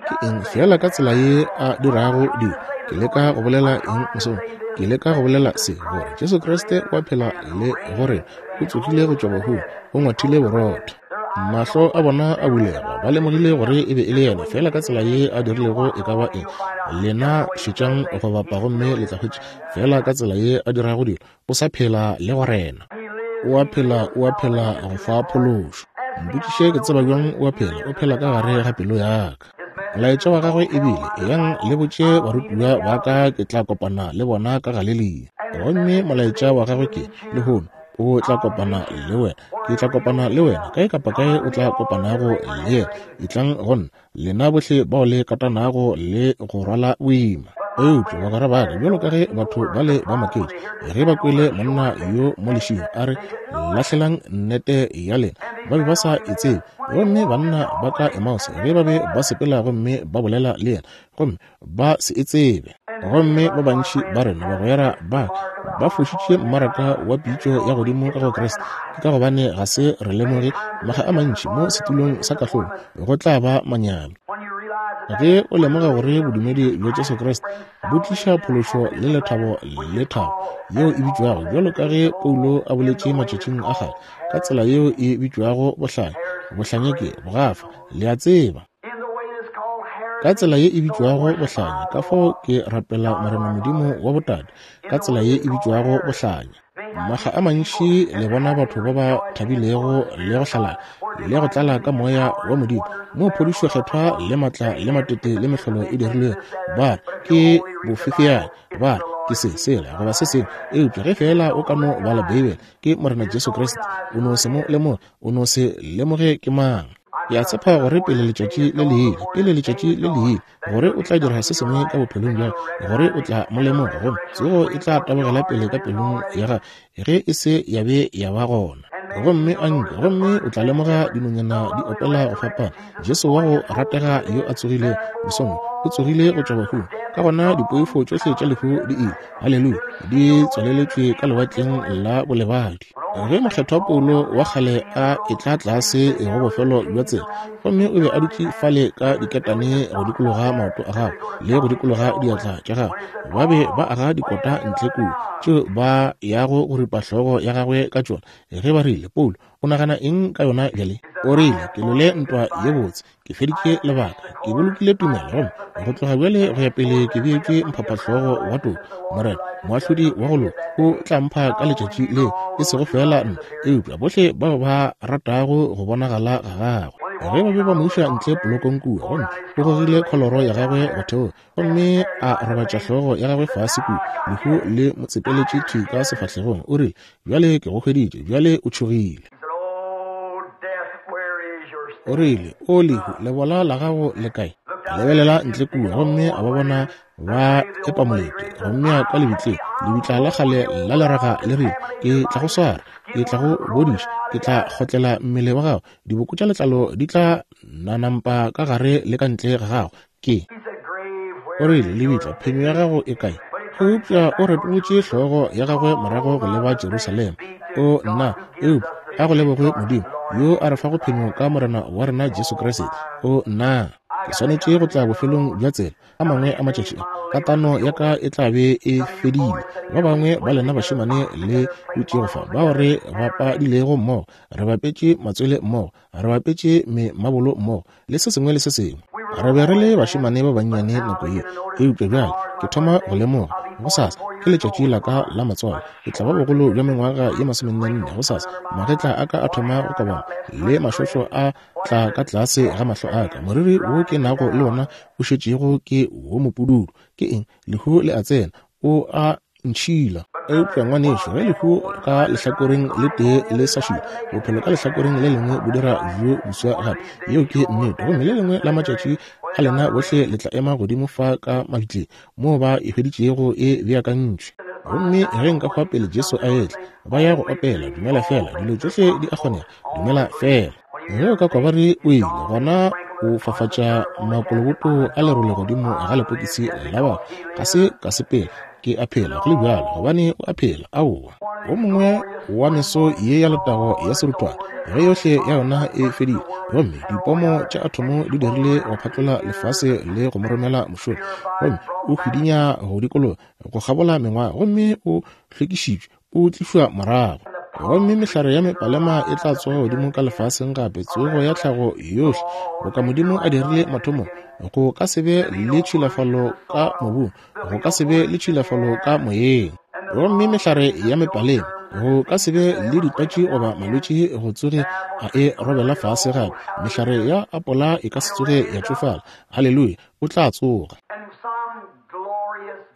Ke eng? Feela ka tsela ye a dirago dilo. Ke leka go bolela eng mosong? Ke leka go bolela se, gore Jesu Kriste o a phela le go rena. O tsogile go tšwa bahung, o ngwathile borotho. Mahlo a bona a bulega, ba lemogile gore e be e le yena, feela ka tsela ye a dirilego e ka ba eng. Lena šetšang go bapa gomme le tla hwetša, feela ka tsela ye a dirago dilo, o sa phela le go rena. O a phela, o a phela go fa phološo. Mpotšiše ke tseba bjang o a phela, o phela ka gare ga pelo ya ka. Molaetša wa gagwe e bile, Eyang le botše barutiwa ba ka ke tla kopana le bona ka Galelia. Gomme molaetša wa gagwe ke, lehono, o tla kopana le wena. Ke tla kopana le wena kae kapa kae o tla kopanago le yena. Etlang go nna, lena bohle bao le katanago le go rwala boima. Eupša bagwera ba ka, bjalo ka ge batho bale ba maketše ge ba kwele monna yo mo lešing a re, Lahlelang nnete ya lena. Ba be ba sa e tsebe. Gomme banna ba ka Emause, ge ba be ba sepela gomme ba bolela le yena, gomme ba se e tsebe. Gomme ba bantši ba rena bagwera ba ba fošitše mmaraka wa pitšo ya godimo ka go Kriste, ke ka gobane ga se re lemoge makga a mantši mo setulong sa kahlolo go tla ba manyami. Ge o lemoga gore bodumedi bja Jesu Kriste bo tliša phološo le lethabo le thabo yeo e bitšwago bjalo ka ge Paulo a boletše matšatšing a kgale ka tsela yeo e bitšwago bohlanya, bohlanya ke bogafa, le a tseba. Ka tsela ye e bitšwago bohlanya, ka fao ke rapela Morena Modimo wa botate, ka tsela ye e bitšwago bohlanya. Makga a mantši le bona batho ba ba thabilego le go hlalala le go tlala ka moya wa Modimo, moo phodišo kgethwa le matla le matete le mehlolo e dirilwego, ba re ke bofefeane, ba re ke se sela goba se sengwe. Eupša ge feela o ka no bala Beibele, ke Morena Jesu Kriste, o no se mo lemoge, o no se lemoge ke mang. Ke a tshepa gore pele letšatši le le ile, pele letšatši le le ile, gore o tla dira se sengwe ka bophelong bja gore o tla mo lemoga, gomme tsogo e tla tabogela pele ka pelong ya gagwe ge e se ya be ya ba gona. Gomme a nke, gomme o tla lemoga dinonyana di opela go fapana, Jesu wa go ratega yo a tsogilego mosong o tsogile go tšwa bahung, ka gona dipoifo tšohle tša lehu di ile, haleluya, di tswaleletšwe ka lewatleng la bolebadi. Ge mokgethwa Paulo wa kgale a etla tlase go bofelo bja tsela, gomme o be a dutše fale ka diketane go dikologa maoto a gagwe le go dikologa diatla tša gagwe, ba be ba aga dikota ntle kua tšeo ba yago go ripa hlogo ya gagwe ka tšona. Ge ba rile, Paulo, o nagana eng ka yona bjale? O rile, Ke lwele ntwa ye botse, ke feditše lebaka, ke bolokile tumelo, gomme go tloga bjale go ya pele ke beetšwe mphaphahlogo wa toka. Morena, moahlodi wa go loka, o tla mpha ka letšatši leo, e sego feela nna, eupša bohle bao ba ratago go bonagala ga gagwe. Ge ba be ba mo iša ntle polokong kua, gomme o gogile kholoro ya gagwe go theoga, gomme a robatša hlogo ya gagwe fase kua, lehu le mo tsepeletše thwi ka sefahlegong, o rile, Bjale ke go hweditše, bjale o tšhogile. O rile, O lehu, lebola la gago le kae? A lebelela ntle kua gomme a ba bona ba epa molete gomme a kwa lebitleng, lebitla la kgale la leraga le rile, Ke tla go swara, ke tla go bodiša, ke tla kgotlela mmele wa gago, diboko tša letlalo di tla nanampa ka gare le ka ntle ga gago. Ke. O rile, Lebitla, phenyo ya gago e kae? Eupša o retolotše hlogo ya gagwe morago go leba Jerusalema. O, nna, eupša a go lebogwe Modimo, yo a re fago phenyo ka Morena wa rena Jesu Kriste. O, nna, ke swanetše go tla bofelong bja tsela. A mangwe a matšatši a, katano ya ka e tla be e fedile. Ba bangwe ba lena bašemane le dutšego fa, bao re bapadilego mmogo, re bapetše matswele mmogo, re bapetše memabolo mmogo, le se sengwe le se sengwe. Re be re le bašemane ba bannyane nako yeo, eupša bjale ke thoma go lemoga, gosasa ke letšatši la ka la matswalo. Ke tla ba bogolo bja mengwaga ye masomennenne gosasa. Magetla a ka a thoma go kobama le mašošo a tla ka tlase ga mahlo a ka. Moriri wo ke nago le wona o šetšego ke wo mopududu. Ke eng? Lehu le a tsena. O a ntšhila. Eupša ngwanešu, ge lehu ka lehlakoreng le tee le sa šila, bophelo ka lehlakoreng le lengwe bo dira bjo boswa gape. Yeo ke nnete. Gomme le lengwe la matšatši a lena bohle le tla ema godimo fa ka mabitleng, moo ba e hweditšego e beakantšwe. Gomme ge nka hwa pele Jesu a etla, ba ya go opela, Dumela Feela, dilo tšohle di a kgonega, dumela feela. Ge o ka kwa ba re o ile, gona o fafatša makoloboto a lerole godimo ga lepokisi la bao. Ga se ka sepela, ke a phela go le bjalo, gobane o a phela. Aowa. Wo mongwe wa meso ye ya letago ya seruthwane, ge yohle ya yona e fedile, gomme dipomo tša athomo di dirile go phatlola lefase le go mo romela mošola, gomme o hwidinya go dikologa go kgabola mengwaga, gomme o hlwekišitšwe, o tlišwa morago. Gomme mehlare ya mepalema e tla tsoga godimo ka lefaseng gape, tsogo ya tlhago yohle, boka Modimo a dirile mathomong. Go ka se be le tšhilafalo ka mobung, go ka se be le tšhilafalo ka moyeng. Gomme mehlare ya mepalema, go ka se be le ditwatši goba malwetši go tsoge a e robela fase gape. Mehlare ya apola e ka se tsoge ya tšofala. Haleluya! O tla tsoga.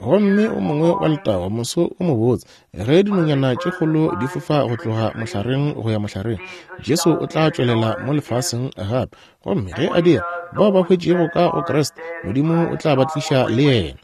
Gomme o mongwe wa letago moso o mobotse, ge dinonyana tše kgolo di fofa go tloga mohlareng go ya mohlareng, Jesu o tla tšwelela mo lefaseng gape. Gomme ge a dira, bao ba hwetšego ka go Kriste, Modimo o tla ba tliša le yena.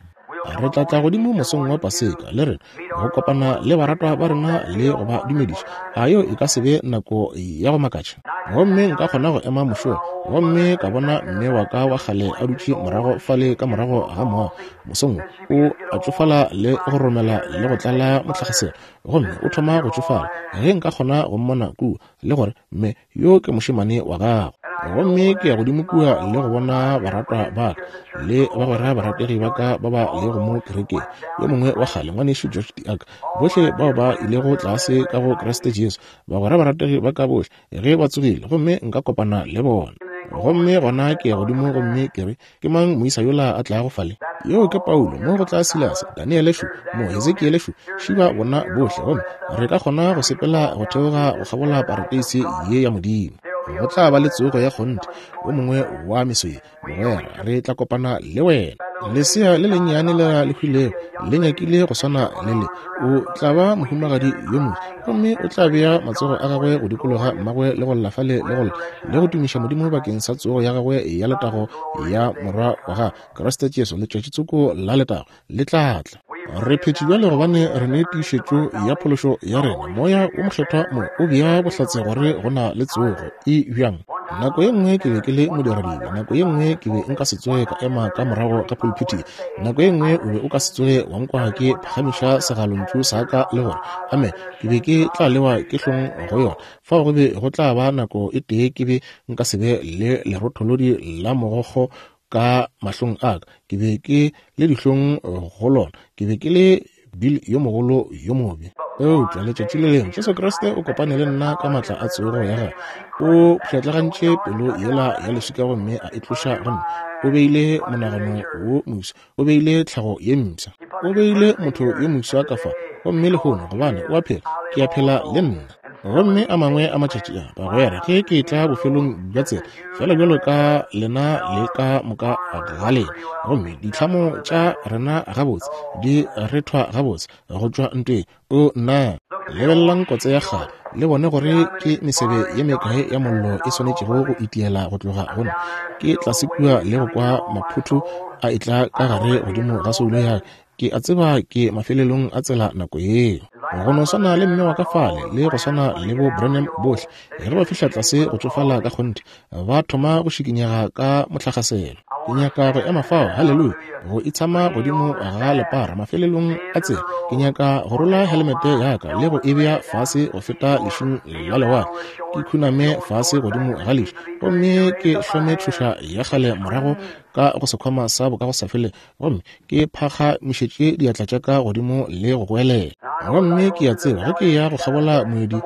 Re tla tla godimo mosong wa Paseka, le rena, go kopana le baratwa ba rena le go ba dumediša. A yeo e ka se be nako ya go makatša? Gomme nka kgona go ema mošola gomme ka bona mme wa ka wa kgale a dutše morago fale ka morago ga moago mosong wo, o a tšofala le go romela le go tlala motlakgaselo, gomme o thoma go tšofala. Ge nka kgona go mmona kua, le gore, Mme, yo ke mošemane wa gago. Gomme ke ya godimo kua le go bona baratwa ba ka le bagwera barategi ba ka ba ba lego mo kerekeng, yo mongwe wa kgale, Ngwanešu George DeArk, bohle bao ba ilego tlase ka go Kriste Jesu, bagwera barategi ba ka bohle, ge ba tsogile, gomme nka kopana le bona. Gomme gona ke ya godimo gomme ke re, Ke mang moisa yola a tlago fale? Yoo ke Paulo, mo go tla Silase, Daniele šo, mo Hezekiele šo, šiba bona bohle, gomme re ka kgona go sepela go theoga go kgabola parateise ye ya Modimo. Go tla ba le tsogo ya kgonthe, wo mongwe wa meso ye, mogwera, re tla kopana le wena. Lesea le lennyane lela le hwilego le nyakile go swana le le. O tla ba mohumagadi yo moswa, gomme o tla bea matsogo a gagwe go dikologa mmagwe le go lla fale le go lla le go tumiša Modimo bakeng sa tsogo ya gagwe ya letago ya Morwa wa gagwe, Kriste Jesu. Letšatši tsoko la letago le tla tla. Re phetše bjale gobane re ne tiišetšo ya phološo ya rena. Moya wo Mokgethwa mo o bea bohlatse gore go na le tsogo. E bjang? Nako ye nngwe ke be ke le modiradibe, nako ye nngwe ke be nka se tsoge ka ema ka morago ga pulpiti, nako ye nngwe o be o ka se tsoge wa nkwa ke phagamiša segalontšu sa ka le gore amen, ke be ke tla lewa ke hlong go yona. Fao go be go tla ba nako e tee ke be nka se be le lerotholodi la mogokgo ka mahlong a ka, ke be ke le dihlong go lona, ke be ke le Bill yo mogolo yo mobe. Eupša letšatši le lengwe Jesu Kriste o kopane le nna ka maatla a tsogo ya gagwe. O pšhatlagantše pelo yela ya leswika gomme a e tloša go nna. O beile monagano wo mofsa, o beile tlhago ye mpsha, o beile motho yo mofsa ka fa. Gomme lehono, gobane o a phela, ke a phela le nna. Gomme a mangwe a matšatši a, bagwera, ge ke etla bofelong bja tsela, feela bjalo ka lena le ka moka ga lena, gomme ditlhamo tša rena gabotse di rethwa gabotse go tšwa ntweng, o nna, lebelelang kotse ya kgale, le bone gore ke mesebe ye mekae ya mollo e swanetšego go itiela go tloga go nna. Ke tlase kua le go kwa maphotho a etla ka gare godimo ga soulo ya ka. Ke a tseba ke mafelelong a tsela nako yeo. Go no swana le mme wa ka fale, le go swana le bo Branham bohle, ge ba fihla tlase go tšofala ka kgonthe, ba thoma go šikinyega ka motlakgaselo. Ke nyaka go ema fao, haleluya, go itshama godimo ga lepara mafelelong a tsela. Ke nyaka go rola helemete ya ka le go e bea fase go feta lešung la lewatle, ke khuname fase godimo ga lešu, gomme ke hlome tšhoša ya kgale morago ka go sekhwama sa bokagosafelego, gomme ke phagamišetše diatla tša ka godimo le go goelela. Gomme ke a tseba ge ke ya go kgabola moedi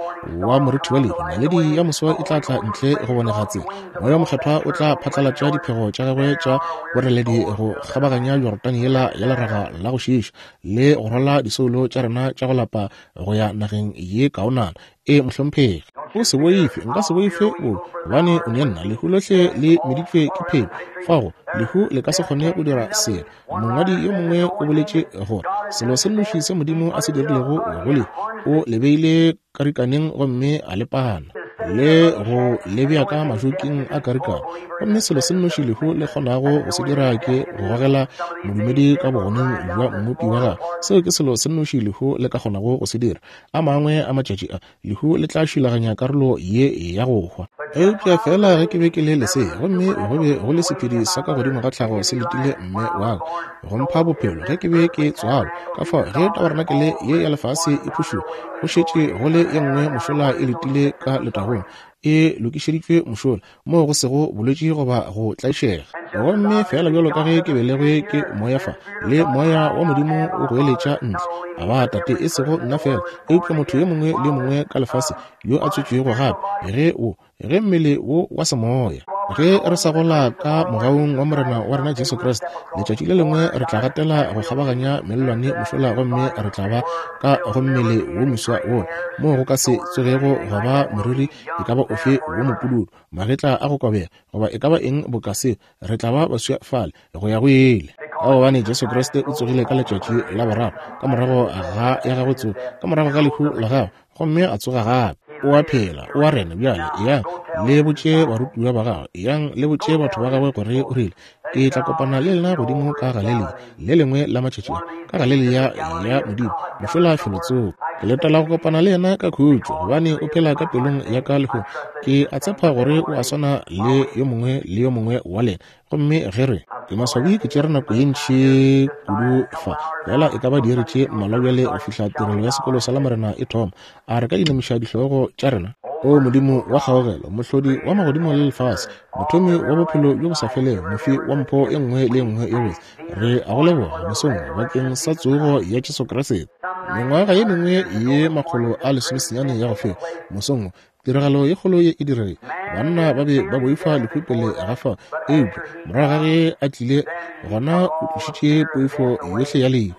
wa morithi wa lehu, naledi ya moso e tla tla ntle go bonega tsela. Moya wo Mokgethwa o tla phatlalatša diphego tša gagwe tša boreledi go kgabaganya Jorodane yela ya leraga la go šiiša, le go rwala disoulo tša rena tša go lapa go ya nageng ye kaonana. Ee, mohlomphegi. O se boife, nka se boife bobe, gobane o ne nna. Lehu lohle le meditšwe ke phenyo. Fago, lehu le ka se kgone go dira selo. Mongwadi yo mongwe o boletše gore selo se nnoši se Modimo a se dirilego go lehu, o le beile karikaneng gomme a le pana le go le bea ka majoking a karikano. Gomme selo se nnoši lehu le kgonago go se dira ke go gogela modumedi ka bogoneng bja Mmopi wa gagwe. Seo ke selo se nnoši lehu le ka kgonago go se dira. A mangwe a matšatši a, lehu le tla šilaganya karolo ye ya go hwa. Eupša feela ge ke be ke le lesea, gomme go be go le sephedi sa ka godimo ga tlhago se letile mme wa ka go mpha bophelo ge ke be ke tswalwa. Ka fao ge tabarenakele ye ya lefase e phušoga, go šetše go le ye nngwe mošola e letile ka letagong, e lokišeditšwe mošola, moo go sego bolwetši goba go tlaišega. Gomme feela bjalo ka ge ke belegwe ke Moya fa, le Moya wa Modimo o goeletša ntle, Aba, Tate, e sego nna feela, eupša motho yo mongwe le yo mongwe ka lefase yo a tswetšwego gape, ge o, ge mmele wo wa semoya, ge re sa gola ka mogaung wa Morena wa rena Jesu Kriste, letšatši le lengwe re tla gatela go kgabaganya mellwane mošola gomme re tla ba ka go mmele wo moswa wo, moo go ka se tsogego gwa ba moriri e ka ba ofe wo mopududu, magetla a go kobega, goba e ka ba eng boka seo, re tla ba baswa fale go ya go ile. Ka gobane Jesu Kriste o tsogile ka letšatši la boraro ka morago ga ya gagwe tsogo, ka morago ga lehu la gagwe, gomme a tsoga gape. O a phela, o a rena bjale. Eyang le botše barutiwa ba gagwe, eyang le botše batho ba gagwe gore o rile, Ke tla kopana le lena godimo ka Galelia, le lengwe la matšatši a, ka Galelia ya Modimo, mošola felotsoko. Ke letela go kopana le yena ka khutšo, gobane o phela ka pelong ya ka lehono. Ke a tshepa gore o a swana le yo mongwe le yo mongwe wa lena. Gomme ge re, ke maswabi ke tšere nako ye ntši kudu fa, fela e ka ba diiri tše mmalwa bjale go fihla tirelo ya sekolo sa Lamorena e thoma. A re ka inamiša dihlogo tša rena? O Modimo wa kgaogelo, Mohlodi wa magodimo le lefase, Mothomi wa bophelo bjo bo sa felego, Mofi wa mpho e nngwe le e nngwe e botse, re a go leboga mosong bakeng sa tsogo ya Jesu Kriste. Mengwaga ye mengwe ye 190 ya go feta, mosong wo, tiragalo ye kgolo ye e diregile. Banna ba be ba boifa lehu pele ga fao, eupša morago ga ge a tlile, gona o tlošitše poifo yohle ya lehu.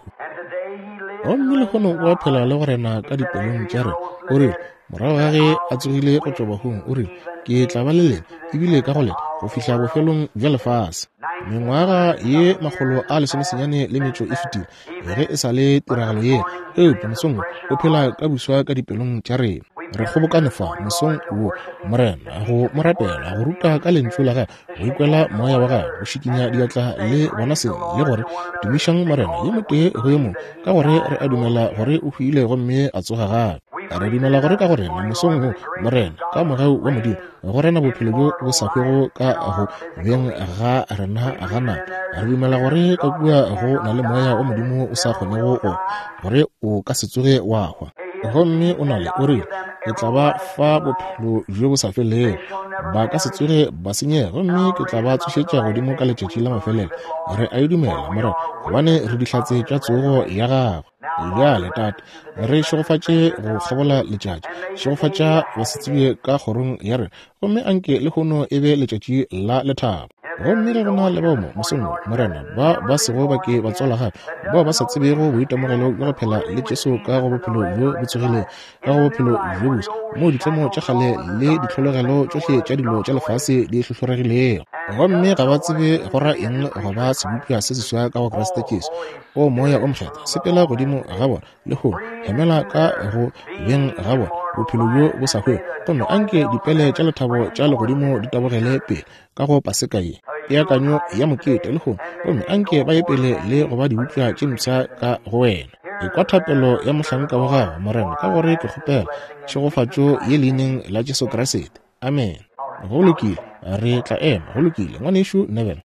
Gomme lehono o a phela le go rena ka dipelong tša rena. O rile, morago ga ge a tsogile go tšwa bahung, o rile, Ke tla ba le lena, ebile ka go lena, go fihla bofelong bja lefase. Mengwaga ye 198 e fetile ge e sa le tiragalo ye, eupša mosong wo o phela ka buswa ka dipelong tša rena. Re kgobokane fa mosong wo, Morena, go mo rapela, go ruta ka lentšu la gagwe, go ikwela moya wa gagwe, go šikinya diatla le bona seng, le gore tumišang Morena yo motee go yo mongwe, ka gore re a dumela gore o hwile gomme a tsoga gape. Re dumela gore ka go rena mosong wo, Morena, ka mogau wa Modimo, go rena bophelo bjo bo sa hwego ka go beng ga rena ga nama. Re dumela gore ka kua go na le moya wa Modimo o sa kgonego go, gore o ka se tsoge wa hwa. Gomme o na le, o rile, Ke tla ba fa bophelo bjo bo sa felego, ba ka se tsoge ba senyega, gomme ke tla ba tsošetša godimo ka letšatši la mafelelo. Re a e dumela, Morena, gobane re dihlatse tša tsogo ya Gagwe. Bjale, Tate, re šegofatše go kgabola letšatši, šegofatša basetsebje ka kgorong ya rena, gomme anke lehono e be letšatši la lethabo. Gomme ge go na le bao mo mosong wo, Morena, ba ba sego ba ke ba tswalwa gape, bao ba sa tsebego boitemogelo bja go phela le Jesu ka go bophelo bjo bo tsogilego, ka go bophelo bjo boswa, moo ditlemo tša kgale le ditlhologelo tšohle tša dilo tša lefase di hlohloregilego, gomme ga ba tsebe go ra eng go ba sebopša se seswa ka go Kriste Jesu. O Moya o Mokgethwa, sepela godimo ga bona lehono, hemela ka go beng ga bona bophelo bjo bo sa hwego, gomme anke dipele tša lethabo tša legodimo di tabogele pele ka go Paseka ye, peakanyo ya mokete lehono, gomme anke ba ye pele le go ba diupša tše mpsha ka go wena. Ekwa thapelo ya mohlanka wa gago, Morena, ka gore ke kgopela tšhegofatšo ye leineng la Jesu Kriste. Amen. Go lokile, re tla ema. Go lokile, Ngwanešu Neville.